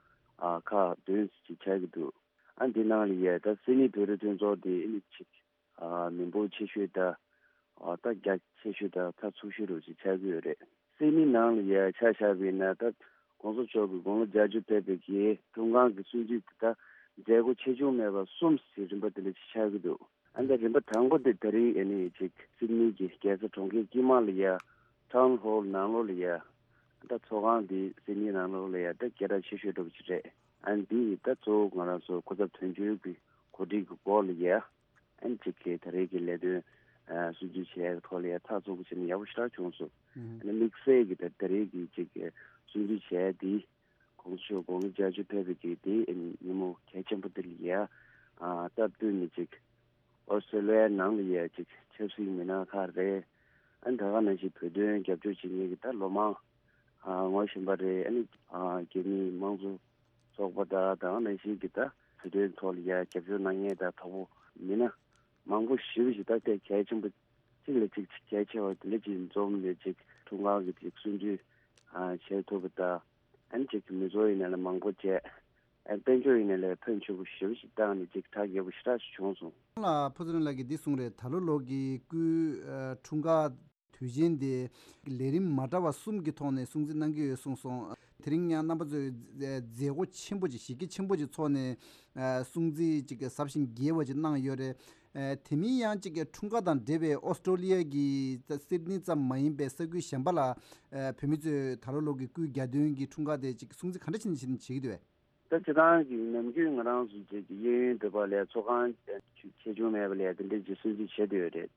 ཨ་ཁག་བདུན་ཅིག་ཆགས་ཀྱི་འདུག་ཨ་འདི་ནང་ལ་ཡོད་ད་སིད་ནི་བོད་རིགས་མཐུན་ཚོགས་དེ་ཨ་ནི་ཅིག་ཨ་མི་འབོར་ཆེ་ཤོས་ད་ཨ་ད་རྒྱ་ཆེ་ཤོས་ད་ཚགས་ཚུད་ཤོས་རུ་ཅིག་ཆགས་ཀྱི་ཡོད་རེད། སིད་ནི་ནང་ལ་ཡོད་ཆ་བཞག་པ་ཡིན་ན་ད་གོང་ས་མཆོག་གི་དགུང་ལོ་བརྒྱད་ཅུ་ཕེབས་པའི་གི་འཁྲུངས་སྐར་གྱི་སྲུང་བརྩི་དེ་ད་མཛད་སྒོ་ཆེ་ཆུང་མེད་པ་གསུམ་ཞིག་རིམ་པ་དེ་འདྲ་ཅིག་ཆགས་ཀྱི་འདུག་ཨ་ནི་རིམ་པ་དང་པོ་དེ་ད་རིང་ཨ་ནི་ཅིག་སིད་ནི་གི་རྒྱལ་ས་གྲོང་ཁྱེར་དཀྱིལ་མ་ལ་ཡ་ཊའུན་ཧོལ་ནང་ལོགས་ལ་ཡ་ད་ཚོགས་ཁང་དེ་སིད་ནི་ནང་ལོགས་ལ་ཡ་ད་སྐད་གྲགས་ཆེ་ཤོས་འདྲ་པོ་ཅིག་རེད། ཨ་ནི་དེ་ཡི་ད་གཙོ་བོ་ང་རང་ཚོ་སྐུ་ཚབ་དོན་གཅོད་ཀྱི་གོ་སྒྲིག་གི་སྐོར་ལ་ཡ་ཨ་ནི་ཅིག་གི་ད་རེས་ཀྱི་ལས་དོན་སྲུང་བརྩི་བྱས་ཐོག་ལ་ཡ་ཚགས་ཚུད་པོ་བྱས་ནས་ཡག་པོ་ཞེ་དྲག་བྱུང་སོང་། ཨ་ནི་དམིགས་བསལ་གྱི་ད་ད་རེས་ཀྱི་ཅིག་གི་སྲུང་བརྩི་བྱས་དེ། གོང་ས་མཆོག་དགུང་ལོ་བརྒྱད་ཅུ་ཕེབས་པའི་གི་དེ་ཉིན་མོ་གལ་ཆེན་པོ་དེ་ལ་ཡ། ཨ་སྟབས་བསྟུན་ནས་ཅིག་ཨོ་སི་ཀྲོ་ལི་ཡའི་ནང་ལ་ཡ་ཅིག་ཆབ་སྲིད་མི་སྣ་ཁག་རེད། ཨ་ནི་ད་ག་ནང་བཞིན་བོད་དོན་རྒྱབ་སྐྱོར་བྱེད་མཁན་གྱི་ད་ལོ་མང་ཨ་ངོ་ཤེས་པ་རེད། ཨ་ནི་ཨ་རྒྱ་མིའི་དམངས་གཙོ་ཚོགས་པ་དང་ད་ག་ནང་བཞིན་གྱི་ད་བོད་དོན་ཐོག་ལ་ཡ་རྒྱབ་སྐྱོར་གནང་མཁན་ད་དོ་པོ་མི་སྣ་མང་པོ་ཞེ་པོ་ཞིག་ད་དེ་གལ་ཆེན་པོ་གཅིག་ལ་གཅིག་གལ་ཆེ་བ་དེ་འདྲ་ཅིག་འཛོམས་ནས་ཅིག་འཁྲུངས་སྐར་གྱི་ཅིག་སྲུང་བརྩི་ཨ་བྱེད་ཐུབ་པ་དང་། ཨ་ནི་ཅིག་མི་ཚོགས་ཡིན་ན་ལས་མང་པོ་བྱས། ཨ་དཔལ་འབྱོར་ཡིན་ན་ལས་ཕོན་ཆེ་པོ་ཞེ་པོ་ཞིག་བཏང་ནས་ཅིག་གྲ་རྒྱས་པོ་ཞེ་དྲག་ཞིག་བྱུང་སོང་། ལ་ཕུ་ཚུ་རིང་ལགས་ཀྱིས་འདི་གསུངས་རེད། ད་ལོ་ལོ་གི་སྐུའི་ཨ་འཁྲུངས་སྐར་དུས་ཆེན་དེ་ལས་རིམ་མ་འདྲ་བ་གསུམ་གྱི་ཐོག་ནས་སྲུང་བརྩི་གནང་གི་ཡོད་གསུངས་སོང་། དེ་རིང་ཡང་རྣམ་པ་ཚོས་མཛད་སྒོ་ཆེན་པོ་ཅིག་གཞི་རྒྱ་ཆེན་པོ་ཅིག་ཚོགས་ནས་ཨ་སྲུང་བརྩི་ཅིག་གི་ཟབ་ཞིང་རྒྱས་པ་ཅིག་གནང་ཡོད་རེད། ཨ་དེ་མིན་ཡང་ཅིག་གི་འཁྲུངས་སྐར་དང་འབྲེལ་བའི་ཨོ་སི་ཀྲོ་ལི་ཡ་གི་སིད་ནི་ཙམ་མ་ཡིན་པའི་ས་ཁུལ་གཞན་པ་ལ་ཨ་བོད་མི་ཚོས་ད་ལོ་ལོ་གི་སྐུའི་གྱ་སྟོན་གྱི་འཁྲུངས་སྐར་དེ་ཅིག་སྲུང་བརྩི་ག་འདྲ་བྱས་ནས་བྱེད་ཀྱི་འདུག་བས། ད་སྤྱིར་བཏང་གི་ནམ་རྒྱུན་ང་རང་ཚོ་ཅིག་གི་གཡས་གཡོན་བོད་པ་ལ་ཚོགས་ཁང་ཆེ་ཆུང་མེད་པ་ལ་དེ་འདྲའི་ཅིག་སྲུང་བརྩི་བྱེད་འདོད་ཡོད་རེད།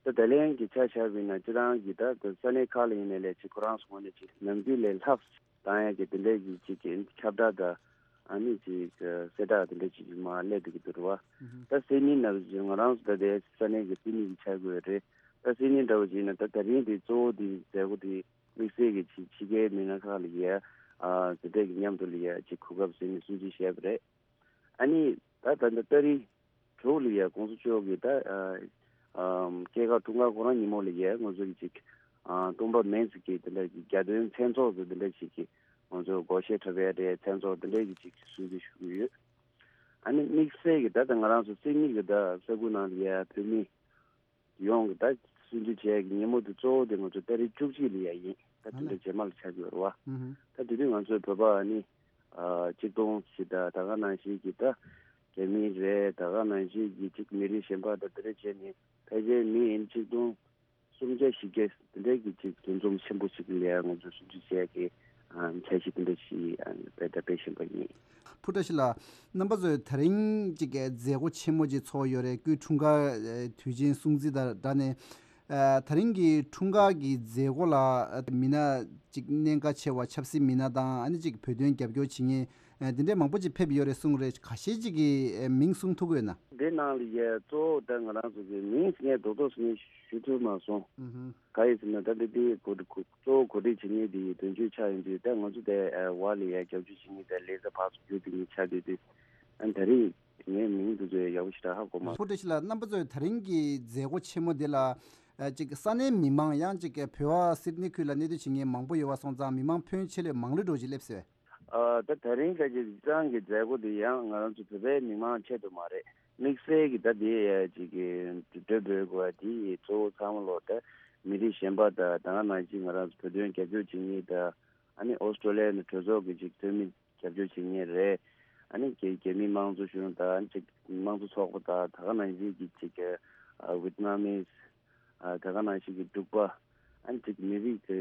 ད་ད་ལན་གྱི་ཆ་བཞག་པ་ཡིན་ན་སྤྱིར་བཏང་གི་ད་ས་གནས་ཁག་ལ་ཡིན་ནའི་ལས་ཅིག་ཁོ་རང་ཚོ་ངོས་ནས་ཅིག་ནམ་རྒྱུན་ལས་ལྷག་བཏང་ཡག་གི་དེ་འདྲའི་གི་ཅིག་གི་ཁྱབ་བསྒྲགས་དང་ཨ་ནི་ཅིག་གསལ་བསྒྲགས་དེ་འདྲ་ཅིག་མར་སླེབས་བསྡད་ཀྱི་འདུག་རེད་བ། ད་སིད་ནི་ནང་བཞིན་ང་རང་ཚོ་ད་ལྟའི་ས་གནས་ཀྱི་སིད་ནི་གི་ཆ་བགོས་རེད། ད་སིད་ནི་འདྲ་བོ་ཅིག་ཡིན་ན་ད་ད་རིང་དེ་གཙོ་བོ་དེ་མཛད་སྒོ་དེ་དམིགས་བསལ་གྱི་ཅིག་ཕྱི་རྒྱལ་མི་སྣ་ཁག་ལ་ཡ་ཨ་དེ་འདྲ་གི་མཉམ་དུ་ལ་ཡ་ཅིག་གོ་སྐབས་ཟིན་ནས་སྲུང་བརྩི་བྱས་པ་རེད། ཨ་ནི་ད་ད་ལྟ་ཏ་རིག་དྲུག་ལ་ཡ་གོང་ས་མཆོག་གི་ད་ཨ་ཨམ་སྐྱེས་སྐར་འཁྲུངས་སྐར་ཁོ་རང་ཉིན་མོ་ལ་ཡ་ང་ཚོ་གི་ཅིག་ཨ་སྟོང་པ་མིན་ཟེར་གི་དེ་འདྲ་གི་གྱ་སྟོན་མཚན་ཚོགས་ཟེར་དེ་འདྲ་ཞིག་གི་ང་ཚོ་སྒོར་གཞས་འཁྲབ་ཡ་རེད། མཚན་ཚོགས་དེ་འདྲ་གི་ཅིག་སྲུང་བརྩི་ཞུ་གི་ཡོད། ཨ་ནི་དམིགས་བསལ་གྱི་ད་ལྟ་ང་རང་ཚོ་སིད་ནི་གི་ད་ས་ཁུལ་ནང་ལ་ཡ་བོད་མི་ཡོངས་ཀྱི་ད་སྲུང་བརྩི་བྱས་ཀྱི་ཉིན་མོ་དེ་གཙོ་བོ་དེ་ང་ཚོ་ཏ་རིག་བཅུ་གཅིག་ལ་ཡ་ཡིན། ད་དེ་འདྲ་རྗེས་མ་ལ་ཆགས་ཀྱི་ཡོད་རེད་བ། ད་དེ་དུས་ང་ཚོའི་བོད་པ་ཨ་ནི་ཨ་གཅིག་སྟོང་ཞིག་ད་ད་ག་ནང་བཞིན་གྱི་ད་རྒྱ་མི་རེད། ད་ག་ནང་བཞིན་གྱི་གཅིག་མི་རིགས་གཞན་པ་ད་དེ་འདྲ་བྱས་ནས་ཕལ་ཆེར་མི་ཡིན་གཅིག་སྟོང་སུམ་བརྒྱ་བཞི་བརྒྱ་དེ་འདྲའི་གི་ཅིག་འདུ་འཛོམས་ཆེན་པོ་ཞིག་ལ་ཡ་ང་ཚོས་སྲུང་བརྩི་བྱས་ཀྱི་ཨ་འཆར་གཞི་དེ་འདྲ་ཞིག་ཨ་དཔེ་ད་སྤེལ་བཞིན་པ་ཡིན། ཕུ་བཀྲ་ཤིས་ལགས། རྣམ་པ་ཚོས་ད་རིང་ཅིག་གི་མཛད་སྒོ་ཆེན་མོ་ཅིག་ཚོགས་ཡོད་རེད། སྐུའི་འཁྲུངས་སྐར་ཨ་དུས་ཆེན་སྲུང་བརྩི་དང་སྦྲགས་ནས་ཨ་ད་རིང་གི་འཁྲུངས་སྐར་གྱི་མཛད་སྒོ་ལ་ཨ་མི་སྣ་ཅིག་གནད་འགག་ཆེ་བ་ཆབ་སྲིད་མི་སྣ་དང་ཨ་ནི་ཅིག་བོད་དོན་རྒྱབ་སྐྱོར་བྱེད་མཁན་ཨ་འདི་འདྲའི་མང་པོ་ཅིག་ཕེབས་ཡོད་རེད་གསུངས་རེད། ཁ་ཤས་ཅིག་གི་ཨ་མིང་གསུང་ཐུབ་ཀྱི་ཡོད་ན། འདི་ནང་ལ་ཡ་གཙོ་བོ་ད་ང་རང་ཚོ་གི་མིང་ཟེར་མཁན་རྡོག་རྡོག་ཟེར་མཁན་ཞུ་ཐུབ་མ་སོང་། ག་ཡིན་ཟེར་ན་ད་འདི་འདི་གོ་སྒྲིག་གཙོ་བོ་གོ་སྒྲིག་བྱེད་མཁན་འདི་དོན་གཅོད་ཆགས་ཡོང་དུས་ད་ང་ཚོ་དེ་བར་ལ་ཡ་རྒྱབ་སྐྱོར་བྱེད་མཁན་དེ་ལས་ས་ཕར་ཚུར་བརྒྱུད་དེ་ངས་ཆགས་དུས་དུས་ཨ་ད་རེས་ངའི་མིང་འདི་ཚོ་ཡག་པོ་ཞེ་དྲག་ཧ་གོ་མ་སོང་། ཕུ་བཀྲ་ཤིས་ལགས། རྣམ་པ་ཚོས་ད་རིང་གི་མཛད་སྒོ་ཆེན་མོ་འདི་ལ་ཨ་ཅིག་ས་གནས་མི་མང་ཡང་ཅིག་བོད་པ་སིད་ནི་ཁུལ་ལ་གནས་སྡོད་བྱེད་མཁན་མང་པོ་ཡོད་པ་སོང་ཙང་མི་མང་ཕོན་ཆེ་ལས་མང་ལོས་འགྲོ་ཅིག་སླེབས་སོང་། ཨ་ད་ད་རིང་ཁ་ཅིག་གཙང་གི་མཛད་སྒོ་འདི་ཡང་ང་རང་ཚོ་བོད་པའི་མི་མང་ཆེད་དུ་མ་རེད། དམིགས་བསལ་གྱི་ད་འདི་ཡ་ཅིག་གི་འགྲོ་འགྲོ་དགོས་པ་འདི་གཙོ་བོ་ཚང་མ་ལོག་ད་མི་རིགས་གཞན་པ་དང་ད་ག་ནང་བཞིན་ང་རང་ཚོ་བོད་དོན་རྒྱབ་སྐྱོར་བྱེད་མཁན་དང་ཨ་ནི་ཨོ་སི་ཀྲོ་ལི་ཡ་ནས་གྲོས་ཚོགས་ཀྱི་ཅིག་འཐུས་མི་རྒྱབ་སྐྱོར་བྱེད་མཁན་རེད། ཨ་ནི་རྒྱ་རྒྱ་མི་དམངས་གཙོ་གཞུང་དང་ཅིག་དམངས་གཙོ་ཚོགས་པ་དང་ད་ག་ནང་བཞིན་གྱི་ཅིག་གི་ཝེད་ནམ་མིས། ཨ་ད་ག་ནང་བཞིན་གྱི་འབྲུག་པ། ཨ་ནི་ཅིག་མི་རིགས་ཀྱི་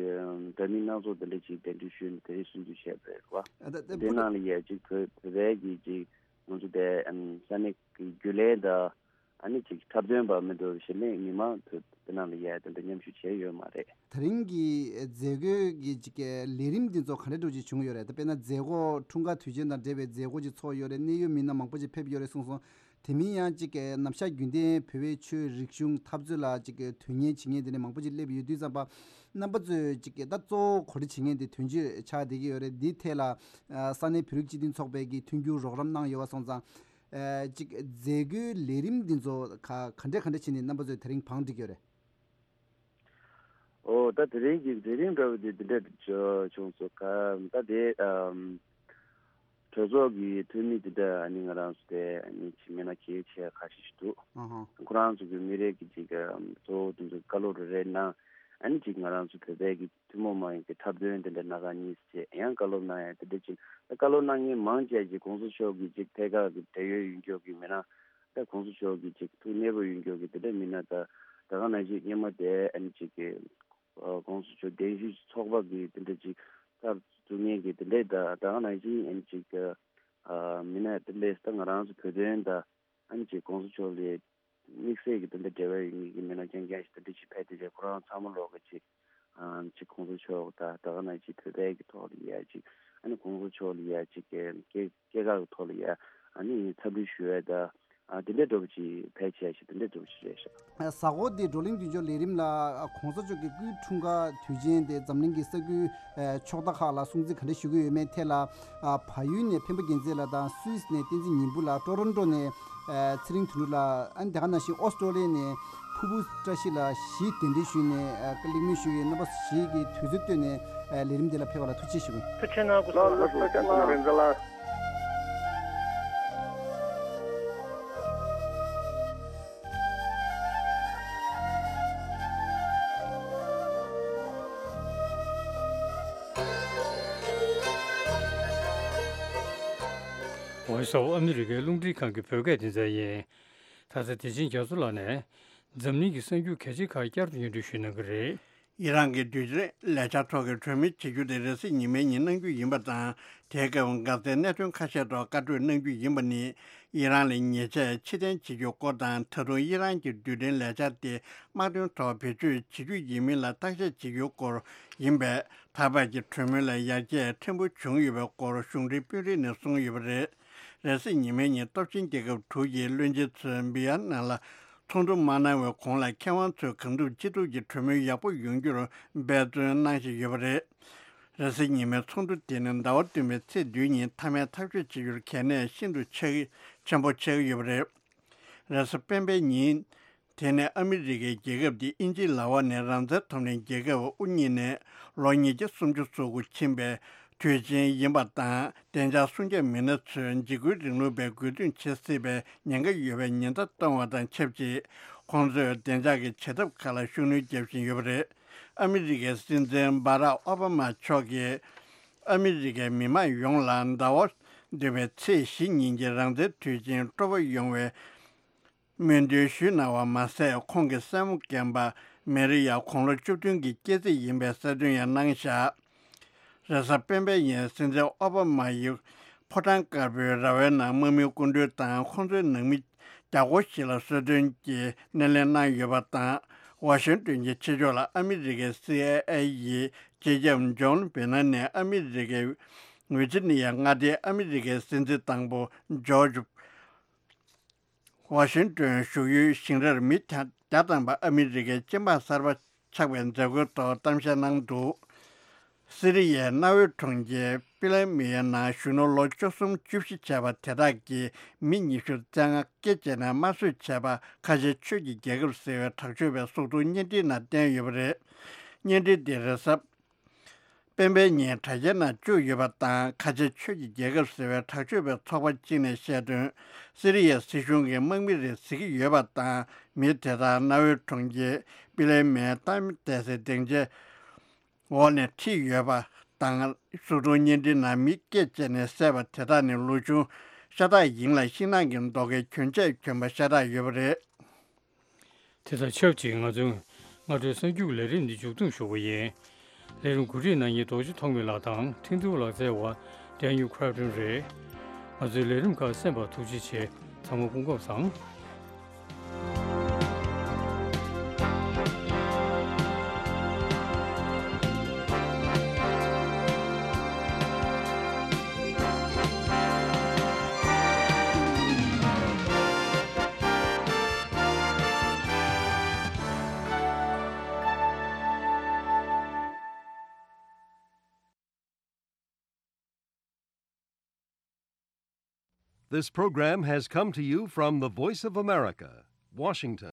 འདྲ་མིན་སྣ་ཚོགས་དེ་འདྲ་ཅིག་གདན་འདྲེན་ཞུས་ནས་དེ་རིང་སྲུང་བརྩི་བྱས་པ་རེད་བ། ཨ་ད་ད་དེ་ནང་ལ་ཡ་ཅིག་བོད་བོད་པའི་གི་ཅིག་ང་ཚོ་དེ་ཨམ་ས་གནས་ཀྱི་རྒྱུན་ལས་དང་ ཨ་ནི་ཅིག་འཁྲབ་སྟོན་པ་མི་འདུག་གཞི་ནས་མི་མང་དུ་དེ་ནང་ལ་ཡ་དེ་འདྲ་མཉམ་ཞུགས་བྱས་ཡོད་མ་རེད། དེ་རིང་གི་མཛད་སྒོའི་གི་ཅིག་ལས་རིམ་འདི་ཚོ་ག་འདྲ་འདྲ་ཅིག་བྱུང་ཡོད་རེད། ད་དཔེར་ན་མཛད་སྒོ་འཁྲུངས་སྐར་དུས་ཆེན་དང་འབྲེལ་བའི་མཛད་སྒོ་ཅིག་ཚོགས་ཡོད་རེད། གནད་ཡོད་མི་སྣ་མང་པོ་ཅིག་ཕེབས་ཡོད་རེད་གསུངས་སོང་། དེ་མིན་ཡང་ཅིག་གི་ནམ་ཞག་རྒྱུན་ལྡན་བོད་པའི་ཆོས་རིག་གཞུང་འཐབ་རྩོད་ལ་ཅིག་གི་དོན་གཉེར་བྱེད་མཁན་དེ་འདྲ་མང་པོ་ཅིག་སླེབས་ཡོད་དུས་ཙམ་པ། རྣམ་པ་ཚོས་ཅིག་གི་ད་གཙོ་བོ་གོ་སྒྲིག་བྱེད་མཁན་དེ་དོན་གཅོད་ཆགས་བསྡད་ཀྱི་ཡོད་རེད། འདིའི་ཐད་ལ་ཨ་ས་གནས་བོད་རིགས་སྤྱི་མཐུན་ཚོགས་པས་ཀྱི་མཐུན་འགྱུར་རོགས་རམ་གནང་ཡོད་པ་སོང་ཙང་། ཨ་ཅིག་མཛད་སྒོའི་ལས་རིམ་འདི་ཚོ་ག་ག་འདྲ་ག་འདྲ་བྱས་ནས་རྣམ་པ་ཚོས་དེ་རིང་བང་བསྒྲིགས་ཡོད་རེད། ཨོ་ད་དེ་རིང་གི་མཛད་རིམ་འདྲ་བོ་དེ་འདི་འདྲ་བྱུང་སོང་། ག་ད་དེ་ཨམ། གྲོས་ཚོགས་ཀྱི་འཐུས་མི་དེ་འདྲ་ཨ་ནི་ང་རང་ཚོ་དེ་ཨ་ནི་ཅིག་མི་སྣ་གལ་ཆེ་ཁ་ཤས་ཤིག་འདུག་ཨ་ཧ། ཁོ་རང་ཚོ་གི་མི་རེ་གི་ཅིག་ཨམ་གཙོ་བོ་དེ་ཚོ་བཀའ་སློབ་རེ་རེ་གནང་། ཨ་ནི་ཅིག་ང་རང་ཚོ་བོད་པའི་གི་ཐུན་མོང་མ་ཡིན་གི་འཁྲབ་སྟོན་དེ་འདྲ་སྣ་ཁ་གཉིས་བྱས་ཡང་བཀའ་སློབ་གནང་ཡ་དེ་འདྲ་ཅིག་ད་བཀའ་སློབ་གནང་མཁན་མང་ཆེ་ཅིག་གོང་ས་མཆོག་གི་ཅིག་ཐད་ཀར་གི་འབྲེལ་ཡོད་ཡོད་མཁན་གི་མི་སྣ། ད་གོང་ས་མཆོག་གི་ཅིག་ཐུགས་མཉེས་པོ་ཡོད་མཁན་གི་དེ་འདྲ་མི་སྣ་ད་ད་ག་ནང་བཞིན་སྔོན་མ་དེ་ཨ་ནི་ཅིག་གི་ཨ་གོང་ས་མཆོག་གདན་ཞུས་ཚོགས་པ་གི་དེ་འདྲ་ཅིག་སྐབས་བཙུགས་མཁན་གྱི་དེ་འདྲའི་ད་ད་ག་ནང་བཞིན་ཨ་ནི་ཅིག་ཨ་མི་སྣ་དེ་འདྲས་ད་ང་རང་ཚོ་བོད་དོན་ད་ཨ་ནི་ཅིག་གོང་ས་མཆོག་ལ་དམིགས་བསལ་གྱི་དེ་འདྲ་འབྲེལ་བ་ཡོད་མཁན་གྱི་མི་སྣ་རྐྱང་རྐྱང་ཞིག་དེ་འདྲ་ཅིག་ཕེབས་དེ་རེད། ཁོ་རང་ཚང་མ་ལོག་གི་ཅིག་ཨ་ཅིག་གོང་ས་མཆོག་ད་ད་ག་ནང་ཅིག་བོད་པའི་གི་ཐོག་ལ་ཡ་ཅིག་ཨ་ནི་གོང་ས་མཆོག་ལ་ཡ་ཅིག་སྐྱེ་སྐྱེ་སྐྱེ་སྐར་གི་ཐོག་ལ་ཡ་ཨ་ནི་འཚམས་འདྲི་ཞུ་ཡ་ད། ཨ་དེ་འདྲའི་འདྲ་པོ་ཅིག་ཕལ་ཆེར་ཞིག་དེ་འདྲའི་འདྲ་པོ་ཞིག་རེད་ཤག་གཟའ་འཁོར་འདིའི་བགྲོ་གླེང་མདུན་ལྕོག་ལས་རིམ་ལ་ཨ་གོང་ས་མཆོག་གི་སྐུའི་འཁྲུངས་སྐར་དུས་ཆེན་དེ་འཛམ་གླིང་གི་ས་ཁུལ་ཨ་ཕྱོགས་མཐའ་ཁག་ལ་སྲུང་བརྩི་ག་འདྲ་ཞུ་གི་ཡོད་མེད་ཐད་ལ་ཨ་བལ་ཡུལ་ནས་འཕན་པ་རྒྱལ་མཚན་ལགས་དང་སུད་སི་ནས་བསྟན་འཛིན་ཉི་འབུམ་ལགས། ཊོ་རོན་ཊོ་ནས་ཨ་ཚེ་རིང་དོན་གྲུབ་ལགས། ཨ་ནི་དེ་ག་ནང་བཞིན་ཨོ་སི་ཀྲོ་ལི་ཡ་ནས་ཕུར་བུ་བཀྲ་ཤིས་ལགས་གཞིས་གདན་འདྲེན་ཞུས་ནས་ཨ་གླེང་མོལ་ཞུ་ཡི། རྣམ་པ་ཞིག་གིས་དུས་ཚོད་བཏོན་ནས་ཨ་ལས་རིམ་འདི་ལ་ཕེབས་པ་ལ་ཐུགས་རྗེ་ཆེ་ཞུ་གི་ཡིན། ཐུགས་རྗེ་གནང་སྐུ་གཟུགས་ལགས་ལགས་སོ། ཐུགས་རྗེ་གནང་། རིན་ཆེན་ལགས། Voice of America རླུང་འཕྲིན་ཁང་གི་བོད་སྐད་སྡེ་ཚན་ཡིན། ད་ཆ་བདེ་ཆེན་རྒྱ་མཚོ་ལགས་ནས་འཛམ་གླིང་གི་གསར་འགྱུར་གལ་ཆེ་ཁག་བསྐྱར་དུ་སྙན་སྒྲོན་ཞུ་གནང་གི་རེད། ཡི་རང་གི་རྡུལ་ཕྲན་ལས་འཆར་ཐོག་གི་གྲོས་མོལ་བྱེད་རྒྱུ་དེ་རེས་གཟའ་ཉི་མའི་ཉིན་གནང་རྒྱུ་ཡིན་པ་དང་། དེའི་སྐབས་འགག་རྩའི་གནད་དོན་ཁ་ཤས་ཐོག་བཀའ་གྲོས་གནང་རྒྱུ་ཡིན་པ་ནི། ཡི་རང་ལ་ཉེས་ཆད་ཕྱིར་འཐེན་བྱེད་རྒྱུའི་སྐོར་དང་། ད་དུང་ཡི་རང་གི་རྡུལ་ཕྲན་ལས་འཆར་དེ་དམག་དོན་ཐོག་བེད་སྤྱོད་བྱེད་རྒྱུ་ཡིན་མིན་ལ་བརྟག་དཔྱད་བྱེད་རྒྱུའི་སྐོར་ཡིན་པས། ད་བར་གྱི་གྲོས་མོལ་ལ་ཡར་རྒྱས་ཕྲན་བུ་བྱུང་ཡོད་པའི་སྐོར་གཞུང་འབྲེལ་དཔོན་རིགས་ནས་གསུངས་ཡོད་པ་རེད། རེས་གཟའ་ཉི་མའི་ཉིན་སྟོབས་ཆེན་རྒྱལ་ཁབ་དྲུག་གི་བློན་ཆེན་ཚོས་བི་ཡ་ནམ་ལ་ཚོགས་འདུ་མ་གནང་བའི་གོང་ལ་མཁས་དབང་ཚོས་གང་ཐུབ་ཅི་ཐུབ་ཀྱིས་གྲོས་མོལ་ཡག་པོ་ཡོང་རྒྱུར་འབད་བརྩོན་གནང་བཞིན་ཡོད་པ་རེད། རེས་གཟའ་ཉི་མའི་ཚོགས་འདུ་དེ་ནི་ཟླ་བ་བདུན་པའི་ཚེས་བདུན་ཉིན་མཐའ་མའི་ཐག་གཅོད་བྱེད་རྒྱུར་གལ་གནད་ཤིན་ཏུ་ཆེ་ཆེན་པོ་ཆགས་ཀྱི་ཡོད་པ་རེད། རེས་གཟའ་སྤེན་པའི་ཉིན། དེ་ནི་ཨ་མི་རི་ཀའི་རྒྱལ་ཁབ་དེ་དབྱིན་ཇིའི་ལག་འོག་ནས་རང་བཙན་ཐོབ་ནས་རྒྱལ་ཁབ་དབུ་བརྙེས་ནས་ལོ་ཉིས་བརྒྱ་སུམ་ཅུ་སོ་དགུ་ཕྱིན་པའི་དུས་ཆེན་ཡིན་པ་དང་། བདེ་འཇགས་སྲུང་སྐྱོབ་མི་སྣ་ཚོས་འཇིགས་སྐུལ་རིང་ལུགས་པའི་རྒོལ་རྡུང་བྱེད་སྲིད་པའི་ཉེན་ཁ་ཡོད་པའི་ཉེན་བརྡ་བཏང་བ་དང་ཆབས་ཅིག་ཁོང་ཚོས་བདེ་འཇགས་ཀྱི་བྱེད་ཐབས་ཁག་ལ་ཤུགས་སྣོན་རྒྱག་བཞིན་ཡོད་པ་རེད། ཨ་མི་རི་ཀའི་སྲིད་འཛིན་སྦ་རག་ཨོ་བྷ་མ་མཆོག་གིས་ཨ་མི་རི་ཀའི་མི་མང་ཡོངས་ལ་ཟླ་བ་འདི་པའི་ཚེས་བཞི་ཉིན་གྱི་རང་བཙན་དུས་ཆེན་སྤྲོ་པོ་ཡོང་བའི་སྨོན་འདུན་ཞུས་གནང་བ་མ་ཟད། ཁོང་གི་སྲས་མོ་རྒན་པ་མེ་རི་ཡ་དགུང་ལོ་བཅུ་བདུན་གྱི་སྐྱེས་ཚེས་ཡིན་པའི་གསལ་སྟོན་ཡང་གནང་བཞག་རེས་གཟའ་སྤེན་པའི་ཉིན་སྲིད་འཛིན་ཨོ་བྷ་མ་ཡིས་ཕོ་བྲང་དཀར་པོའི་ར་བའི་ནང་དམག་མིའི་སྐུ་མགྲོན་དང་ཁོང་ཚོའི་ནང་མི་བརྒྱ་སྐོར་ཞིག་ལ་གསོལ་སྟོན་གྱི་སྣེ་ལེན་གནང་ཡོད་པ་དང་། ཝ་ཤིང་ཏོན་གྱི་ཕྱི་ཕྱོགས་ལ་ཨ་མི་རི་ཀའི་སི་ཨའི་ཨེ་ཡི་སྤྱི་ཁྱབ་ཇོན་བྷེ་ནན་ནས་ཨ་མི་རི་ཀའི་ཝི་ཇི་ནི་ཡ་མངའ་སྡེའི་ཨ་མི་རི་ཀའི་སྲིད་འཛིན་དང་པོ་ཇོརྗ་ཝ་ཤིང་ཏོན་བཞུགས་ཡུལ་ཞིང་རར་མི་བརྒྱ་ཐམ་པ་ཨ་མི་རི་ཀའི་སྤྱི་འབངས་གསར་པ་ཆགས་པའི་མཛད་སྒོའི་ཐོག་གཏམ་བཤད་གནང་འདུག་སི་རི་ཡའི་གནའ་བོའི་གྲོང་ཁྱེར་པི་ལེ་མི་ཡའི་ནང་གཞོན་ནུ་ལོ་བཅུ་གསུམ་བཅུ་བཞི་བྱས་པ་དེ་དག་གིས་མི་ཉི་ཤུ་རྩ་ལྔ་སྐེ་བཅད་ནས་དམར་གསོད་བྱས་པ་ཁ་ཆེ་ཆོས་ཀྱི་རྒྱལ་ཁབ་ཟེར་བའི་དྲག་སྤྱོད་པའི་གཟུགས་མཐོང་བརྙན་འཕྲིན་ནང་བསྟན་ཡོད་པ་རེད། བརྙན་འཕྲིན་དེ་རེས་གཟའ་སྤེན་པའི་ཉིན་དྲ་རྒྱའི་ནང་བཅུག་ཡོད་པ་དང་། ཁ་ཆེ་ཆོས་ཀྱི་རྒྱལ་ཁབ་ཟེར་བའི་དྲག་སྤྱོད་པའི་ཚོགས་པ་གཅིག་ནས་བཤད་དོན། སི་རི་ཡའི་སྲིད་གཞུང་གི་དམག་མི་རེད་ཟེར་གྱི་ཡོད་པ་དང་། མི་དེ་དག་གནའ་བོའི་གྲོང་ཁྱེར་པི་ལེ་མེའི་ཏཱ་མི་ཏེ་སི་སྡིངས་ཆའི་འོག་ནས་ཁྲིད་ཡོད་པ་དང་། གཟུགས་མཐོང་བརྙན་འཕྲིན་ནང་མི་སྐེ་བཅད་ནས་བསད་པ་དེ་དག་ནི་ལོ་ཆུང་ཤ་སྟག་ཡིན་ལ། ཤིང་ནགས་ཀྱི་རྡོ་ཁའི་གྱོན་ཆས་གྱོན་པ་ཤ་སྟག་ཡོད་པ་རེད། དེ་དང་ཆབས་ཅིག་ང་ཚོའི་སྔ་དྲོའི་གསར་འགྱུར་ལས་རིམ་འདི་མཇུག་བསྡོམས་ཞུ་བ་ཡིན། ལས་རིམ་གོ་སྒྲིག་གནང་མཁན་རྡོ་རྗེ་ཐོགས་མེད་ལགས་དང་ཁྲིན་ཏུའུ་ལགས་བཅས་པ་ཌེ་ནིལ་ཁྲའོ་ཏོན་རེད། ང་ཚོའི་ལས་རིམ་ཁག་གསན་པར་ཐུགས་རྗེ་ཆེ། ཚང་མ་སྐུ་ཁམས་བཟང་། This program has come to you from the Voice of America, Washington.